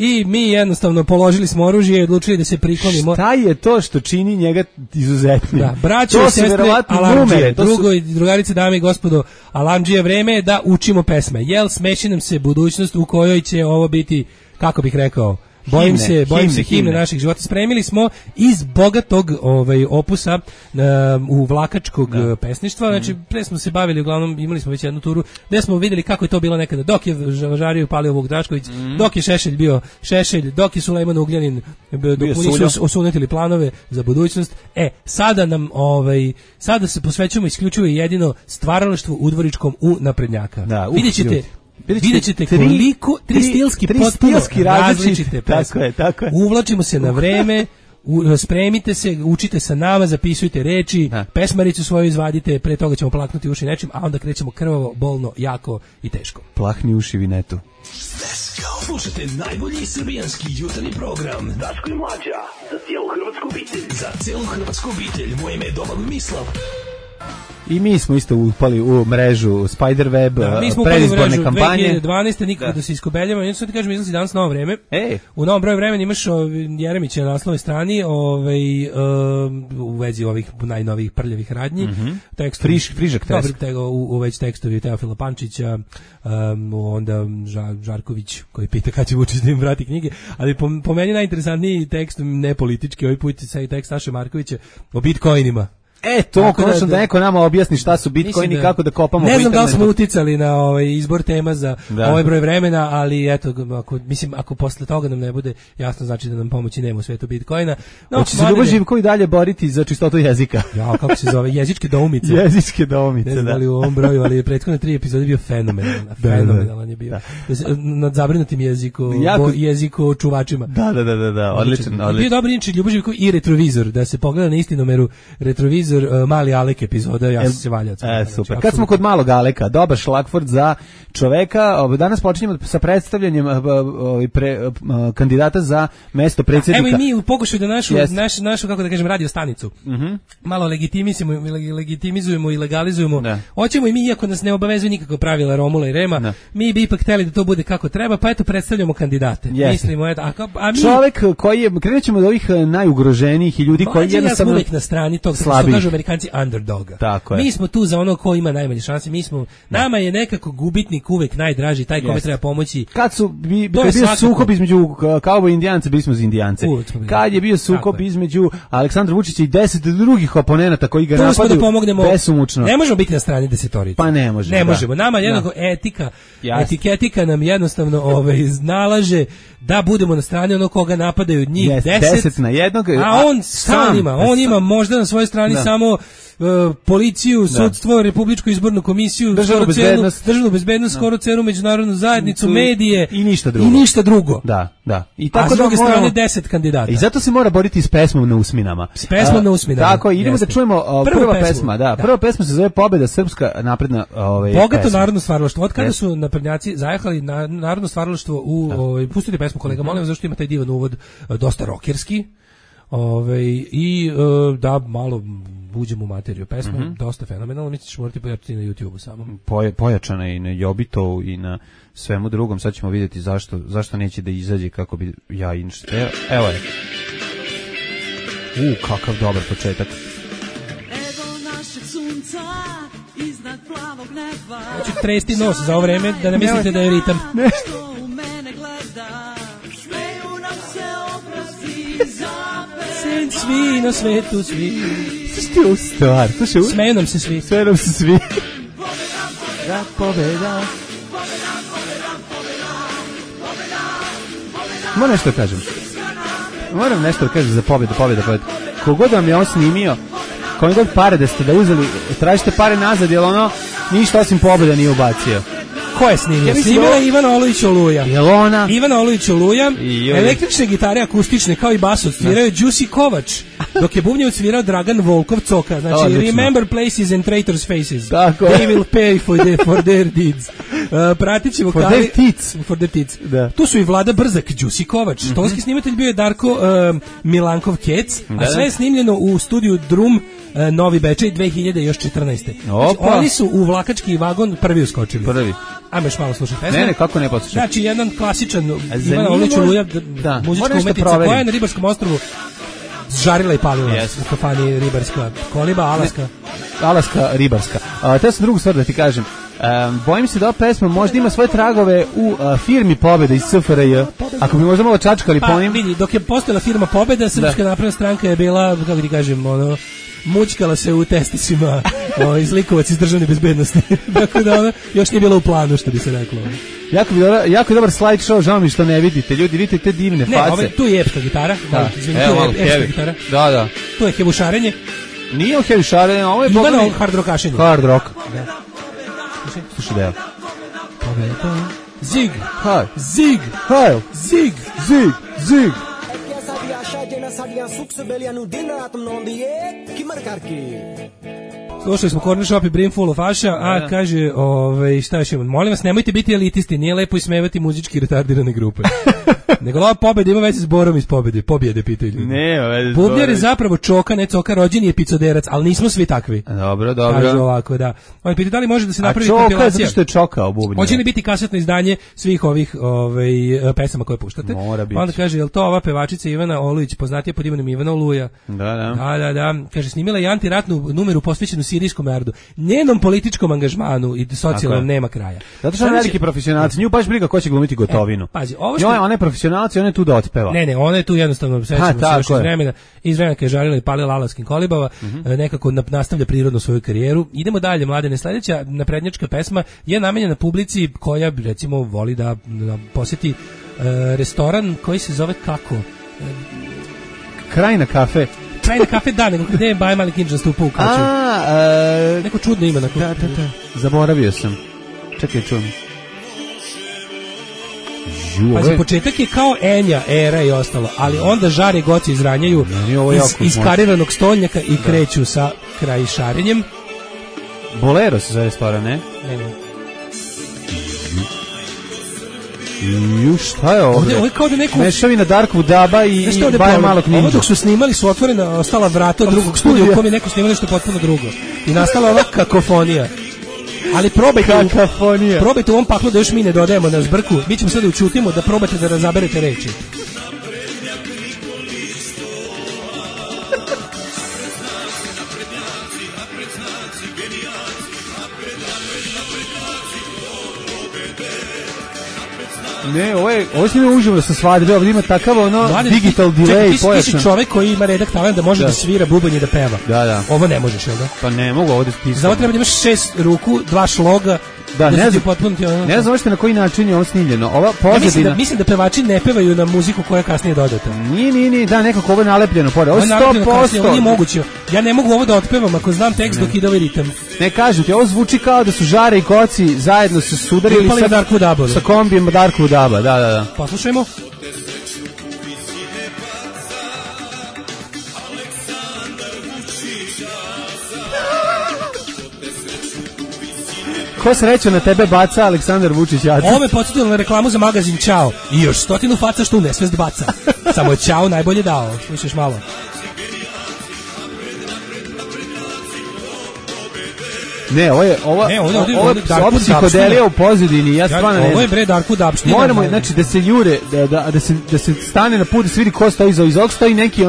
Speaker 9: I mi jednostavno položili smo oružje i odlučili da se priklonimo.
Speaker 8: Šta je to što čini njega izuzetnim?
Speaker 9: Da, braćo i sestre, alamdžije, drugarice, dame i gospodo, alamdžije, vreme je da učimo pesme. Jel smeši nam se budućnost u kojoj će ovo biti, kako bih rekao, bojim se himne naših života. Spremili smo iz bogatog opusa uvlakačkog pesništva. Znači, pre smo se bavili, uglavnom imali smo već jednu turu gde smo videli kako je to bilo nekada. Dok je žario palio Vuk Drašković, dok je Šešelj bio Šešelj, dok je Sulejman Ugljanin, dok nisu osunetili planove za budućnost. Sada se posvećujemo isključivo i jedino stvaralaštvu udvoričkom u naprednjaka.
Speaker 8: Da,
Speaker 9: Vidjet ćete koliko tri stilski različite pesme.
Speaker 8: Tako je.
Speaker 9: Uvlačimo se na vreme, spremite se, učite sa nama, zapisujte reči, pesmaricu svoju izvadite, pre toga ćemo plaknuti uši nečim, a onda krećemo krvavo, bolno, jako i teško.
Speaker 8: Plahni uši Vinetu.
Speaker 11: Slušajte najbolji srbijanski jutarnji program Daško i Mlađa, za cijelu hrvatsku obitelj. Za cijelu hrvatsku obitelj, moje ime je Domagoj Mislav.
Speaker 8: I mi smo isto upali u mrežu Spiderweb, predizborne kampanje.
Speaker 9: 2012. nikako da se iskobeljamo. Ja sad ti kažem, izlazi danas novo vreme. U novom broju vremena imaš Jeremića na naslovnoj strani u vezi ovih najnovijih prljavih radnji.
Speaker 8: Frižak test.
Speaker 9: U već tekstovi Teofila Pančića, onda Žarković koji pita kada će Vučić da im vrati knjige. Ali po meni najinteresantniji tekst, ne politički, ovaj put je tekst Saše Markovića o bitcoinima.
Speaker 8: To konačno da neko nama objasni šta su bitcoini i kako da kopamo.
Speaker 9: Ne znam da li smo uticali na izbor tema za ovaj broj vremena, ali eto, ako posle toga nam ne bude jasno, znači da nam pomoći nema u svetu bitcoina.
Speaker 8: Hoće se Ljubo Živković dalje boriti za čistotu jezika?
Speaker 9: Ja, kako se zove? Jezičke doumice.
Speaker 8: Jezičke doumice,
Speaker 9: ne znam da li u ovom broju, ali prethodne 3 epizode bio fenomenalan. Fenomenalan je bio. Nad zabrinutim jeziku čuvačima.
Speaker 8: Da, odličan.
Speaker 9: Bio dobar inči Ljubo Živković i retrovizor, da se pogleda na istinomeru retrovizor Mali Alek epizoda, ja sam se valjao.
Speaker 8: Super. Kad smo kod Malog Aleka, dobar šlagvort za čoveka. Danas počinjemo sa predstavljanjem kandidata za mesto predsjednika.
Speaker 9: Evo i mi u pokušaju da našu kako da kažem, radio stanicu malo legitimizujemo i legalizujemo. Hoćemo i mi, iako nas ne obavezuju nikako pravila Romula i Rema, mi bi ipak hteli da to bude kako treba, pa eto predstavljamo kandidate. Mislimo, a mi...
Speaker 8: Čovek koji je, krenut ćemo od ovih najugroženijih i ljudi koji jednostavno...
Speaker 9: Ja sam uvijek na strani tog, što kažu Amerikanci, underdoga. Mi smo tu za ono ko ima najmanje šanse, nama je nekako gubitnik uvek najdraži, taj kome treba pomoći.
Speaker 8: Kad je bio sukob između kauboj i Indijanaca, bili smo za Indijance. Kad je bio sukob između Aleksandra Vučića i 10 drugih oponenata koji ga napadaju besomučno.
Speaker 9: Ne možemo biti na strani desetorice.
Speaker 8: Pa ne možemo.
Speaker 9: Ne možemo. Nama jednako etiketika nam jednostavno nalaže da budemo na strani onog koga napadaju njih
Speaker 8: 10 na jednog.
Speaker 9: A on ima možda na svojoj strani samo policiju, sudstvo, Republičku izbornu komisiju, državnu bezbednost, skoro celu međunarodnu zajednicu, medije
Speaker 8: i ništa drugo.
Speaker 9: Da. I tako s druge strane 10 kandidata.
Speaker 8: I zato se mora boriti s pesmom na usminama. Tako, idemo da čujemo prva pesma se zove Pobeda srpska napredna
Speaker 9: bogato narodno stvaralaštvo. Od kada su naprednjaci zajahali na narodno stvaralaštvo pustite pesmu kolega, molim vas, zašto ima taj divan uvod, dosta rokerski. I da malo uđemo u materiju pesme, dosta fenomenalno, mi ćeš morati pojačati na YouTube-u samo.
Speaker 8: Pojačana i na Jobitovu i na svemu drugom, sad ćemo vidjeti zašto neće da izađe kako bi ja evo je. Kakav dobar početak.
Speaker 14: Evo našeg sunca iznad plavog neba.
Speaker 9: Hoću tresti nos za ovo vreme, da ne mislite da je ritam.
Speaker 14: Što u mene gleda, smeju nam se obrazi zapet.
Speaker 9: Svi na svetu, svi.
Speaker 8: Slušajte ovu stvar.
Speaker 9: Smeju nam se svi.
Speaker 8: Pobeda. Moram nešto da kažem za pobjedu. Kogod vam je on snimio, kome god pare da ste da uzeli, tražite pare nazad, jer ništa osim pobjeda nije ubacio.
Speaker 9: Ko je snimio? Snimila je Ivana Olović Oluja. Ivana Olović Oluja, električne gitare akustične kao i bas odsvirao je Đusi Kovač, dok je bubnje odsvirao Dragan Volkov Coka. Znači, remember places and traitors faces.
Speaker 8: Tako.
Speaker 9: They will pay for their deeds. Pratit će vokali... For their teats. Tu su i Vlada Brzak, Đusi Kovač. Tonski snimatelj bio je Darko Milankov Kec, a sve je snimljeno u studiju Drum Novi Bečej 2014. Znači, oni su u vlakački vagon prvi uskočili.
Speaker 8: Prvi.
Speaker 9: Ajmo još malo slušati pesme.
Speaker 8: Ne, kako ne poslušati.
Speaker 9: Znači, jedan klasičan Ivana Olujić Oluja, muzička umetnica koja je na ribarskom ostrvu žarila i palila u kafani ribarska koliba,
Speaker 8: Alaska ribarska. Te sam drugu stvar da ti kažem. Bojim se da ova pesma možda ima svoje tragove u firmi Pobeda iz SFRJ. Ako bi možda malo čačkali po njim.
Speaker 9: Vidi, dok je postojala firma Pobeda, Srpska napredna stranka je bila, kako ti kažem, mučkala se u testicima izlikovac iz državne bezbednosti. Dakle, da još nije bilo u planu, što bi se reklo.
Speaker 8: Jako je dobar slide show, žao mi što ne vidite. Ljudi, vidite te divne face.
Speaker 9: Ne, tu je epska gitara.
Speaker 8: Da.
Speaker 9: Evo, tu je epska gitara.
Speaker 8: Da.
Speaker 9: Tu je hevušarenje.
Speaker 8: Nije hevušarenje, ovo je
Speaker 9: Ivano hard rockašenje.
Speaker 8: Hard rock. Slušaj da je.
Speaker 9: Pobeda. Zig.
Speaker 8: Haj.
Speaker 9: Zig.
Speaker 8: Haj.
Speaker 9: Zig.
Speaker 8: Zig. Zig.
Speaker 9: Slušali smo Corner Shop i Brimful of Asha, kaže, šta još imamo? Molim vas, nemojte biti elitisti, nije lepo ismevati muzički retardirane grupe. Nego ova pobeda ima veze s Borom iz pobjede, pitaju ljudi. Bubnjar je zapravo Čoka, ne Coka, rođeni je picoderac, ali nismo svi takvi.
Speaker 8: Dobro.
Speaker 9: Kaže ovako, da. Oni pitaju da li može da se napravi
Speaker 8: kompilacija. A Čoka je zato što je Čokao Bubnjar.
Speaker 9: Hoće li biti kasetno izdanje svih ovih pesama koje puštate?
Speaker 8: Mora biti.
Speaker 9: Onda kaže, je li to ova pevačica Ivana Olujić, poznatija pod imenom Ivana Oluja? Da. Kaže, snimila je antiratnu numeru posvećenu sirijskom narodu. Njenom političkom angažmanu i socijalnom nema kraja.
Speaker 8: Zato što je veliki profesionalac. Nju baš briga ko će glumiti Gotovinu.
Speaker 9: Pazi, ovo što...
Speaker 8: Ona je profesionalac i ona je tu da otpeva.
Speaker 9: Ne, ona je tu jednostavno, sećamo se još iz vremena kad je žarila i palila alaskim kolibama, nekako nastavlja prirodno svoju karijeru. Idemo dalje, mladene. Sledeća naprednjačka pesma je namenjena publici koja, recimo, voli da posjeti restoran koji se zove kako?
Speaker 8: Krajina kafe.
Speaker 9: Krajina kafe, da, nego gde je Baja Mali Kinč nastupa u Kaću. Neko čudno ime.
Speaker 8: Da. Zaboravio sam. Čekaj, čujem.
Speaker 9: Pazi, početak je kao Enja, Era i ostalo, ali onda žare goci izranjaju iz kariranog stolnjaka i kreću sa kraj šarenjem.
Speaker 8: Bolero se zove restoran, ne?
Speaker 9: Ne.
Speaker 8: Šta je ovdje?
Speaker 9: Ovo je kao da neko...
Speaker 8: Mešavina Darkwood Daba i Baja Malog Ninja.
Speaker 9: Ovo dok su snimali su otvorena, ostala vrata od drugog studija u kojem je neko snimali što je potpuno drugo. I nastala ova kakofonija. Ali probajte u ovom paklu da još mi ne dodajemo na zbrku. Mi ćemo sada učutimo da probate da razaberete reči.
Speaker 8: Ne, ovo snime uživo sa svadbe, ovdje ima takav digital delay pojačan.
Speaker 9: Ti si čovjek koji ima redak talent da može da svira bubanj i da peva.
Speaker 8: Da.
Speaker 9: Ovo ne možeš, jel da?
Speaker 8: Pa ne mogu ovdje pisati.
Speaker 9: Za ovo treba da imaš 6 ruku, 2 šloga.
Speaker 8: Da, ne znam na koji način je ovo snimljeno. Ova pozadina...
Speaker 9: Mislim da pevači ne pevaju na muziku koja je kasnije dodata.
Speaker 8: Nije, da, nekako ovo je nalepljeno pored. Ovo je 100%.
Speaker 9: Ovo nije moguće. Ja ne mogu ovo da otpevam ako znam tekst dok ide ovaj ritam.
Speaker 8: Ne, kažem ti, ovo zvuči kao da su Žare i Goci zajedno se sudarili sa kombijem Darkwood Daba. Da.
Speaker 9: Poslušajmo.
Speaker 8: Ko srećo na tebe baca Aleksandar Vučić Jaca.
Speaker 9: Ovo me podsjetilo na reklamu za magazin Ćao. I još 100 faca što u nesvest baca. Samo je Ćao najbolje dao. Slušaš malo.
Speaker 8: Ne, ovo je psihodelija u pozadini, ja stvarno ne znam.
Speaker 9: Ovo je bre Darkwood Dab.
Speaker 8: Moramo, znači, da se jure, da se stane na put, da se vidi ko stoji iza ovog, stoji neki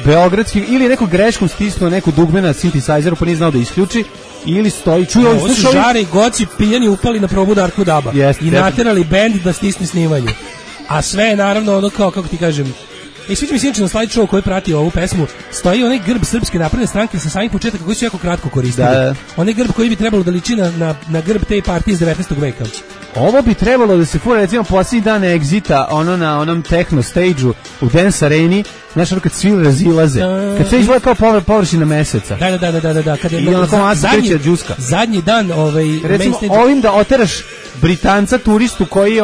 Speaker 8: beogradski, ili neko greškom stisnuo neku dugme na synthesizeru, pa nije znao da isključi, ili stoji, čuje
Speaker 9: ovo su Žare i Goci pijani upali na probu Darkwood Daba i naterali bend da stisne snimanje. A sve je naravno kako ti kažem, sviđa mi se inače na slide show koji prati ovu pesmu, stoji onaj grb Srpske napredne stranke sa samih početaka koji su jako kratko koristili. Onaj grb koji bi trebalo da liči na grb te partije iz 19. veka.
Speaker 8: Ovo bi trebalo da se fura, recimo, posljednji dan Exita, na onom techno stage-u u Dance Areni, znaš, kad svi razilaze, kad sve izgleda kao površina meseca.
Speaker 9: Da.
Speaker 8: I onako masa kreće džuska.
Speaker 9: Zadnji dan,
Speaker 8: recimo, ovim da oteraš Britanca turistu koji je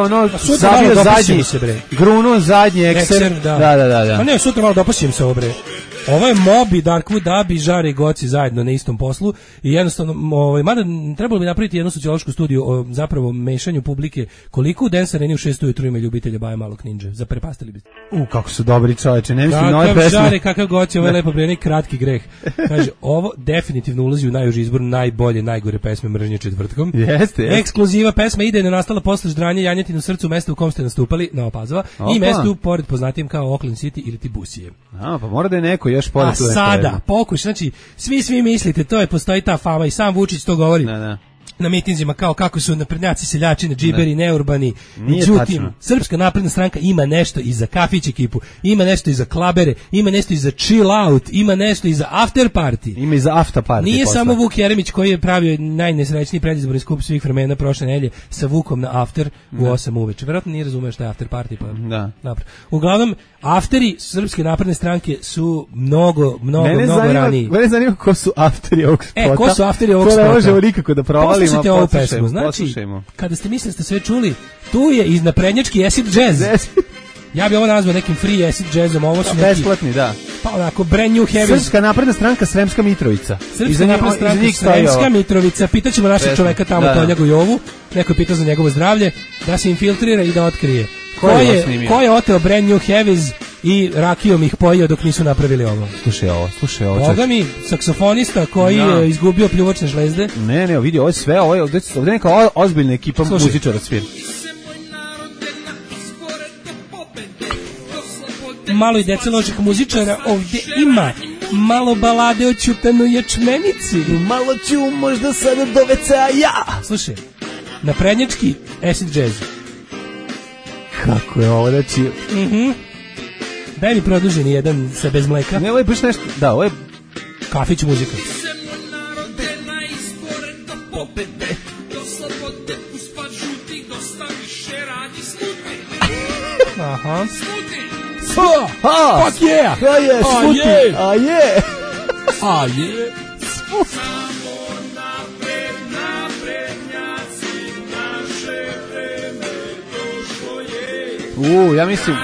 Speaker 8: zabio zadnji, grunuo zadnji ekser.
Speaker 9: Da. A ne, sutra malo dopašćem se ovo, bre. Ovo je Moby, Darkwood, Dabi, Žare i Goci zajedno na istom poslu i jednostavno, mada trebalo bi napraviti jednu sociološku studiju o zapravo mešanju publike, koliko u Dance Areni u 6 ujutru ima ljubitelja Baje Malog Ninja, zaprepastili bi.
Speaker 8: Kako su dobri čoveče, ne mislim nove pesme.
Speaker 9: Kakav Žare, kakav Goci, ovo je lepo breni, kratki greh. Kaže, ovo definitivno ulazi u najuži izbor najbolje, najgore pesme mržnje četvrtkom.
Speaker 8: Jeste.
Speaker 9: Ekskluziva pesma idejno nastala posle ždranja janjetine u srcu mesta u kom ste nastupali, Nova Pazova, i mestu pored poznatijim kao Oakland City ili Tibusije.
Speaker 8: Pa mora da je neko još pored tu.
Speaker 9: A sada, pokuš, znači, svi mislite, postoji ta fama i sam Vučić to govori. Na mitinzima kao kako su naprednjaci, seljači, džiberi, neurbani. Međutim, Srpska napredna stranka ima nešto i za kafić ekipu, ima nešto i za klabere, ima nešto i za chill out, ima nešto i za after party.
Speaker 8: Ima i za after party.
Speaker 9: Nije samo Vuk Jeremić koji je pravio najnesrećniji predizborni skup svih vremena prošle nedelje sa Vukom na after u 8 uveče. Verovatno nije razumeo šta je after party. Pa. Dobro. Uglavnom, afteri Srpske napredne stranke su mnogo raniji.
Speaker 8: Mene zanima ko su afteri ovog spota.
Speaker 9: Ko su afteri ovog spota?
Speaker 8: To ne možemo nikako da provalimo.
Speaker 9: Poslušajte ovu pesmu. Znači, kada ste mislili da ste sve čuli, tu je iz naprednjački acid jazz. Ja bi ovo nazvao nekim free acid jazzom. Ovo su neki
Speaker 8: besplatni, da.
Speaker 9: Pa onako, brand new heavy.
Speaker 8: Srpska napredna stranka Sremska Mitrovica.
Speaker 9: Srpska napredna stranka Sremska Mitrovica. Pitaćemo našeg čoveka tamo, Tonjagu Jovu. Neko je pitao za njegovo zdravlje. Da se infiltrira i da otkrije. Ko je oteo brand new heavies i rakijom ih pojio dok nisu napravili ovo.
Speaker 8: Slušaj ovo.
Speaker 9: Boga mi, saksofonista koji je izgubio pljuvačne žlezde.
Speaker 8: Ne, vidi, ovo je sve, ovdje je neka ozbiljna ekipa muzičara svira.
Speaker 9: Malo i dece loših muzičara ovdje ima. Malo balade o Ćutanoj ječmenici.
Speaker 8: Malo ću možda sada do WC-a ja.
Speaker 9: Slušaj, naprednjački acid jazz.
Speaker 8: Kako je ovo, znači...
Speaker 9: Daj mi produženi jedan sa bez mleka.
Speaker 8: Ne, ovo je baš nešto... Da, ovo je...
Speaker 9: Kafić muzika. Aha. Fuck yeah! A je!
Speaker 8: Ja mislim...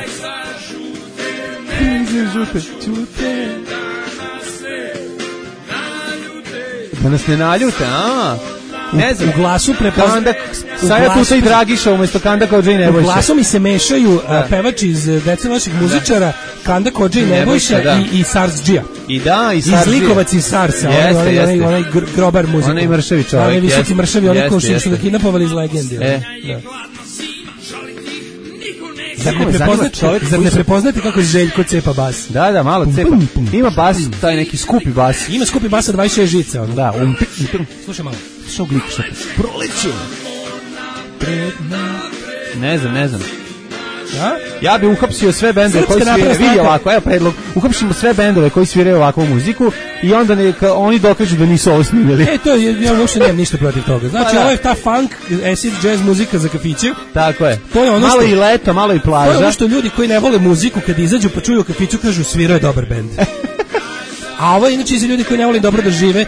Speaker 8: Da nas ne naljute, ne znam.
Speaker 9: U glasu prepoznat...
Speaker 8: Saja Tuta i Dragiša umjesto Kanda Kođa i Nebojša.
Speaker 9: U glasu mi se mešaju pevač iz Dece loših muzičara, Kanda Kođa i Nebojša i Sars Džija.
Speaker 8: I Sars
Speaker 9: Džija. Izlikovac iz Sarsa, onaj grobar muzika.
Speaker 8: Onaj mršavi čovjek.
Speaker 9: Onaj visoki mršavi, onaj ko što ga kidnapovali iz Legendi. Zar ne prepoznate kako Željko cepa bas?
Speaker 8: Da, malo cepa. Ima bas, taj neki skupi bas.
Speaker 9: Ima skupi bas sa 26 žica.
Speaker 8: Da,
Speaker 9: slušaj malo.
Speaker 8: Što glikaš? Proleće. Ne znam. Ja bi uhapsio sve bendove koji sviraju, vidi ovako, evo predlog, uhapsimo sve bendove koji sviraju ovakvu muziku i onda neka oni dokažu da nisu ovo snimili.
Speaker 9: Ja uopšte nemam ništa protiv toga. Znači, ovo je ta funk, acid jazz muzika za kafiće.
Speaker 8: Tako je.
Speaker 9: To je ono
Speaker 8: malo i leto, malo i plaža.
Speaker 9: To je ono što ljudi koji ne vole muziku, kad izađu pa čuju u kafiću, kažu svirao je dobar bend. A ovo je inače za ljudi koji ne vole dobro da žive,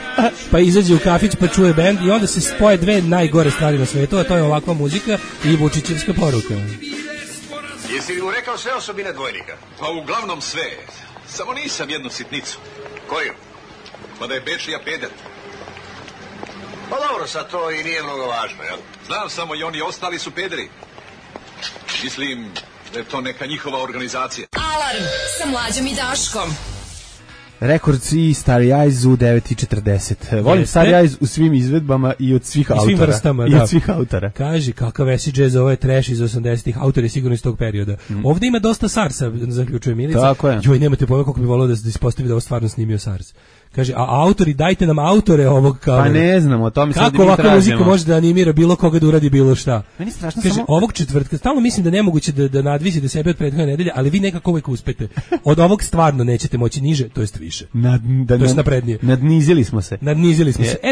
Speaker 9: pa izađe u kafić pa čuje bend i onda se spoje dve najgore stvari na svetu, a to je ovakva muzika i Vučićevska poruka.
Speaker 15: Jesi li mu rekao sve osobine dvojnika?
Speaker 16: Pa uglavnom sve. Samo nisam jednu sitnicu.
Speaker 15: Koju?
Speaker 16: Pa da je Bečija peder.
Speaker 15: Pa dobro, sad to i nije mnogo važno, jel?
Speaker 16: Znam samo i oni ostali su pederi. Mislim da je to neka njihova organizacija.
Speaker 7: Alarm sa Mlađom i Daškom.
Speaker 8: Rekords i Starry Eyes u 9:40. Volim Starry Eyes u svim izvedbama i od svih autora.
Speaker 9: Svim vrstama,
Speaker 8: I od svih autora.
Speaker 9: Kaži, kakav acid jazz, ovo je trash iz 80-ih, autor je sigurno iz tog perioda. Ovdje ima dosta Sarsa, zaključuje Milica.
Speaker 8: Tako je.
Speaker 9: Joj, nemate pojma kako bi volio da se ispostavi da ovo stvarno snimio Sars. Kaže, a autori, dajte nam autore ovog kavera.
Speaker 8: Pa ne znamo, o tome sad mi
Speaker 9: tražimo. Kako ovakva muzika može da animira bilo koga da uradi bilo šta?
Speaker 8: Meni strašno
Speaker 9: kaže,
Speaker 8: samo...
Speaker 9: ovog četvrtka, stalno mislim da nemoguće da nadvisite sebe od prethodne nedelje, ali vi nekako uvijek uspete. Od ovog stvarno nećete moći niže, to jest više. To jest naprednije.
Speaker 8: Nadnizili smo se.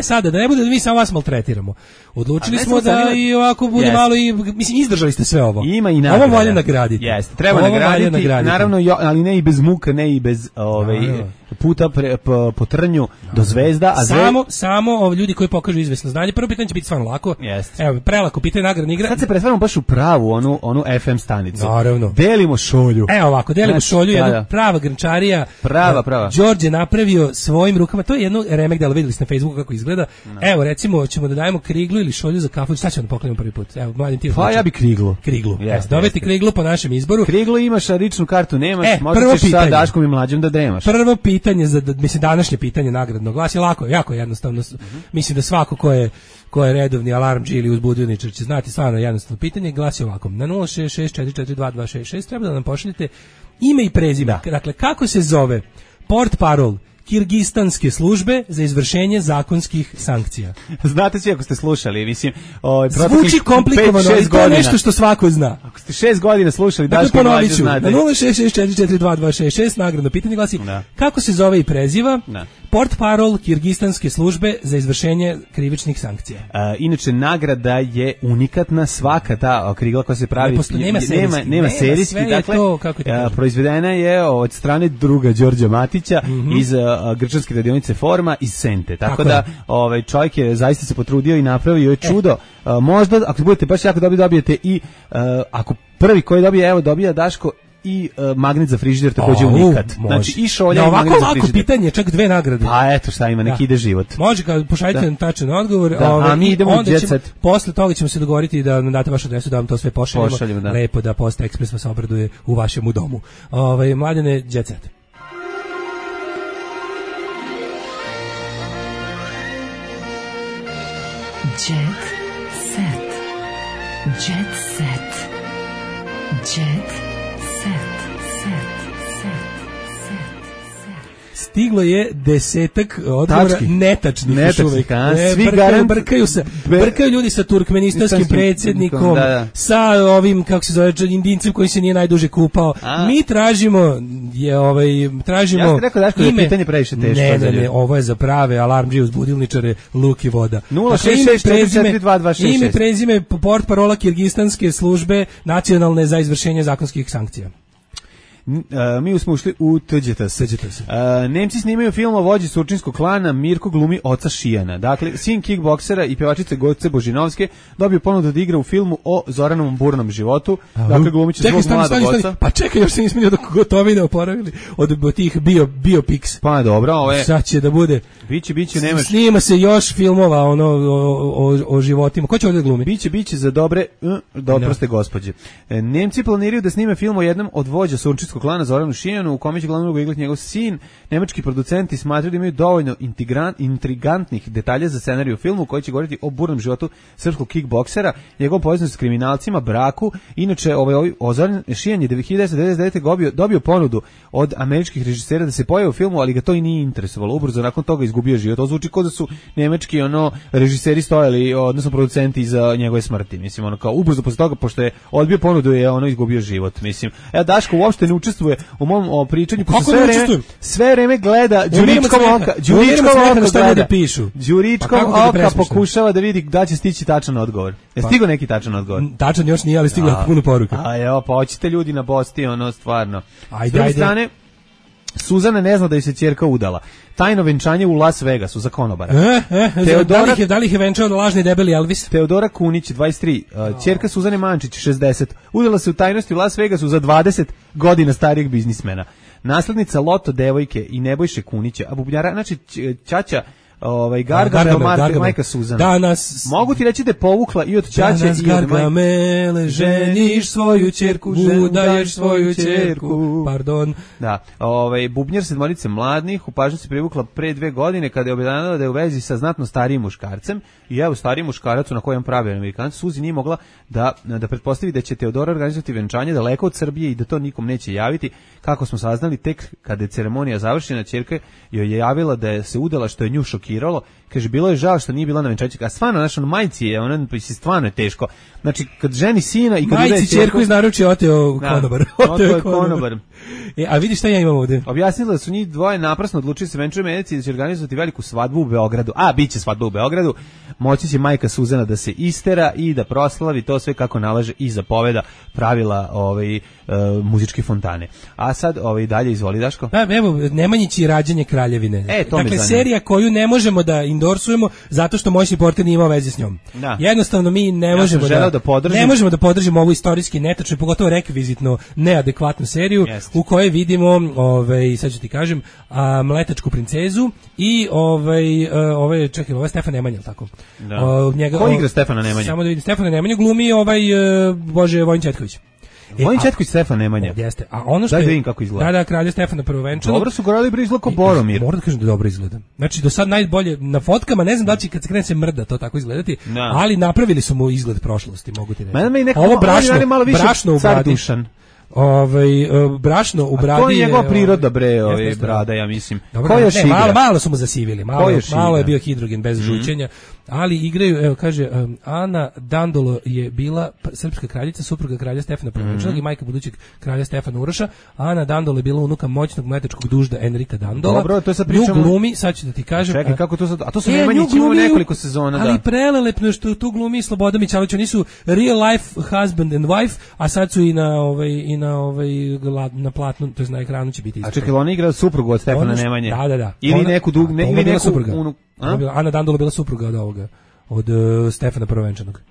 Speaker 9: Sada, da ne bude da mi samo vas maltretiramo. Odlučili smo da i ovako bude malo i, mislim, izdržali ste sve ovo.
Speaker 8: Ima i nagrada.
Speaker 9: Ovo valja nagraditi.
Speaker 8: Jeste, treba nagraditi, naravno, ali ne i bez muka, ne i bez puta po trnju do zvezda, a
Speaker 9: samo ljudi koji pokažu izvesno znanje. Prvo pitanje će biti stvarno lako.
Speaker 8: Jeste.
Speaker 9: Evo, prelako pitanje, nagradna igra.
Speaker 8: Sad se pretvaramo baš u pravu onu FM stanicu.
Speaker 9: Naravno.
Speaker 8: Delimo šolju.
Speaker 9: Evo ovako, delimo šolju, jedna prava grnčarija.
Speaker 8: Prava.
Speaker 9: Đorđe napravio svojim rukama, to je jedno remek delo, videli ste na Facebooku kako izgleda. No. Evo, recimo, ćemo da dajemo kriglu ili šolju za kafu, šta ćemo da poklanjamo prvi put? Evo, mladim ti.
Speaker 8: Pa ja bi kriglu.
Speaker 9: Dobiti kriglu po našem izboru.
Speaker 8: Kriglu imaš, a ličnu kartu nemaš, možda ćeš sa Daškom i Mlađom da dremaš.
Speaker 9: Prvo pitanje, mislim, današnje pitanje nagradno glasi, lako, jako jednostavno. Mislim da svako ko je redovni alarmdži ili uzbudioničar će znati stvarno jednostavno pitanje, glasi ovako. Na 066442266 treba da nam pošaljete ime i prezime. Dakle, kako se zove portparol Kirgistanske službe za izvršenje zakonskih sankcija.
Speaker 8: Znate svi ako ste slušali, mislim,
Speaker 9: zvuči komplikovano, ali to je nešto što svako zna.
Speaker 8: Ako ste 6 godina slušali,
Speaker 9: Daško Mlađe znate. Na 066442266 nagradno pitanje glasi, kako se zove i preziva portparol Kirgistanske službe za izvršenje krivičnih sankcija.
Speaker 8: Inače, nagrada je unikatna, svaka ta krigla koja se pravi, nema serijski, dakle, proizvedena je od strane druga Đorđa Matića iz grčanske radionice Forma iz Sente. Tako da čovjek je zaista se potrudio i napravio je čudo. Možda, ako budete baš jako dobijete i ako prvi koji dobije, evo dobija Daško i magnet za frižider, također unikat. Znači i šolja i magnet za frižider.
Speaker 9: Ovako pitanje, čak 2 nagrade.
Speaker 8: Pa eto šta ima, neki ide život.
Speaker 9: Može kad pošaljite tačan odgovor.
Speaker 8: A mi idemo u Jet Set.
Speaker 9: Posle toga ćemo se dogovoriti da nam date vašu adresu, da vam to sve pošaljemo. Lepo da Post Ekspres vas obraduje u vašem domu. Mladene, Jet Set.
Speaker 14: Jet set. Jet set. Jet set.
Speaker 9: Stiglo je 10 odgovora netačnih još uvijek. Brkaju ljudi sa turkmenistanskim predsjednikom, sa ovim, kako se zove, Indincem koji se nije najduže kupao. Mi tražimo tražimo
Speaker 8: ja sam rekao Daško da je pitanje previše teško.
Speaker 9: Ne, ovo je za prave alarmdži uzbudilničare, luk i voda.
Speaker 8: 066442266
Speaker 9: ime prezime portparola Kirgistanske službe nacionalne za izvršenje zakonskih sankcija.
Speaker 8: Mi smo ušli u TGTS. Nemci snimaju film o vođi surčinskog klana, Mirko glumi oca Šijana. Dakle, sin kickboksera i pevačice Goce Božinovske dobio ponudu da igra u filmu o Zoranovom burnom životu. Dakle, glumiće svog mladog oca.
Speaker 9: Pa čekaj, još se nismo ni od gotovine oporavili od tih biopics.
Speaker 8: Pa dobro, ovo je.
Speaker 9: Sad će da bude.
Speaker 8: Biće, nemaš.
Speaker 9: Snima se još filmova o životima. Ko će ovdje glumi?
Speaker 8: Biće za dobre, proste gospođe. Nemci planiraju da snime film o jednom od vođa surčinskog klana Zoranu Šijanu, u kome će glavnu ulogu igrati njegov sin. Nemački producenti smatraju da imaju dovoljno intrigantnih detalja za scenarij u filmu koji će govoriti o burnom životu srpskog kickboksera, njegovom povezanosti s kriminalcima, braku. Inače, Zoran Šijan je 1999. dobio ponudu od američkih režisera da se pojavi u filmu, ali ga to i nije interesovalo. Ubrzo nakon toga izgubio život. To zvuči kao da su nemački režiseri stojali, odnosno producenti iza njegove smrti. Mislim, kao ubrzo posle toga, pošto je odbio ponudu, je izgubio život. Mislim, Daško uopšte ne učestvuje u mom pričanju, pošto sve vreme gleda Đuričkom oka. Đuričkom oka pokušava da vidi da će stići tačan odgovor. Je stigao neki tačan odgovor?
Speaker 9: Tačan još nije, ali stigla puno poruka.
Speaker 8: Pa hoćete ljudi na Bosti, stvarno. S druge strane, Suzana ne zna da je se ćerka udala. Tajno venčanje u Las Vegasu za konobara.
Speaker 9: Da li ih je venčao lažni debeli Elvis?
Speaker 8: Teodora Kunić, 23, ćerka Suzane Mančić, 60, udala se u tajnosti u Las Vegasu za 20 godina starijeg biznismena. Naslednica Loto devojke i Nebojše Kunića, a bubnjara, znači ćaća Gargamel, majka Suzana.
Speaker 9: Danas
Speaker 8: mogu ti reći da je povukla i od ćaće
Speaker 9: i od Gargamele, ženiš svoju ćerku, udaješ svoju ćerku. Pardon.
Speaker 8: Da, bubnjar sedmorice mladih u pažnju se privukla pre 2 godine kada je obznanila da je u vezi sa znatno starijim muškarcem i stariji muškarac na kojem pravi Amerikanac. Suzi nije mogla da pretpostavi da će Teodora organizovati venčanje daleko od Srbije i da to nikom neće javiti. Kako smo saznali, tek kada je ceremonija završena, ćerka joj je javila da je se udala, što je nju šokiralo. kaže, bilo je žao što nije bila na venčanju, a stvarno, znaš, ono, majci je, ona, stvarno je teško. Znači, kad ženi sina i kad
Speaker 9: majci ćerku iz naručja oteo konobar.
Speaker 8: Oteo konobar.
Speaker 9: A vidi šta ja imam ovde.
Speaker 8: Objasnila da su njih dvoje naprasno odlučili se venčuje medici da će organizovati veliku svadbu u Beogradu. A, bit će svadba u Beogradu. Moći će majka Suzana da se istera i da proslavi to sve kako nalaže i zapoveda pravila muzičke fontane. A sad dalje izvoli, Daško.
Speaker 9: Evo, Nemanjić i rađanje kraljevine. Dakle, serija koju ne možemo da endorsujemo zato što moćni portir nije imao veze s njom.
Speaker 8: Da.
Speaker 9: Jednostavno mi ne možemo ne možemo da podržimo ovu istorijski netačno, pogotovo rekvizitno neadekvatnu seriju u kojoj vidimo, sad ću ti kažem, Mletačku princezu i ovo je Stefan Nemanja, tako?
Speaker 8: Da. Ko igra Stefana Nemanja?
Speaker 9: Samo da vidim, Stefana Nemanja glumi Vojin Četković.
Speaker 8: Vojin Četković Stefan Nemanja.
Speaker 9: Jeste. A ono što je,
Speaker 8: vidim kako izgleda.
Speaker 9: Da, kralja Stefana prvovenčanog.
Speaker 8: Dobro su gledali izgleda kao Boromir.
Speaker 9: Moram da kažem da dobro izgleda. Znači do sad najbolje na fotkama, ne znam da li će kad se krene se mrda to tako izgledati, ali napravili su mu izgled prošlosti, mogu ti reći. Ovo brašno u bradi. Brašno u bradi.
Speaker 8: A to je njegova priroda, brada, ja mislim.
Speaker 9: Ko još igra? Malo su mu zasivili, malo je bio hidrogen bez žućenja, ali igraju, evo kaže, Ana Dandolo je bila srpska kraljica, supruga kralja Stefana Prvenčanog i majka budućeg kralja Stefana Uroša. Ana Dandolo je bila unuka moćnog mletačkog dužda Enrika Dandola.
Speaker 8: Dobro, to je sad pričamo.
Speaker 9: Nju glumi, sad ću da ti kažem.
Speaker 8: Čekaj, kako to sad? A to su Nemanjić imao nekoliko sezona,
Speaker 9: ali prelelepno što tu glumi Slobodan Mićalović, oni su real life husband and wife, a sad su i na platnu, to je na ekranu će biti.
Speaker 8: A čekaj, ona igra suprugu od Stefana Nemanje.
Speaker 9: Da.
Speaker 8: Ili neku
Speaker 9: supruga. Ana Dandolo bila supruga od ovoga, od Stefana Prvovenčanog.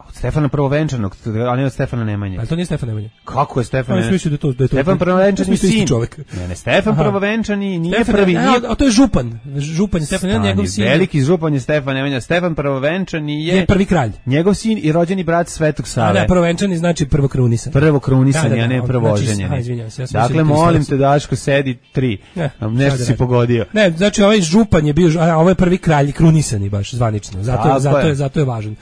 Speaker 8: Od Stefana Prvovenčanog, a ne od Stefana Nemanje.
Speaker 9: Ali to nije Stefan Nemanje.
Speaker 8: Kako je Stefan Nemanje?
Speaker 9: Mislio da je to
Speaker 8: Stefan Prvovenčani sin.
Speaker 9: Čovjek.
Speaker 8: Ne, Stefan Prvovenčani nije prvi.
Speaker 9: A to je župan. Župan je Stefan Nemanja, njegov sin.
Speaker 8: Veliki župan je Stefan Nemanja. Stefan Prvovenčani je
Speaker 9: prvi kralj.
Speaker 8: Njegov sin i rođeni brat Svetog Save.
Speaker 9: Da, Prvovenčani znači prvokrunisan.
Speaker 8: Prvokrunisan, a ne prvoženjeni. Dakle, molim te, Daško, sedi 3. Nešto si pogodio.
Speaker 9: Ne, znači ovaj župan je bio, a ovo je prvi kralj krunisani baš zvanično. Zato je važan.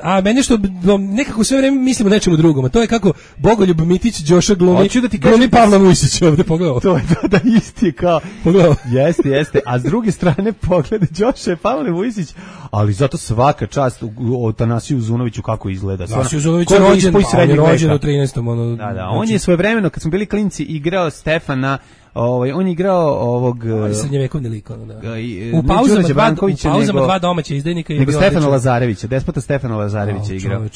Speaker 9: A meni što nekako sve vreme mislimo nečemu drugom, a to je kako Bogoljub Mitić Đoša glumi Pavla Vujsić ovde, pogledao.
Speaker 8: To je da isti kao,
Speaker 9: pogledao.
Speaker 8: Jeste, a s druge strane pogleda Đoša je Pavle Vujsić, ali zato svaka čast o Tanasiju Uzunoviću kako izgleda.
Speaker 9: Tanasiju Uzunović je rođen u 13.
Speaker 8: Da, on je svojevremeno, kad smo bili klinci, igrao Stefana. On je igrao ovog
Speaker 9: srednjevekovni lik, U pauzama dva domaća izdajnika i
Speaker 8: Stefana Lazarevića, despota Stefana Lazarevića igrao.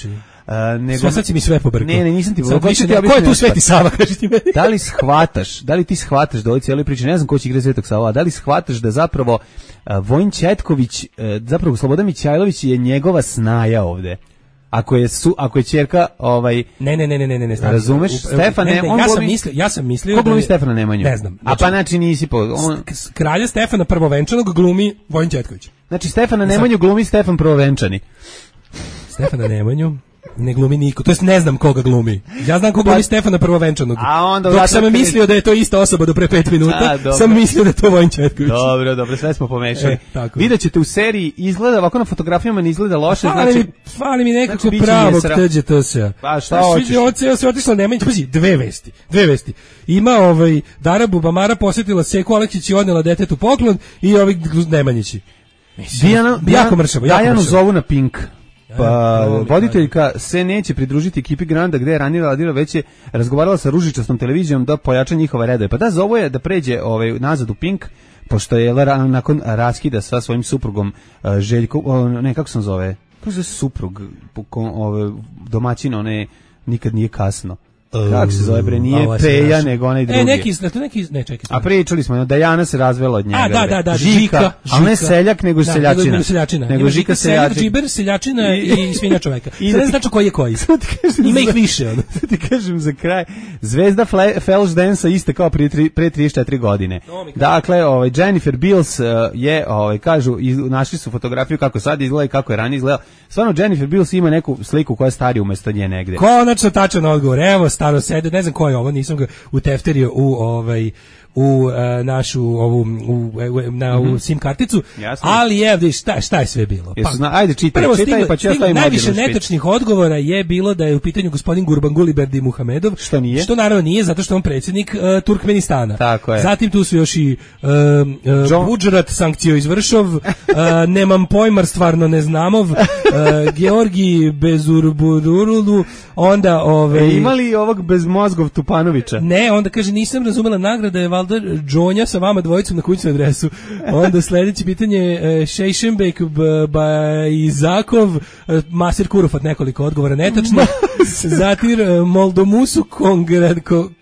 Speaker 9: Sad si mi sve pobrkao.
Speaker 8: Ne, nisam ti
Speaker 9: pobrkao. Ko je tu Sveti Sava, kaži ti meni?
Speaker 8: Da li ti shvataš da ovoj cijeloj priči, ne znam ko će igrati Svetog Sava, da li shvataš da zapravo Vojin Četković, zapravo Slobodan Mićajlović je njegova snaja ovde? Ako je ćerka
Speaker 9: ne.
Speaker 8: Razumeš? Stefan
Speaker 9: ja sam mislio
Speaker 8: ko glumi Stefana Nemanju?
Speaker 9: Ne znam.
Speaker 8: A pa znači nisi
Speaker 9: kralja Stefana Prvovenčanog glumi Vojin Četković.
Speaker 8: Znači Stefana Nemanju glumi Stefan Prvovenčani.
Speaker 9: Stefana Nemanju ne glumi niko, to jest ne znam koga glumi. Ja znam koga glumi Stefana Prvovenčanog. Dok sam mislio da je to ista osoba do pre 5 minuta, sam mislio da je to Vojin Četković.
Speaker 8: Dobro, sve smo pomešali. Vidjet ćete u seriji, izgleda ovako na fotografijama, ne izgleda loše.
Speaker 9: Fali mi nekako pravog TGTS-a.
Speaker 8: Pa šta hoćeš?
Speaker 9: Sve otišlo Nemanjić, pazi, dve vesti. Ima Dara Bubamara posjetila Seku Aleksić i odnela detetu poklon i Nemanjići. Jako mršavo.
Speaker 8: Dajanu zovu na Pink. Pa voditeljka se neće pridružiti ekipi Granda gde je ranije radila, već je razgovarala sa ružičastom televizijom da pojača njihove redove. Pa da, zovu je da pređe nazad u Pink, pošto je nakon raskida sa svojim suprugom Željko, kako se zove? Kako se suprug domaćina, nikad nije kasno. Kako se zove, bre, nije Peja, nego onaj drugi.
Speaker 9: Ne, čekaj.
Speaker 8: A pričali smo, Dajana se razvela od njega.
Speaker 9: Da, Žika.
Speaker 8: Ali ne seljak, nego seljačina.
Speaker 9: Nego Žika seljak, džiber, seljačina i svinja čoveka. Sad ne znači koji je koji. Ima ih više.
Speaker 8: Sad ti kažem za kraj, zvezda Flash Dance-a iste kao pre 34 godine. Dakle, Jennifer Beals je, kažu, našli su fotografiju kako sad izgleda i kako je ranije izgledala. Stvarno, Jennifer Beals ima neku sliku koja je starija umesto nje negde.
Speaker 9: Konačno tačan odgovor, evo, staro sede, ne znam ko je ovo, nisam ga utefterio u našu ovu u SIM karticu.
Speaker 8: Jasno.
Speaker 9: Ali je šta je sve bilo?
Speaker 8: Ajde čitaj, pa ću ja stavim
Speaker 9: najviše netačnih odgovora je bilo da je u pitanju gospodin Gurbanguly Berdimuhamedov, što naravno nije, zato što je on predsjednik Turkmenistana.
Speaker 8: Tako je.
Speaker 9: Zatim tu su još i Budžrat sankcio izvršov, nemam pojmar, stvarno ne znamov, Georgi Bezurburulu, onda
Speaker 8: imali ovog bezmozgov Tupanovića?
Speaker 9: Ne, onda kaže nisam razumela, nagrada je valjda Džonja sa vama dvojicom na kućnu adresu. Onda sledeće pitanje Šejšenbek Bajzakov, Masir Kurufat, nekoliko odgovora netačno. Zatim Moldomusu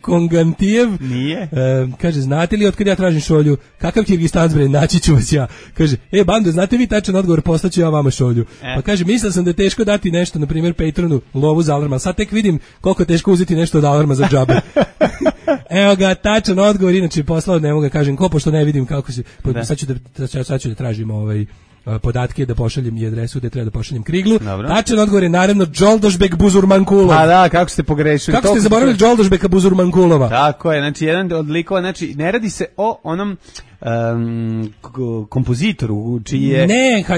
Speaker 9: Kongantijev.
Speaker 8: Nije.
Speaker 9: Kaže, znate li otkad ja tražim šolju? Kakav Kirgistan bre, naći ću vas ja. Kaže, bando, znate vi tačan odgovor, poslaću ja vama šolju. Pa kaže, mislio sam da je teško dati nešto, na primjer Patronu, lovu za alarma. Sad tek vidim koliko je teško uzeti nešto od alarma za džabe. Evo ga, tačan odgovor, inače poslao, ne mogu ga kažem ko, pošto ne vidim kako se, sad ću da tražim podatke, da pošaljem i adresu da treba da pošaljem Kriglu.
Speaker 8: Dobro.
Speaker 9: Tačan odgovor je naravno Đoldošbek Buzurmankulov.
Speaker 8: A da, kako ste pogrešili.
Speaker 9: Kako ste zaboravili Đoldošbeka Buzurmankulova?
Speaker 8: Tako je, znači jedan od likova, znači ne radi se o onom kompozitoru čiji je...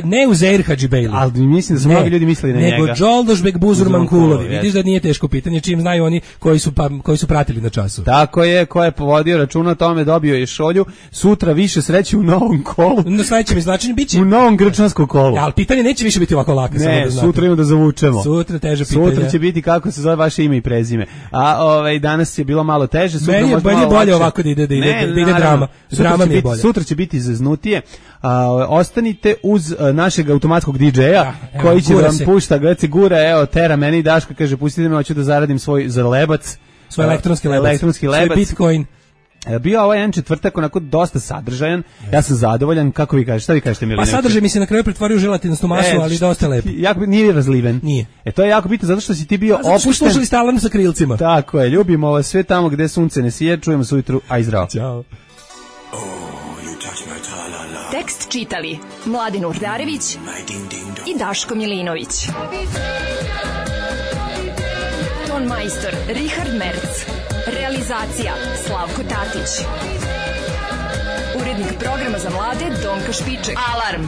Speaker 9: Ne Uzeir Hadžibejli.
Speaker 8: Ali mislim da su mnogi ljudi mislili na njega.
Speaker 9: Nego Đoldošbek Buzurmankulovi. Vidiš da nije teško pitanje, čim znaju oni koji su pratili na času.
Speaker 8: Tako je, ko je povodio računa o tome, dobio je šolju. Sutra više sreće u novom kolu.
Speaker 9: Na sledećem izvlačenju biće...
Speaker 8: U novom grčanskom kolu.
Speaker 9: Ali pitanje neće više biti ovako lako.
Speaker 8: Ne, sutra imamo da zavučemo.
Speaker 9: Sutra teže pitanje.
Speaker 8: Sutra će biti kako se zove vaše ime i prezime. A danas je bilo malo teže.
Speaker 9: Meni je bolje ovako da ide drama. Drama mi je bolje.
Speaker 8: Sutra će biti zeznutije. Ostanite uz našeg automatskog DJ-a koji će da vam pušta Gci Gura, evo tera meni i Daška, kaže pustite me, hoću da zaradim svoj zalebac,
Speaker 9: svoj elektronski lebac, svoj Bitcoin.
Speaker 8: Bio ovaj jedan četvrtak onako dosta sadržajan, ja sam zadovoljan, kako vi kažete, šta vi kažete Milinović?
Speaker 9: Pa sadržaj mi se na kraju pretvorio u želatinastu masu, ali dosta lepo.
Speaker 8: Nije razliven.
Speaker 9: Nije.
Speaker 8: To je jako bitno zato što si ti bio opušten.
Speaker 9: Slušali ste alarm sa krilcima.
Speaker 8: Tako je, ljubimo vas sve tamo gde sunce ne sije, čujemo se ujutru, aj zdravo.
Speaker 9: Ćao.
Speaker 7: Tekst čitali Mladin Urdarević i Daško Milinović. Ton majstor Richard Merc. Realizacija Slavko Tatić. Urednik programa za mlade Donka Špiček. Alarm!